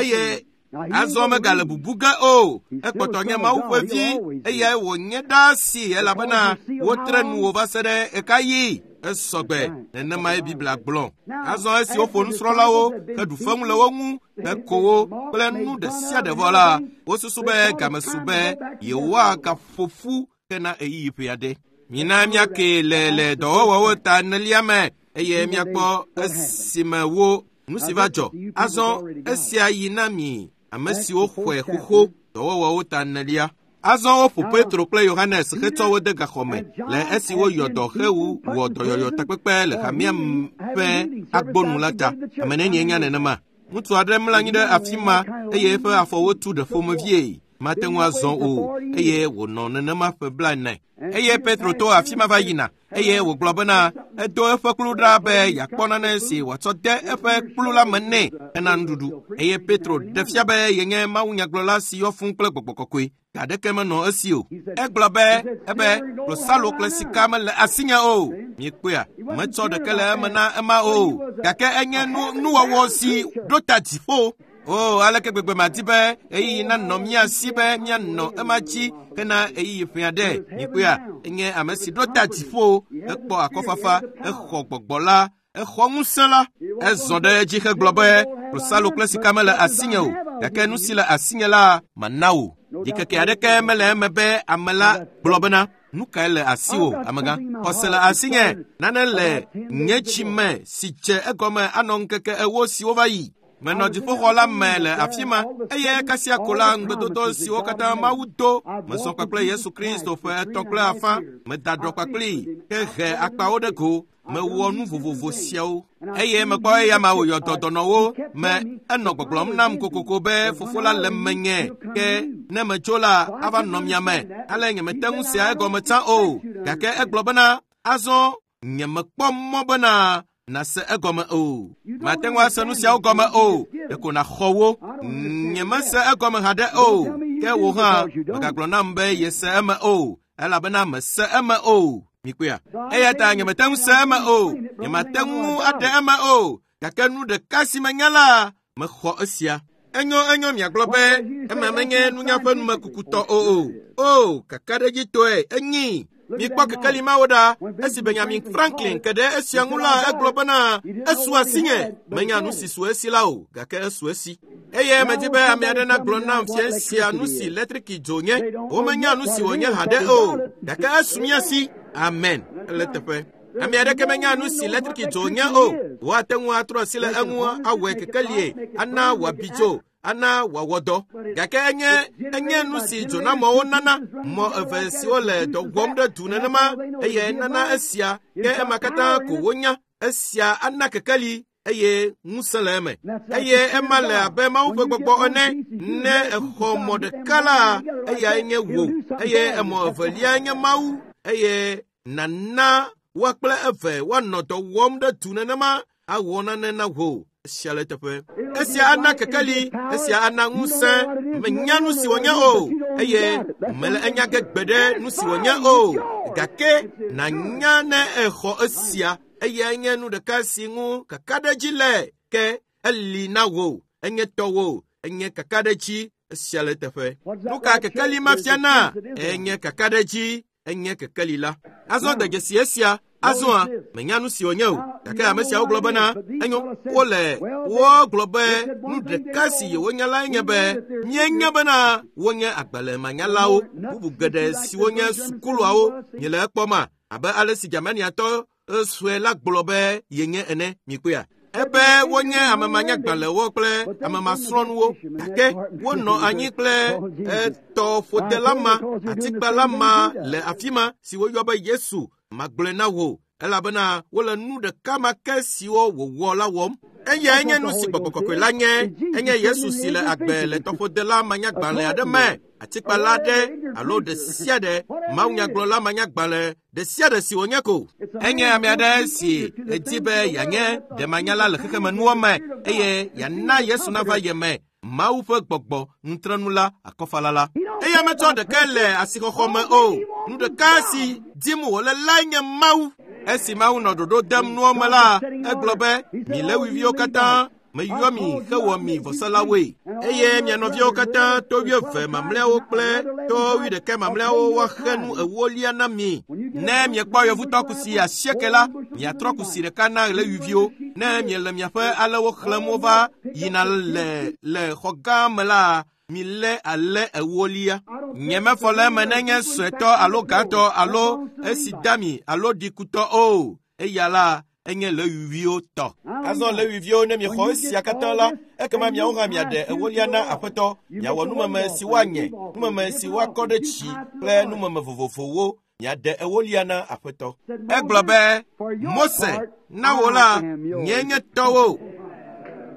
eye azɔ megale bubu ge o. Ekpɔtɔ nye Mawu ƒe vi eyae wònye ɖaa si elabena wotre nuwò va se ɖe ɣekaɣi. Esɔgbe. Nenemae Biblia gblɔ. Azɔ esi woƒo nusrɔ̃lawo heɖu feŋu le wo ŋu heko wo kple nu ɖe sia ɖe vɔ la, wosusu be game su be yewoagaƒo ƒu hena ɣeyiɣi ƒe aɖe. Mina míake le le dɔwɔwɔwo ta enelia me eye míakpɔ esime wo nu si va dzɔ. Azɔ esia yi na mi ame siwo xɔe xoxo dɔwɔwɔwo ta enelia. Azɔ woƒo Petro kple Yohanes hetsɔ wo de gaxɔ me le esi woyɔ dɔ hewu wɔ dɔyɔyɔ takpekpe le hamea ƒe agbonu la ta. Ame nenie nya nenema? Ŋutsu aɖe mlɔ anyi ɖe afi ma eye eƒe afɔwo tu ɖe ƒomevie. Mate ŋu azɔ o eye wònɔ nenema ƒe blaene. Eye Petro to afi ma va yina eye wògblɔ bena edo eƒe kplu ɖa be yeakpɔ nane si wòatsɔ de eƒe kplu la me nɛ hena nuɖuɖu. Eye Petro ɖe fia be yenye mawunyagblɔla si yɔ fũu kple gbɔgbɔ kɔkɔe. Ga aɖeke menɔ esi o. Egblɔ be ebe klosalo kple sika mele asinye o. Miekpɔea, metsɔ ɖeke le eme na ema o. Gake enye nu nuwɔwɔ si ɖo ta dziƒo. O, aleke gbegbe madi be ɣeyiɣi nanɔ mía si be míanɔ ema dzi hena ɣeyiɣi ƒe aɖe. Miekpɔea, enye ame si ɖo ta dziƒo, ekpɔ akɔfafa, exɔ gbɔgbɔ la, exɔ ŋusẽ la. Ezɔ ɖe edzi hegblɔ be klosalo kple sika mele asinye o, gake nu si le asinye la mana wò. Ɖikeke aɖeke mele eme be ame la gblɔ bena nu kae le asiwò, amegã? Xɔse le asinye, nane le nye dzi me si dze egɔme anɔ ŋkeke ewo siwo va yi. Menɔ dziƒoxɔ la me le afi ma eye kasia ko la ŋugbedodo siwo katã Mawu do mesɔ kpakple Yesu Kristo ƒe etɔ̃ kple afã meda ɖɔ kpakplii hehe akpawo ɖe go mewɔ nu vovovo siawo eye mekpɔ eya ma wòyɔ dɔ dɔnɔwo me enɔ gbɔgblɔm nam kokoko be fofo la le menye ke ne metso la ava nɔ mia me ale nyemete ŋu sea egɔme tsã o gake egblɔ bena azɔ nyemekpɔ mɔ bena nase egɔme o. Mate ŋu ase nu siawo gɔme o. Ɖeko nàxɔ wo. Nyemese egɔme haɖe o. Ke wò hã mègagblɔ nam be yese eme o, elabena mese eme o. Mikpɔea? Eya ta nyemete ŋu se eme o. Nyemate ŋu aɖe eme o. Gake nu ɖeka si menya la, mexɔ esia. Enyo enyo miagblɔ be ema menye nunya ƒe numekukutɔ o o. O, kakaɖedzitɔe enyi. Mikpɔ kekeli mawo ɖa. Esi Benjamin Franklin ke ɖe esia ŋu la, egblɔ bena esu asinye. Menya nu si su esi la o, gake esu esi. Eye medzi be ame aɖe nagblɔ nam fia sia nu si letriki dzo nye. Womenya nu si wònye haɖe o, gake esu mía si. Amen. Ele teƒe. Ame aɖeke menya nu si letriki dzo nye o. Woate ŋu atrɔ asi le eŋu awɔe kekelie, ana wòabi dzo, ana wòawɔ dɔ. Gake enye enye nu si dzonamɔwo nana mɔ eve siwo le dɔ wɔm ɖe du nenema eye nana esia ke ema katã ko wonya. Esia ana kekeli eye ŋusẽ le eme. Eye ema le abe Mawu ƒe gbɔgbɔ ene. Ne exɔ mɔ ɖeka la, eyae nye wò eye emɔ evelia nye Mawu eye nana woa kple eve woanɔ dɔ wɔm ɖe du nenema awɔ nane na wò. Esia le teƒe. Esia ana kekeli, esia ana ŋusẽ. Menya nu si wònye o, eye mele enya ge gbeɖe nu si wònye o. Gake nànya ne exɔ esia, eyae nye nu ɖeka si ŋu kakaɖedzi le ke eli na wò, enye tɔwò, enye kakaɖedzi. Esia le teƒe. Nu ka kekeli ma fiana? Enye kakaɖedzi. Enye kekeli la. Azɔ de dzesi esia. Azɔa, menya nu si wònye o. Gake ame siawo gblɔ bena, enyo, wole wogblɔ be nu ɖeka si yewonya lae nye be míenya bena wonye agbalẽmanyalawo, bubu geɖe siwo nye sukuluawo. Miele ekpɔma abe ale si Germaniatɔ sue la gblɔ be yenye ene. Mikpɔea? Ebe wonye amemanyagbalẽwo kple amemasrɔ̃nuwo, gake wonɔ anyi kple etɔƒodela ma, atikpala ma le afi ma si woyɔ be Yesu. Magblɔe na wò, elabena wole nu ɖeka ma ke siwo wòwɔ la wɔm. Eyae nye nu si Gbɔgbɔ Kɔkɔe la nye. Enye Yesu si le agbe le tɔƒodela manyagbalẽ aɖe me, atikpala aɖe alo ɖe sia ɖe, mawunyagblɔla manyagbalẽ ɖe sia ɖe si wònye ko. Enye ame aɖe si edi be yeanye ɖemanyala le xexemenuwo me eye yeana Yesu nava ye me, Mawu ƒe gbɔgbɔ nutrenu la, akɔfala la. Eya metsɔ ɖeke le asixɔxɔ me o. Nu ɖeka si dim wòle lae nye Mawu. Esi Mawu nɔ ɖoɖo dem nuwo me la, egblɔ be, mi Lewiviwo katã, meyɔ mi hewɔ mi vɔsalawoe. Eye mia nɔviawo katã, to wuieve mamlɛawo kple to wuiɖekɛ mamlɛawo woaxe nu ewolia na mi. Ne miekpɔ yevutɔ kusi asieke la, miatrɔ kusi ɖeka na Lewiviwo. Ne miele miaƒe alẽwo xlẽm wova yina le le xɔ gã me la, milé alẽ ewolia. Nyemefɔ le eme nenye suetɔ alo gãtɔ alo esi dami alo ɖikutɔ o. Eya la enye Lewiviwo tɔ. Azɔ Lewiviwo, ne miexɔ esia katã la, ekema miawo hã miaɖe ewolia na Aƒetɔ. Miawɔ numeme si woanye, numeme si woakɔ ɖe tsi kple numeme vovovowo. Miaɖe ewolia na Aƒetɔ. Egblɔ be, Mose, na wò la, nye nye tɔwo.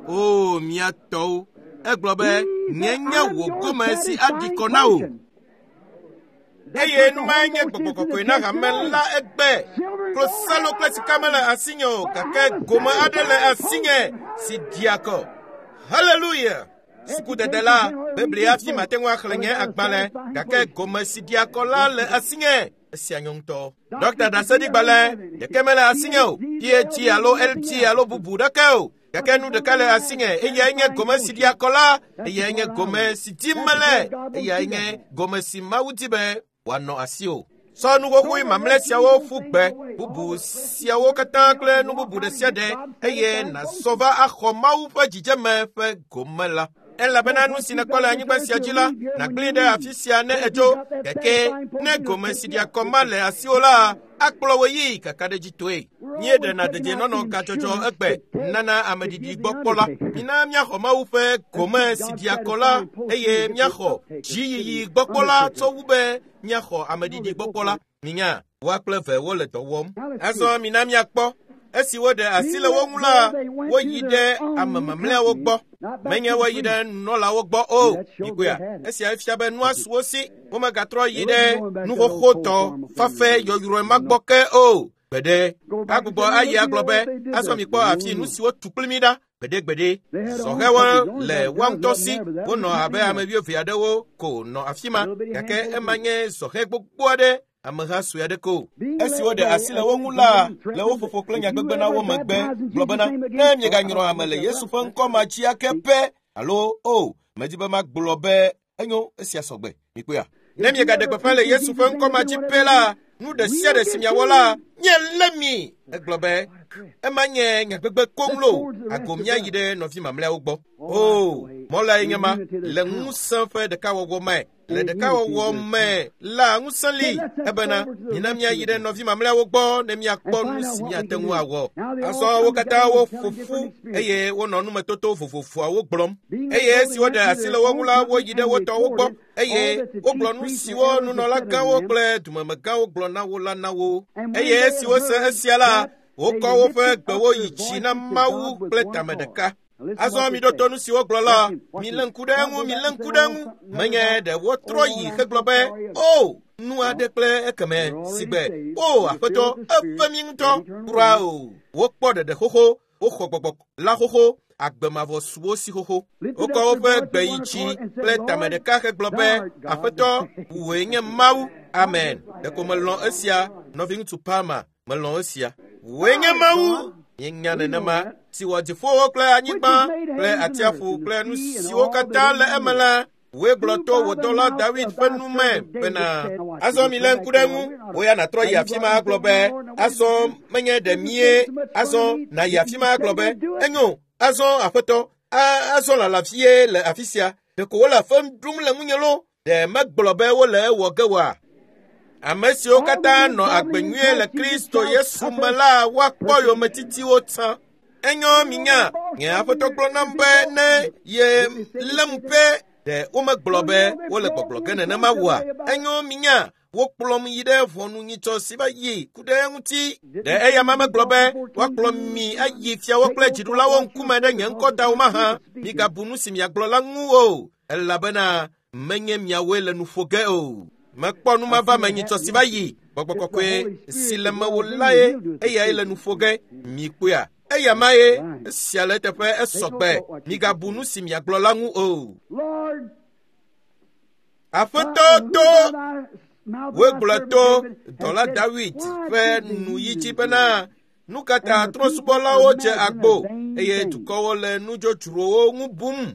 O, mia tɔwo. Egblɔ be, nye nye wò gome si aɖi kɔ na wò. Eye numae nye Gbɔgbɔ Kɔkɔe na hame la egbe. Klosalo kple sika mele asinye o, gake gome aɖe le asinye si ɖia kɔ. Hallelujah! Sukudede la, Biblia hafi mate ŋu axlẽ nye agbalẽ, gake gome si ɖia kɔ la le asinye. Esia nyɔ ŋutɔ. Dɔkta ɖaseɖigbalẽ ɖeke mele asinye o, P H D alo L T alo bubu ɖeke o. Gake nu ɖeka le asinye, eyae nye gome si ɖia kɔ la, eyae nye gome si dim mele, eyae nye gome si Mawu di be wòanɔ asiwò. Sɔ nu xoxoe mamlɛ siawo ƒu gbe, bubu siawo katã kple nu bubu ɖe sia ɖe, eye nàzɔ va axɔ Mawu ƒe dzidzeme ƒe gome la. Elabena nu si nèkpɔ le anyigba sia dzi la, nàgblẽe ɖe afi sia ne edzo. Gake ne gome si ɖia kɔ ma le asiwò la, akplɔ wò yi kakaɖedzitɔe. Míeɖena dedienɔnɔ gadzɔdzɔ egbe nana ameɖiɖi gbɔkpɔla. Mina míaxɔ Mawu ƒe gome si ɖia kɔ la, eye míaxɔ dziyiyi gbɔkpɔla tsɔ wu be míaxɔ ameɖiɖi gbɔkpɔla. Minya, woa kple eve wole dɔ wɔm. Azɔ mina míakpɔ. Esi woɖe asi le wo ŋu la, woyi ɖe ame mamlɛawo gbɔ. Menye woyi ɖe nunɔlawo gbɔ o. Mikpɔea? Esia fia be nua su wo si. Womegatrɔ yi ɖe nuxoxotɔ fafɛ yɔyrɔe ma gbɔ ke o. Gbeɖe. Agbugbɔ ayi agblɔ be, azɔ mikpɔ afi nu siwo tu kpli mi ɖa. Gbeɖegbeɖe. Zɔhɛwo le woa ŋutɔ si. Wonɔ abe ame wuieve aɖewo ko nɔ afi ma. Gake ema nye zɔhɛ gbogbo aɖe. Ameha sue aɖe ko. Esi woɖe asi le wo ŋu la, le wo ƒoƒo kple nyagbegbe na wo megbe, gblɔ bena, ne mieganyrɔ ame le Yesu ƒe ŋkɔ ma dzi ake pɛ, alo o, medi be magblɔ be enyo esia sɔgbe. Mikpɔea? Ne miegaɖe gbeƒã le Yesu ƒe ŋkɔ ma dzi pɛ la, nu ɖe sia ɖe si miawɔ la, míelé mi. Egblɔ be, ema nye nyagbegbe koŋ lo, ago míayi ɖe nɔvi mamlɛawo gbɔ. O, mɔ lae nye ma, le ŋusẽ ƒe ɖekawɔwɔ me. Le ɖekawɔwɔ me la ŋusẽ li, ebena mina míayi ɖe nɔvi mamlɛawo gbɔ ne míakpɔ nu si míate ŋu awɔ. Azɔ wo katã woƒo ƒu eye wonɔ numetoto vovovoawo gblɔm. Eye esi woɖe asi le wo ŋu la, woyi ɖe wo tɔwo gbɔ eye wogblɔ nu siwo nunɔlagãwo kple dumemegãwo gblɔ na wo la na wo. Eye esi wose esia la, wokɔ woƒe gbewo yi dzi na Mawu kple tame ɖeka. Azɔ miɖo to nu si wogblɔ la, milé ŋku ɖe eŋu, milé ŋku ɖe eŋu. Menye ɖe wotrɔ yi hegblɔ be, o, nu aɖe kple ekeme sigbe, o, Aƒetɔ, eve mi ŋutɔ. Kura o. Wokpɔ ɖeɖe xoxo, woxɔ gbɔgbɔ la xoxo, agbe mavɔ su wo si xoxo. Wokɔ woƒe gbe yi dzi kple tame ɖeka hegblɔ be, Aƒetɔ, wòe nye Mawu. Amen. Ɖeko melɔ̃ esia, nɔviŋutsu Palmer, melɔ̃ esia. Wòe nye Mawu. Míenya nenema si wɔ dziƒowo kple anyigba kple atsiaƒu kple nu siwo katã le eme la, Wòe gblɔ to wò dɔla David ƒe nu me bena, azɔ mi lé ŋku ɖe eŋu, wò ya nàtrɔ yi afi ma agblɔ be, azɔ menye ɖe mie, azɔ nàyi afi ma agblɔ be, enyo, azɔ aƒetɔ, azɔ lala vie le afi sia, ɖeko wole fem ɖum le ŋunye lo, ɖe megblɔ be wole ewɔ ge oa? Ame siwo katã nɔ agbe nyuie le Kristo Yesu me la woakpɔ yometitiwo tsã. Enyo minya, nye aƒetɔ gblɔ nam be ne ye lém pɛ, ɖe womegblɔ be wole gbɔgblɔ ge nenema oa? Enyo minya, wokplɔm yi ɖe ʋɔnunyitsɔ si va yi ku ɖe eŋuti. Ɖe eya ma megblɔ be woakplɔ mi ayi fiawo kple dziɖulawo ŋkume ɖe nye ŋkɔ ta o mahã? Migabu nu si miagblɔ la ŋu o, elabena menye miawoe le nu ƒo ge o. Mekpɔ nu ma va me nyitsɔ si va yi. Gbɔgbɔ kɔkɔe si le mewò lae, eyae le nu ƒo ge. Mikpɔea? Eya ma ye, esia le eteƒe esɔgbe. Migabu nu si miagblɔ la ŋu o. Aƒetɔ to wògblɔ to dɔla Dawid ƒe nuyi dzi bena, nu ka ta trɔ̃subɔlawo dze agbo eye dukɔwo le nudzodzrowo ŋu bum?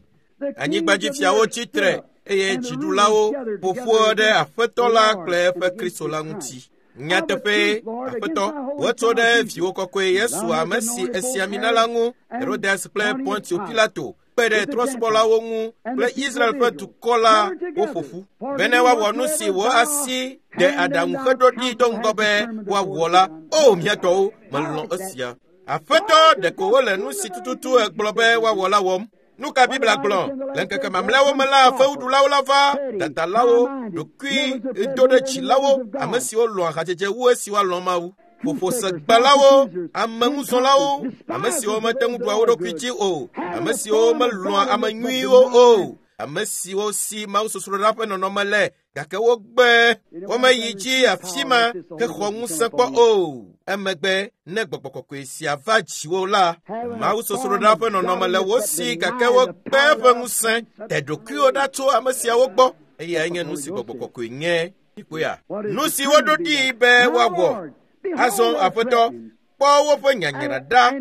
Anyigbadzifiawo tsi tre eye dziɖulawo ƒo ƒu ɖe Aƒetɔ la kple eƒe Kristo la ŋuti. Nyateƒee, Aƒetɔ, wotso ɖe viwò kɔkɔe Yesu ame si esi ami na la ŋu, Herodes kple Pontio Pilato kpe ɖe trɔ̃subɔlawo ŋu kple Israel ƒe dukɔ la woƒo ƒu bene woawɔ nu si wò asi ɖe aɖaŋu heɖo ɖi do ŋgɔ be woawɔ la. O mía tɔwo, melɔ̃ esia. Aƒetɔ, ɖeko wole nu si tututu egblɔ be woawɔ la wɔm. Nu ka Biblia gblɔ? Le ŋkeke mamlɛawo me la, fewuɖulawo la va, dadalawo, ɖokuidoɖedzilawo, ame siwo lɔ̃a hadzedze wu esi woalɔ̃ Mawu, ƒoƒosegbalawo, ameŋuzɔlawo, ame siwo mete ŋu ɖua wo ɖokui dzi o, ame siwo melɔ̃a ame nyuiwo o, ame siwo si mawusosroɖa ƒe nɔnɔme le, gake wogbe womeyi dzi afi ma hexɔ ŋusẽ kpɔ o. Emegbe ne gbɔgbɔ kɔkɔe sia va dziwò la, mawusosroɖa ƒe nɔnɔme le wo si, gake wogbe eƒe ŋusẽ. Te ɖokuiwò ɖa tso ame siawo gbɔ. Eyae nye nu si gbɔgbɔ kɔkɔe nye. Mikpɔea? Nu si woɖo ɖi be woawɔ. Azɔ Aƒetɔ, kpɔ woƒe nyanyra ɖa,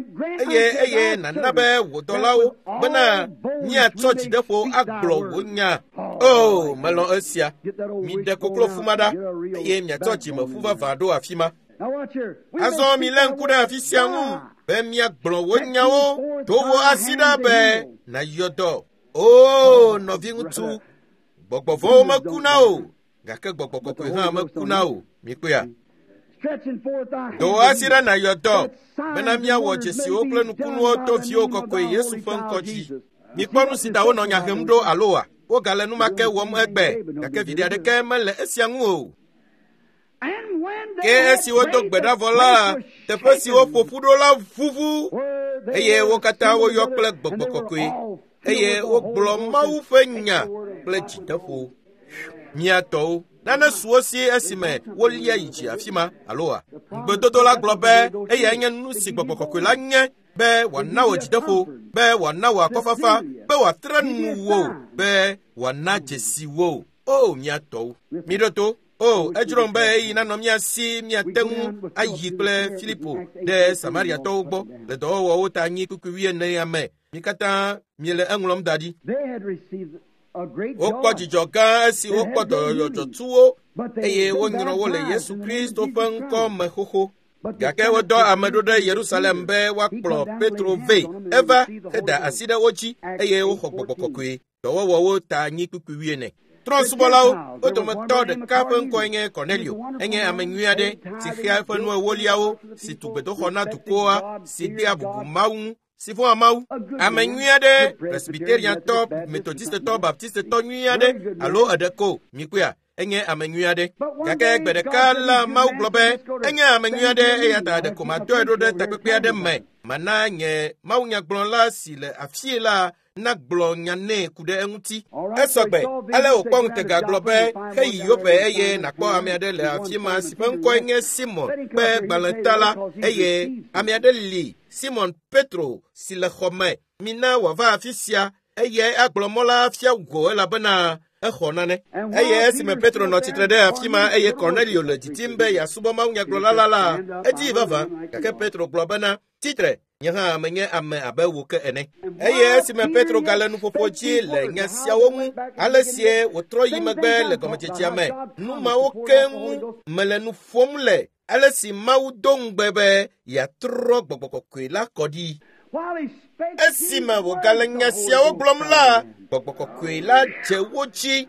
eye eye nàna be wò dɔlawo bena míatsɔ dzideƒo agblɔ wò nya. O, melɔ̃ esia. Miɖe koklofu ma ɖa, eye miatsɔ dzimeƒu vavã ɖo afi ma. Azɔ milé ŋku ɖe afi sia ŋu be míagblɔ wò nyawo. Do wò asi ɖa be nàyɔ dɔ. O, nɔviŋutsu, gbɔgbɔ vɔ̃wo mekuna o, gake gbɔgbɔ kɔkɔe hã mekuna o. Mikpɔea? Do wò asi ɖa nàyɔ dɔ bena míawɔ dzesiwo kple nukunuwo to viwò kɔkɔe Yesu ƒe ŋkɔ dzi. Mikpɔ nu si ta wonɔ nya hem ɖo aloa? Wogale nu ma ke wɔm egbe, gake viɖe aɖeke mele esia ŋu o. Ke esi wodo gbe ɖa vɔ la, teƒe si woƒo ƒu ɖo la ʋuʋu, eye wo katã woyɔ kple gbɔgbɔ kɔkɔe, eye wogblɔ Mawu ƒe nya kple dzideƒo. Mía tɔwo, nane su wo si esime wolia yi dzi afi ma aloa? Ŋugbedodo la gblɔ be eyae nye nu si gbɔgbɔ kɔkɔe la nye, be wòana wò dzideƒo, be wòana wò akɔfafa, be wòatre nu wò, be wòana dzesi wò. O mía tɔwo, miɖo to. O, edzrom be eyi nanɔ mía si míate ŋu ayi kple Filipo ɖe Samariatɔwo gbɔ le dɔwɔwɔwo ta anyi kpukpui wuienea me. Mi katã miele eŋlɔm da ɖi. Wokpɔ dzidzɔ gã esi wokpɔ dɔyɔyɔ dzɔtsuwo eye wonyrɔ wo le Yesu Kristo ƒe ŋkɔ me xoxo. Gake wodɔ ame ɖo ɖe Yerusalem be woakplɔ Petro vɛ. Eva heda asi ɖe wo dzi eye woxɔ gbɔgbɔ kɔkɔe. Dɔwɔwɔwo ta anyi kpukpui wuiene. Trɔ̃subɔlawo, wo dometɔ ɖeka ƒe ŋkɔe nye Cornelio. Enye ame nyui aɖe si xea eƒe nu ewoliawo, si tu gbedoxɔ na dukɔa, si dea bubu Mawu ŋu, si vɔ̃a Mawu. Ame nyui aɖe, Presbyteriantɔ, Methodistetɔ, Baptistetɔ nyui aɖe, alo eɖe ko, mikpɔea? Enye ame nyui aɖe. Gake gbe ɖeka la Mawu gblɔ be enye ame nyui aɖe, eya ta ɖeko madɔe ɖo ɖe takpekpe aɖe me. Mana nye mawunyagblɔla si le afie la nagblɔ nya nɛ ku ɖe eŋuti. Esɔgbe, ale wòkpɔ ŋutega gblɔ be heyi Yope eye nàkpɔ ame aɖe le afi ma si ƒe ŋkɔe nye Simon ƒe gbalẽta la, eye ame aɖe li, Simon Petro, si le xɔ me. Mina wòava afi sia, eye agblɔ mɔ la fia wò elabena Exɔ nane. Eye esime Petro nɔ tsitre ɖe afi ma eye Cornelio le didim be yeasubɔ mawunyagblɔla la la, edii vavã. Gake Petro gblɔ bena, tsitre, nye hã menye ame abe wò ke ene. Eye esime Petro gale nuƒoƒo dzi le nya siawo ŋu, ale sie wòtrɔ yi megbe le gɔmedzedzea me, nu mawo ke ŋu mele nu ƒom le, ale si Mawu do ŋugbe be yeatrɔ gbɔgbɔ kɔkɔe la kɔ ɖi. Esime wògale nya siawo gblɔm la, gbɔgbɔ kɔkɔe la dze wo dzi.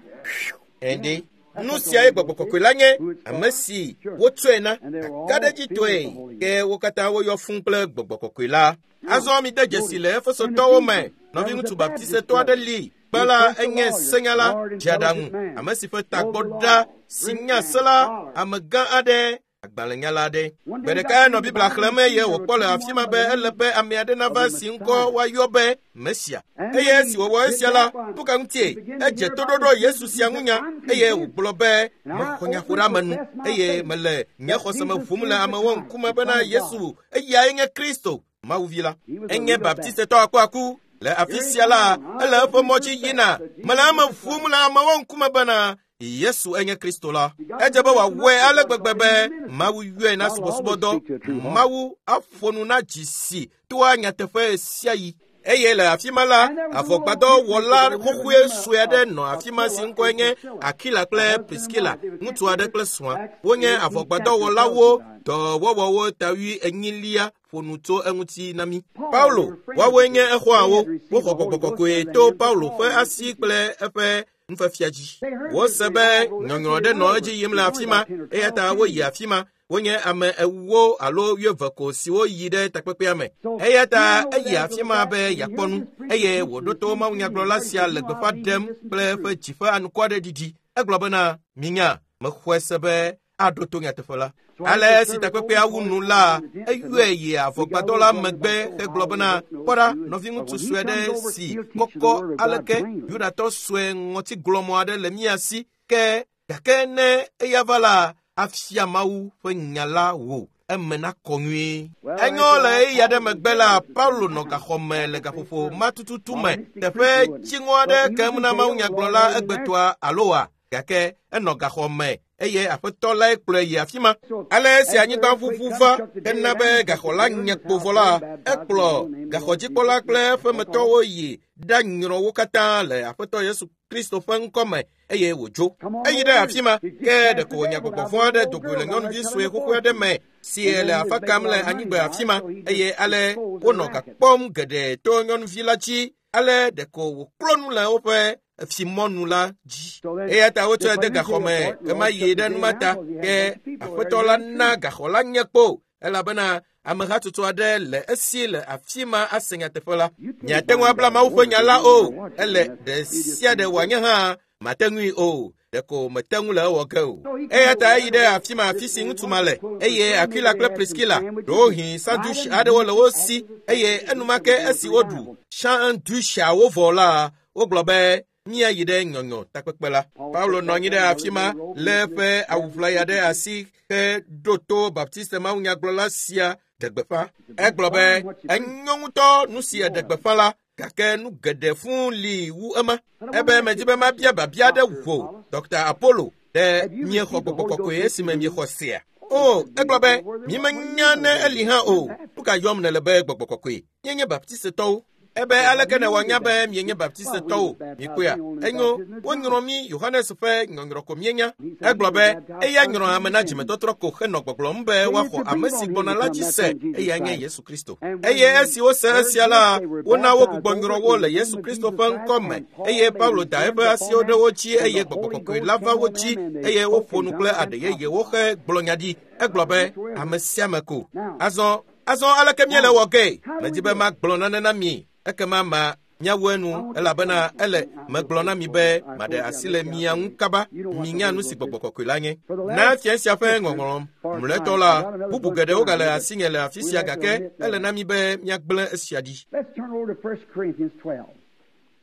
Ende nu siae gbɔgbɔ kɔkɔe la nye, ame si wotsɔe na kakaɖedzitɔe, ke wo katã woyɔ fũu kple gbɔgbɔ kɔkɔe la. Azɔ mide dzesi le Efesotɔwo me, nɔviŋutsu baptisetɔ aɖe li, kpe la enye senyala dzeaɖaŋu, ame si ƒe tagbɔ ɖa si nya se la, amegã aɖe, agbalẽnyala aɖe. Gbe ɖeka enɔ Biblia xlẽm eye wòkpɔ le afi ma be ele be ame aɖe nava si ŋkɔ woayɔ be Mesia. Eye esi wòwɔ esia la, nu ka ŋutie? Edze toɖoɖo Yesu sia ŋu nya eye wògblɔ be mexɔ nyaƒoɖeamenu eye mele nye xɔse me ʋum le amewo ŋkume bena Yesu eyae nye Kristo, Mawu vi la. Enye baptistetɔ akuaku. Le afi sia la, ele eƒe mɔ dzi yina. Mele eme ʋum le amewo ŋkume bena Yesu enye Kristo la. Edze be wòawɔe ale gbegbe be Mawu yɔe na subɔsubɔdɔ. Mawu aƒo nu na dzi si toa nyateƒe sia yi. Eye le afi ma la, avɔgbadɔwɔla xoxoe sue aɖe nɔ afi ma si ŋkɔe nye Akila kple Priskila, ŋutsu aɖe kple srɔ̃a. Wonye avɔgbadɔwɔlawo, dɔwɔwɔwo tawui enyilia ƒo nu tso eŋuti na mí. Paulo, woawoe nye exɔawo. Woxɔ gbɔgbɔ kɔkɔe to Paulo ƒe asi kple eƒe nufiafia dzi. Wose be nyɔnyrɔ ɖe nɔ edzi yim le afi ma, eya ta woyi afi ma. Wonye ame ewo alo wuieve ko siwo yi ɖe takpekpea me. Eya ta eyi afi ma be yeakpɔ nu, eye wòɖo to mawunyagblɔla sia le gbeƒã ɖem kple eƒe dzi ƒe anukwareɖiɖi. Egblɔ bena, minya, mexɔe se be aɖo to nyateƒe la. Ale esi takpekpea wu nu la, eyɔe yi avɔgbadɔ la megbe hegblɔ bena, kpɔ ɖa, nɔviŋutsu sue aɖe si kɔkɔ aleke Yudatɔ sue ŋɔtiglɔmɔ aɖe le mía si, ke gake ne eya va la, afia Mawu ƒe nya la wò eme nakɔ nyuie. Enyo le ɣeyiɣi aɖe megbe la, Paulo nɔ gaxɔme le gaƒoƒo ma tututu me, teƒe dziŋɔ aɖe kem na mawunyagblɔla egbetɔa alo wa, gake enɔ gaxɔme eye aƒetɔ lae kplɔe yi afi ma. Ale esi anyigba ʋuʋu va hena be gaxɔ la nye kpo vɔ la, ekplɔ gaxɔdzikpɔla kple eƒemetɔwo yi ɖanyrɔ wo katã le aƒetɔ Yesu Kristo ƒe ŋkɔme eye wòdzo. Eyi ɖe afi ma, ke ɖeko wònya gbɔgbɔ vɔ̃ aɖe do goe le nyɔnuvi sue xoxo aɖe me si le afa kam le anyigba afi ma, eye ale wonɔ ga kpɔm geɖe to nyɔnuvi la dzi, ale ɖeko wòklo nu le woƒe fimɔnu la dzi. Eya ta wotsɔe de gaxɔme ɣemaɣi ɖe numa ta, ke aƒetɔ la na gaxɔ la nye kpo, elabena amehatsotso aɖe le esi le afi ma ase nyateƒe la. Miate ŋu abla Mawu ƒe nya la o, ele ɖe sia ɖe wòanye hã mate ŋui o, ɖeko mete ŋu le ewɔ ge o. Eya ta eyi ɖe afi ma afi si ŋutsu ma le, eye Aquila kple Priskila, ɖewohĩ sandwich aɖewo le wo si, eye enumake esi woɖu sandwichawo vɔ la, wogblɔ be míayi ɖe nyɔnyɔ takpekpe la. Paulo nɔ anyi ɖe afi ma lé eƒe awuʋlaya ɖe asi heɖo to Baptiste mawunyagblɔla sia ɖe gbeƒã. Egblɔ be enyo ŋutɔ nu si eɖe gbeƒã la, gake nu geɖe fũu li wu ema. Ebe medzi be mabia biabia aɖe wò, Dɔkta Apollo, ɖe miexɔ gbɔgbɔ kɔkɔe esime miexɔ sea? O, egblɔ be mímenya ne eli hã o. Nu ka yɔm nèle be gbɔgbɔ kɔkɔe? Míenye Baptistetɔwo. Ebe aleke nèwɔ nya be mienye Baptistetɔwo? Mikpɔea, enyo, wonyrɔ mí Yohanes ƒe nyɔnyrɔ ko míenya. Egblɔ be eya nyrɔ ame na dzimetɔtrɔ ko henɔ gbɔgblɔm be woaxɔ ame si gbɔna la dzi se, eya nye Yesu Kristo. Eye esi wose esia la, wona wogbugbɔ nyrɔ wo le Yesu Kristo ƒe ŋkɔ me, eye Paulo da eƒe asiwo ɖe wo dzi eye gbɔgbɔ kɔkɔe la va wo dzi eye woƒo nu kple aɖe yeyewo hegblɔ nya ɖi. Egblɔ be ame sia ame ko. Azɔ azɔ aleke míele wɔ ge? Medi be magblɔ nane na mi, ekema ma miawu enu, elabena ele megblɔ na mi be maɖe asi le mia ŋu kaba. Minya nu si gbɔgbɔ kɔkɔe la nye. Na fia sia ƒe ŋɔŋlɔ mlɔetɔ la, bubu geɖewo gale asinye le afi sia, gake ele na mi be míagblẽ esia ɖi.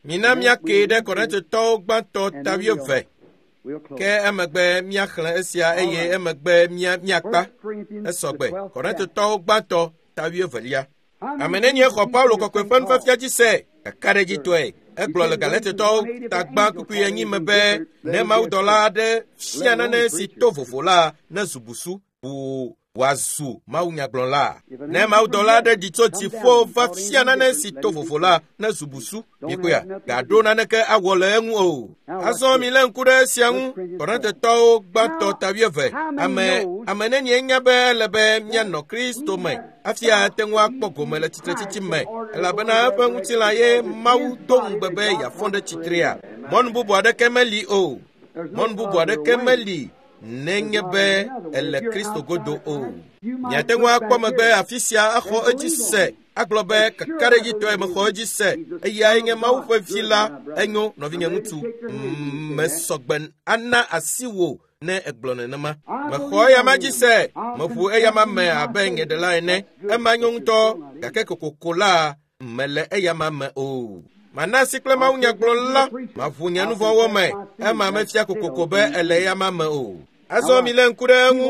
Mina míake ɖe Korintotɔwo gbãtɔ ta wuieve, ke emegbe míaxlẽ esia eye emegbe mía míakpa. Esɔgbe. Korintotɔwo gbãtɔ ta wuievelia. Ame nenie xɔ Paulo kɔkɔe ƒe nufiafia dzi se? Kakaɖedzitɔe. Egblɔ le Galatetɔwo tagba kpukpui enyi me be ne mawudɔla aɖe fia nane si to vovo la ne zu busu ʋuu wòazu mawunyagblɔla. Ne mawudɔla aɖe ɖi tso dziƒo va fia nane si to vovo la ne zu busu. Mikpɔea, gaɖo naneke awɔ le eŋu o. Azɔ mi lé ŋku ɖe esia ŋu. Korintetɔwo gbãtɔ ta wuieve. Ame ame nenie nya be ele be míanɔ Kristo me hafi ate ŋu akpɔ gome le tsitretsitsi me, elabena eƒe ŋutilã ye Mawu do ŋugbe be yeafɔ ɖe tsitrea. Mɔnu bubu aɖeke meli o. Mɔnu bubu aɖeke meli nenye be ele Kristo godo o. Miate ŋu akpɔ megbe afi sia axɔ edzi se, agblɔ be kakaɖedzitɔe mexɔ edzi se, eyae nye Mawu ƒe vi la, enyo nɔvinye ŋutsu. Mesɔgbe ana asi wò ne egblɔ nenema. Mexɔ eyama dzi se, meʋu eyama me abe nye ɖela ene. Ema nyo ŋutɔ, gake kokoko la mele eyama me o. Mana asi kple mawunyagblɔla, maʋu nye nu vɔ̃wo me, ema mefia kokoko be ele eyama me o. Azɔ mi lé ŋku ɖe eŋu,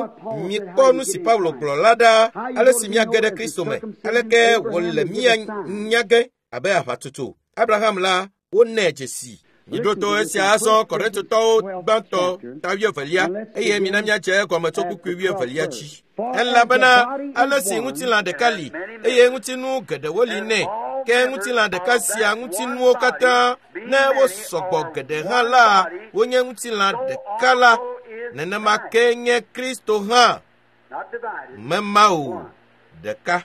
mikpɔ nu si Paulo gblɔ la ɖa, ale si míage ɖe Kristo me, aleke wòle mía nya ge abe aʋatsotso. Abraham la, wonɛ dzesi. Miɖo to esia azɔ Korintotɔwo gbãtɔ ta wuievelia, eye mina míadze egɔme tso kpukpui wuievelia dzi. Elabena ale si ŋutilã ɖeka li, eye ŋutinu geɖewo li nɛ, ke ŋutilã ɖeka sia ŋutinuwo katã, ne wosɔgbɔ geɖe hã la, wonye ŋutilã ɖeka la, nenema ke nye Kristo hã. Mema o, ɖeka.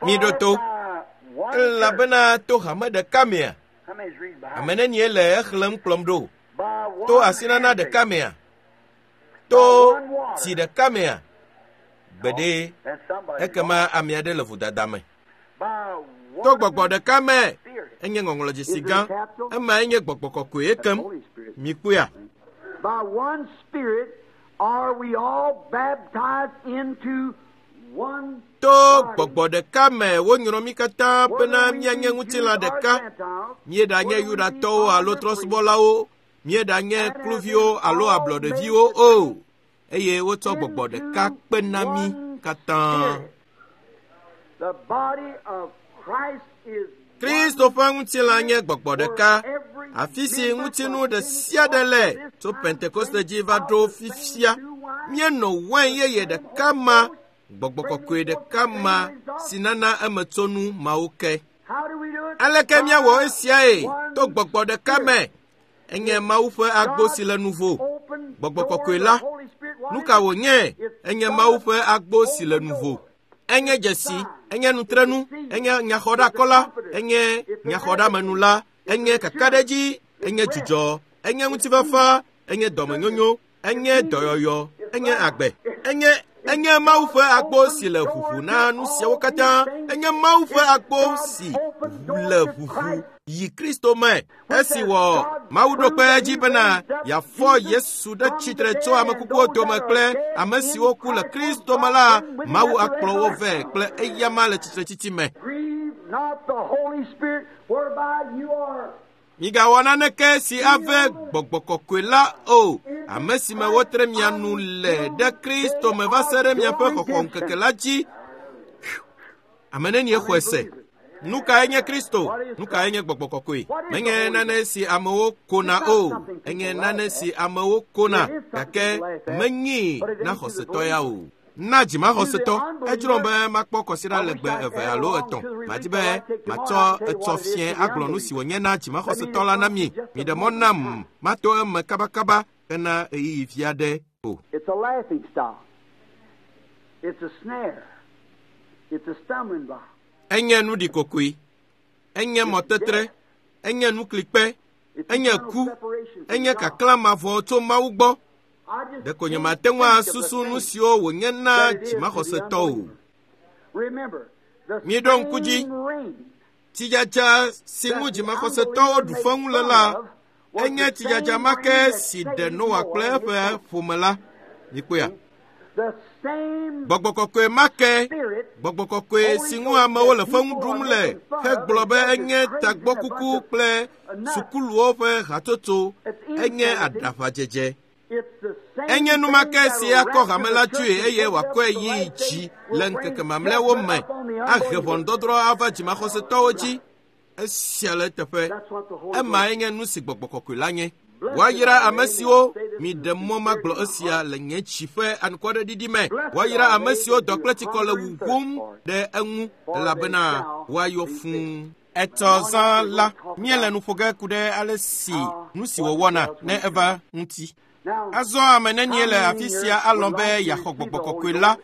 Miɖo to. Elabena to hame ɖeka mea, ame nenie le exlẽm kplɔm ɖo? To asinana ɖeka mea? To tsi ɖeka mea? Gbeɖe, ekema ame aɖe le vodada me. To gbɔgbɔ ɖeka me, enye ŋɔŋlɔdzesi gã, emae nye gbɔgbɔ kɔkɔe ekem. Mikpɔea? By one Spirit are we all baptized into one To gbɔgbɔ ɖeka me wonyrɔ mí katã bena míanye ŋutilã ɖeka. Míeɖanye Yudatɔwo alo trɔ̃subɔlawo, míeɖanye kluviwo alo ablɔɖeviwo o, eye wotsɔ gbɔgbɔ ɖeka kpe na mí katã. The body of Christ is Kristo ƒe ŋutilã nye gbɔgbɔ ɖeka, afi si ŋutinu ɖe sia ɖe le tso Pentekoste dzi va ɖo fifia. Míenɔ wain yeye ɖeka ma, gbɔgbɔ kɔkɔe ɖeka ma si nana emetsonu mawo ke. How do we do it? Aleke míawɔ esiae? To gbɔgbɔ ɖeka me. Enye Mawu ƒe agbo si le nuvo. Gbɔgbɔ kɔkɔe la, nu ka wònye? Enye Mawu ƒe agbo si le nuvo. Enye dzesi, enye nutrenu, enye nyaxɔɖakɔla, enye nyaxɔɖamenu la, enye kakaɖedzi, enye dzudzɔ, enye ŋutifafa, enye dɔmenyonyo, enye dɔyɔyɔ, enye agbe, enye enye Mawu ƒe agbo si le ʋuʋu na nu siawo katã, enye Mawu ƒe agbo si le ʋuʋu yi Kristo me. Esi wɔ Mawu ɖo kpe edzi bena yeafɔ Yesu ɖe tsitre tso ame kukuwo dome kple ame siwo ku le Kristo me la, Mawu akplɔ wo vɛ kple eyama le tsitretsitsi me. Grieve not the Holy Spirit, whereby you are Migawɔ naneke si ave gbɔgbɔ kɔkɔe la o, ame si me wotre mia nu le ɖe Kristo me va se ɖe miaƒe xɔxɔ ŋkeke la dzi. Ame nenie xɔe se? Nu kae nye Kristo? Nu kae nye gbɔgbɔ kɔkɔe? Menye nane si amewo kona o, enye nane si amewo kona, gake menyi na xɔsetɔ ya o. Na dzimaxɔsetɔ, edzrom be makpɔ kɔsiɖa legbe eve alo etɔ̃. Madi be matsɔ etsɔ fiẽ agblɔ nu si wònye na dzimaxɔsetɔ la na mi. Miɖe mɔ nam mato eme kabakaba hena ɣeyiɣi vi aɖe o. It's a laughing stock. It's a snare. It's a stumbling block. Enye nu ɖikokoe, enye mɔtetre, enye nuklikpe, It's enye eternal ku, separation from enye God. kaklã mavɔ tso Mawu gbɔ. I just Ɖeko nye can't mate ŋu think of the asusu nu thing siwo wònye na that it is to the dzimaxɔsetɔ o. unbeliever. Remember, the Miɖo ŋku dzi. same rain Tsidzadza si ŋu that the dzimaxɔsetɔwo ɖu unbeliever feŋu made le fun la, of was enye the tsidzadza same ma rain ke that si ɖe saved Noa Noah kple and his eƒe family. ƒome la. Mikpɔea? The same Gbɔgbɔ kɔkɔe ma ke, Spirit gbɔgbɔ kɔkɔe si ŋu amewo le feŋu ɖum le hegblɔ be enye tagbɔkuku kple sukuluwo ƒe hatsotso, enye aɖaʋadzedze. It's the same Enye nu ma ke thing si that'll akɔ rapture hame the la church tsoe and eye take up wòakɔe the yi last dzi days will le bring ŋkeke mamlɛawo judgment me, upon the ahe unbelievers. ʋɔnudɔdrɔ̃ ava dzimaxɔsetɔwo dzi. Esia le eteƒe. Emae nye nu si gbɔgbɔ kɔkɔe la nye. Woayra ame siwo miɖe mɔ magblɔ esia le nye dzi ƒe anukwareɖiɖi me. Woayra ame siwo dɔ kple tsikɔ le wuwum ɖe eŋu elabena woayɔ fũu. Etɔ zã la, míele nu ƒo ge ku ɖe ale si nu si wòwɔna ne eva ŋuti. Azɔ ame nenie le afi sia alɔ̃ be yeaxɔ gbɔgbɔ kɔkɔe la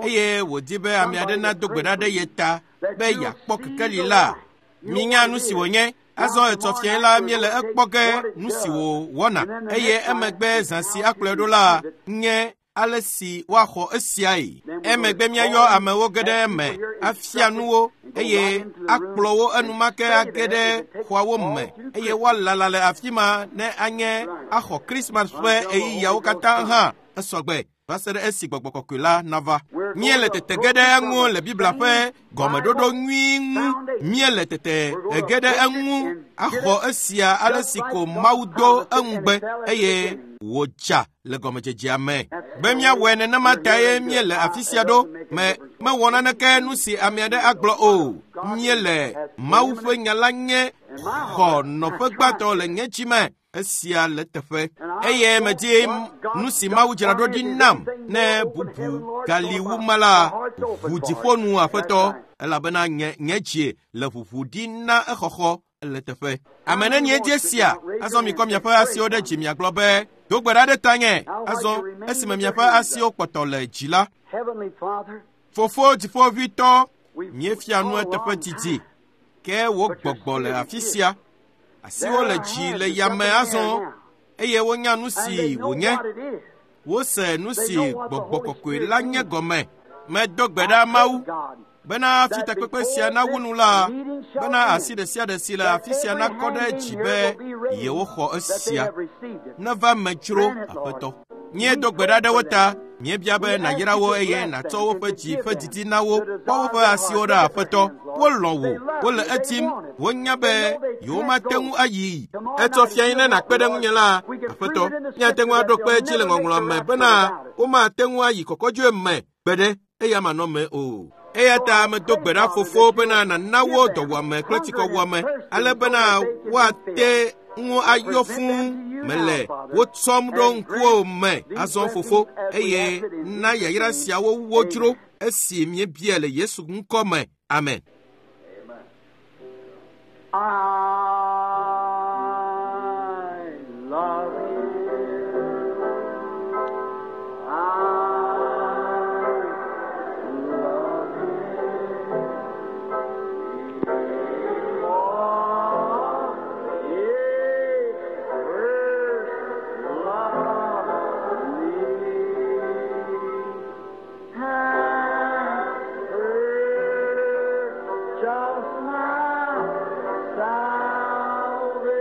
eye wòdi be ame aɖe nado gbe ɖa ɖe ye ta be yeakpɔ kekeli la. Minya nu si wònye. Azɔ etɔ fiae la míele ekpɔ ge nu si wòwɔna eye emegbe zã si akplɔe ɖo la nye ale si woaxɔ esiae. Emegbe míayɔ amewo ge ɖe eme, afia nuwo eye akplɔ wo enumake age ɖe xɔawo me eye woalala le afi ma ne anye axɔ Krismas ƒe ɣeyiɣiawo katã hã esɔgbe va se ɖe esi gbɔgbɔ kɔkɔe la nava. Míele tete ge ɖe eŋu le Biblia ƒe gɔmeɖoɖo nyui ŋu. Míele tete ge ɖe eŋu axɔ esia ale si ko Mawu do eŋugbe eye wòdza le gɔmedzedzea me. Be míawɔe nenema tae míele afi sia ɖo. Me mewɔ naneke nu si ame aɖe agblɔ o. Míele Mawu ƒe nya la nye xɔ nɔƒe gbãtɔ le nye dzi me. Esia le teƒe. Eye medzi nu si Mawu dzra ɖo ɖi nam ne bubu gali wu ma la, ʋu dziƒo nu aƒetɔ elabena nye nye dzie le ʋuʋu ɖi na exɔxɔ le teƒe. Ame nenie dzi esia? Azɔ mikɔ miaƒe asiwo ɖe dzi miagblɔ be, do gbe ɖa ɖe tanye. Azɔ esime miaƒe asiwo kpɔtɔ le dzi la, Fofo dziƒoʋĩtɔ, míefia nu eteƒe didi, ke wò gbɔgbɔ le afi sia. Asiwo le dzi le yame azɔ eye wonya nu si wònye. Wose nu si gbɔgbɔ kɔkɔe la nye gɔme. Medo gbe ɖa Mawu bena hafi takpekpe sia nawu nu la, bena asi ɖe sia ɖe si le afi sia nakɔ ɖe dzi be yewoxɔ esia. Neva me dzro aƒetɔ. Míedo gbe ɖa ɖe wo ta. Míebia be nàyra wo eye nàtsɔ woƒe dzi ƒe didi na wo. Kpɔ woƒe asiwo ɖa aƒetɔ. Wolɔ̃ wò, wole etim, wonya be yewomate ŋu ayi. Etsɔ fiae ne nàkpe ɖe ŋunye la, aƒetɔ. Míate ŋu aɖo kpe edzi le ŋɔŋlɔ me bena womate ŋu ayi kɔkɔdzoe me gbeɖe eya manɔ me o. Eya ta medo gbe ɖa fofo bena nàna wo dɔwuame kple tsikɔwuame ale bena woate ŋu ayɔ fũu. Mele wo tsɔm ɖo ŋkuwò me azɔ fofo eye na yayra siawo wo dzro esi míebia le Yesu ŋkɔ me. Amen. I love you. I love you. For He first loved me and purchased my salvation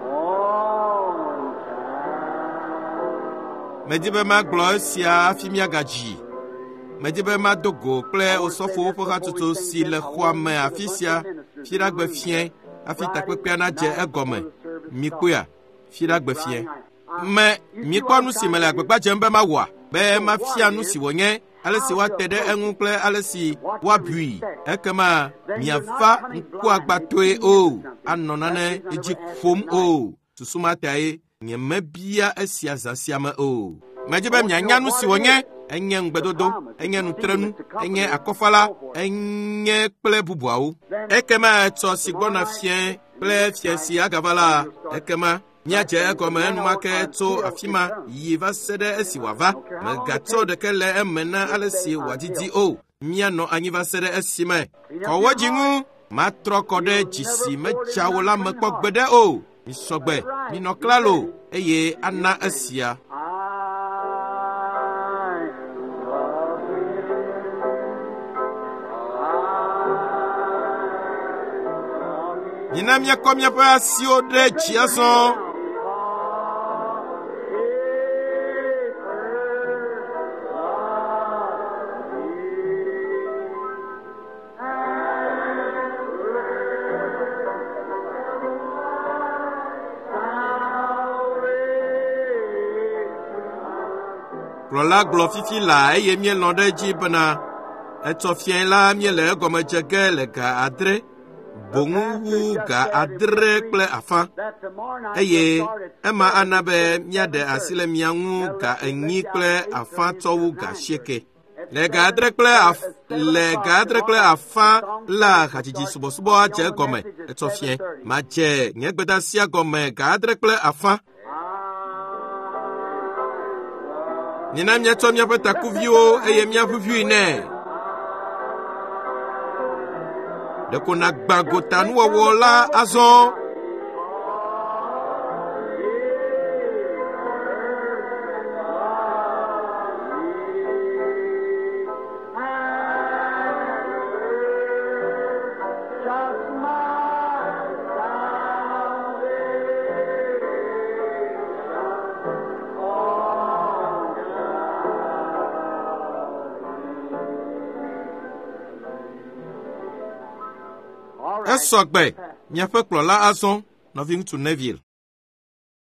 on Calvary. Medi be magblɔ esia hafi míagadzi. Medi be mado go kple osɔfowo ƒe hatsotso si le xɔa me afi sia fiɖagbe fiẽ hafi takpekpea nadze egɔme. Mikpɔea? Fiɖagbe fiẽ. Me mikpɔ nu si mele agbagba dzem be mawɔa? Be mafia nu si wònye, ale si woate ɖe eŋu kple ale si woabui. Ekema miava ŋkuagbatoe o, anɔ nane dzi ƒom o. Susu ma tae nyemebia esia zã sia me o. Medzi be mianya nu si wònye. Enye ŋugbedodo, enye nutrenu, enye akɔfala, enye kple bubuawo. Ekema etsɔ si gbɔna fiẽ kple fiẽ si agava la, ekema míadze egɔme enumake tso afi ma yi va se ɖe esi wòava. Megatsɔ ɖeke le eme na ale si wòadidi o. Míanɔ anyi va se ɖe esime. Kɔ wo dzi ŋu. Matrɔ kɔ ɖe dzi si medza wo la me kpɔ gbeɖe o. Misɔgbe, minɔ klalo eye ana esia. I love you. I love you. Mina míakɔ míaƒe asiwo ɖe dzi azɔ. Kplɔla gblɔ fifi laa eye míelɔ̃ ɖe edzi bena Etsɔ fiae la míele egɔme dze ge le ga adre, boŋu wu ga adre kple afã eye ema ana be míaɖe asi le mia ŋu ga enyi kple afã tsɔ wu ga asieke. Le ga adre kple af le ga adre kple afã la hadzidzi subɔsubɔ adze egɔme etsɔ fiẽ. Madze nye gbedeasia gɔme ga adre kple afã. Mina míatsɔ míaƒe takuviwo eye míaʋuʋui nɛ. Ɖeko nàgbã gotanuwɔwɔ la azɔ. Esɔ gbe miaƒe kplɔla azɔ, nɔviŋutsu Neville.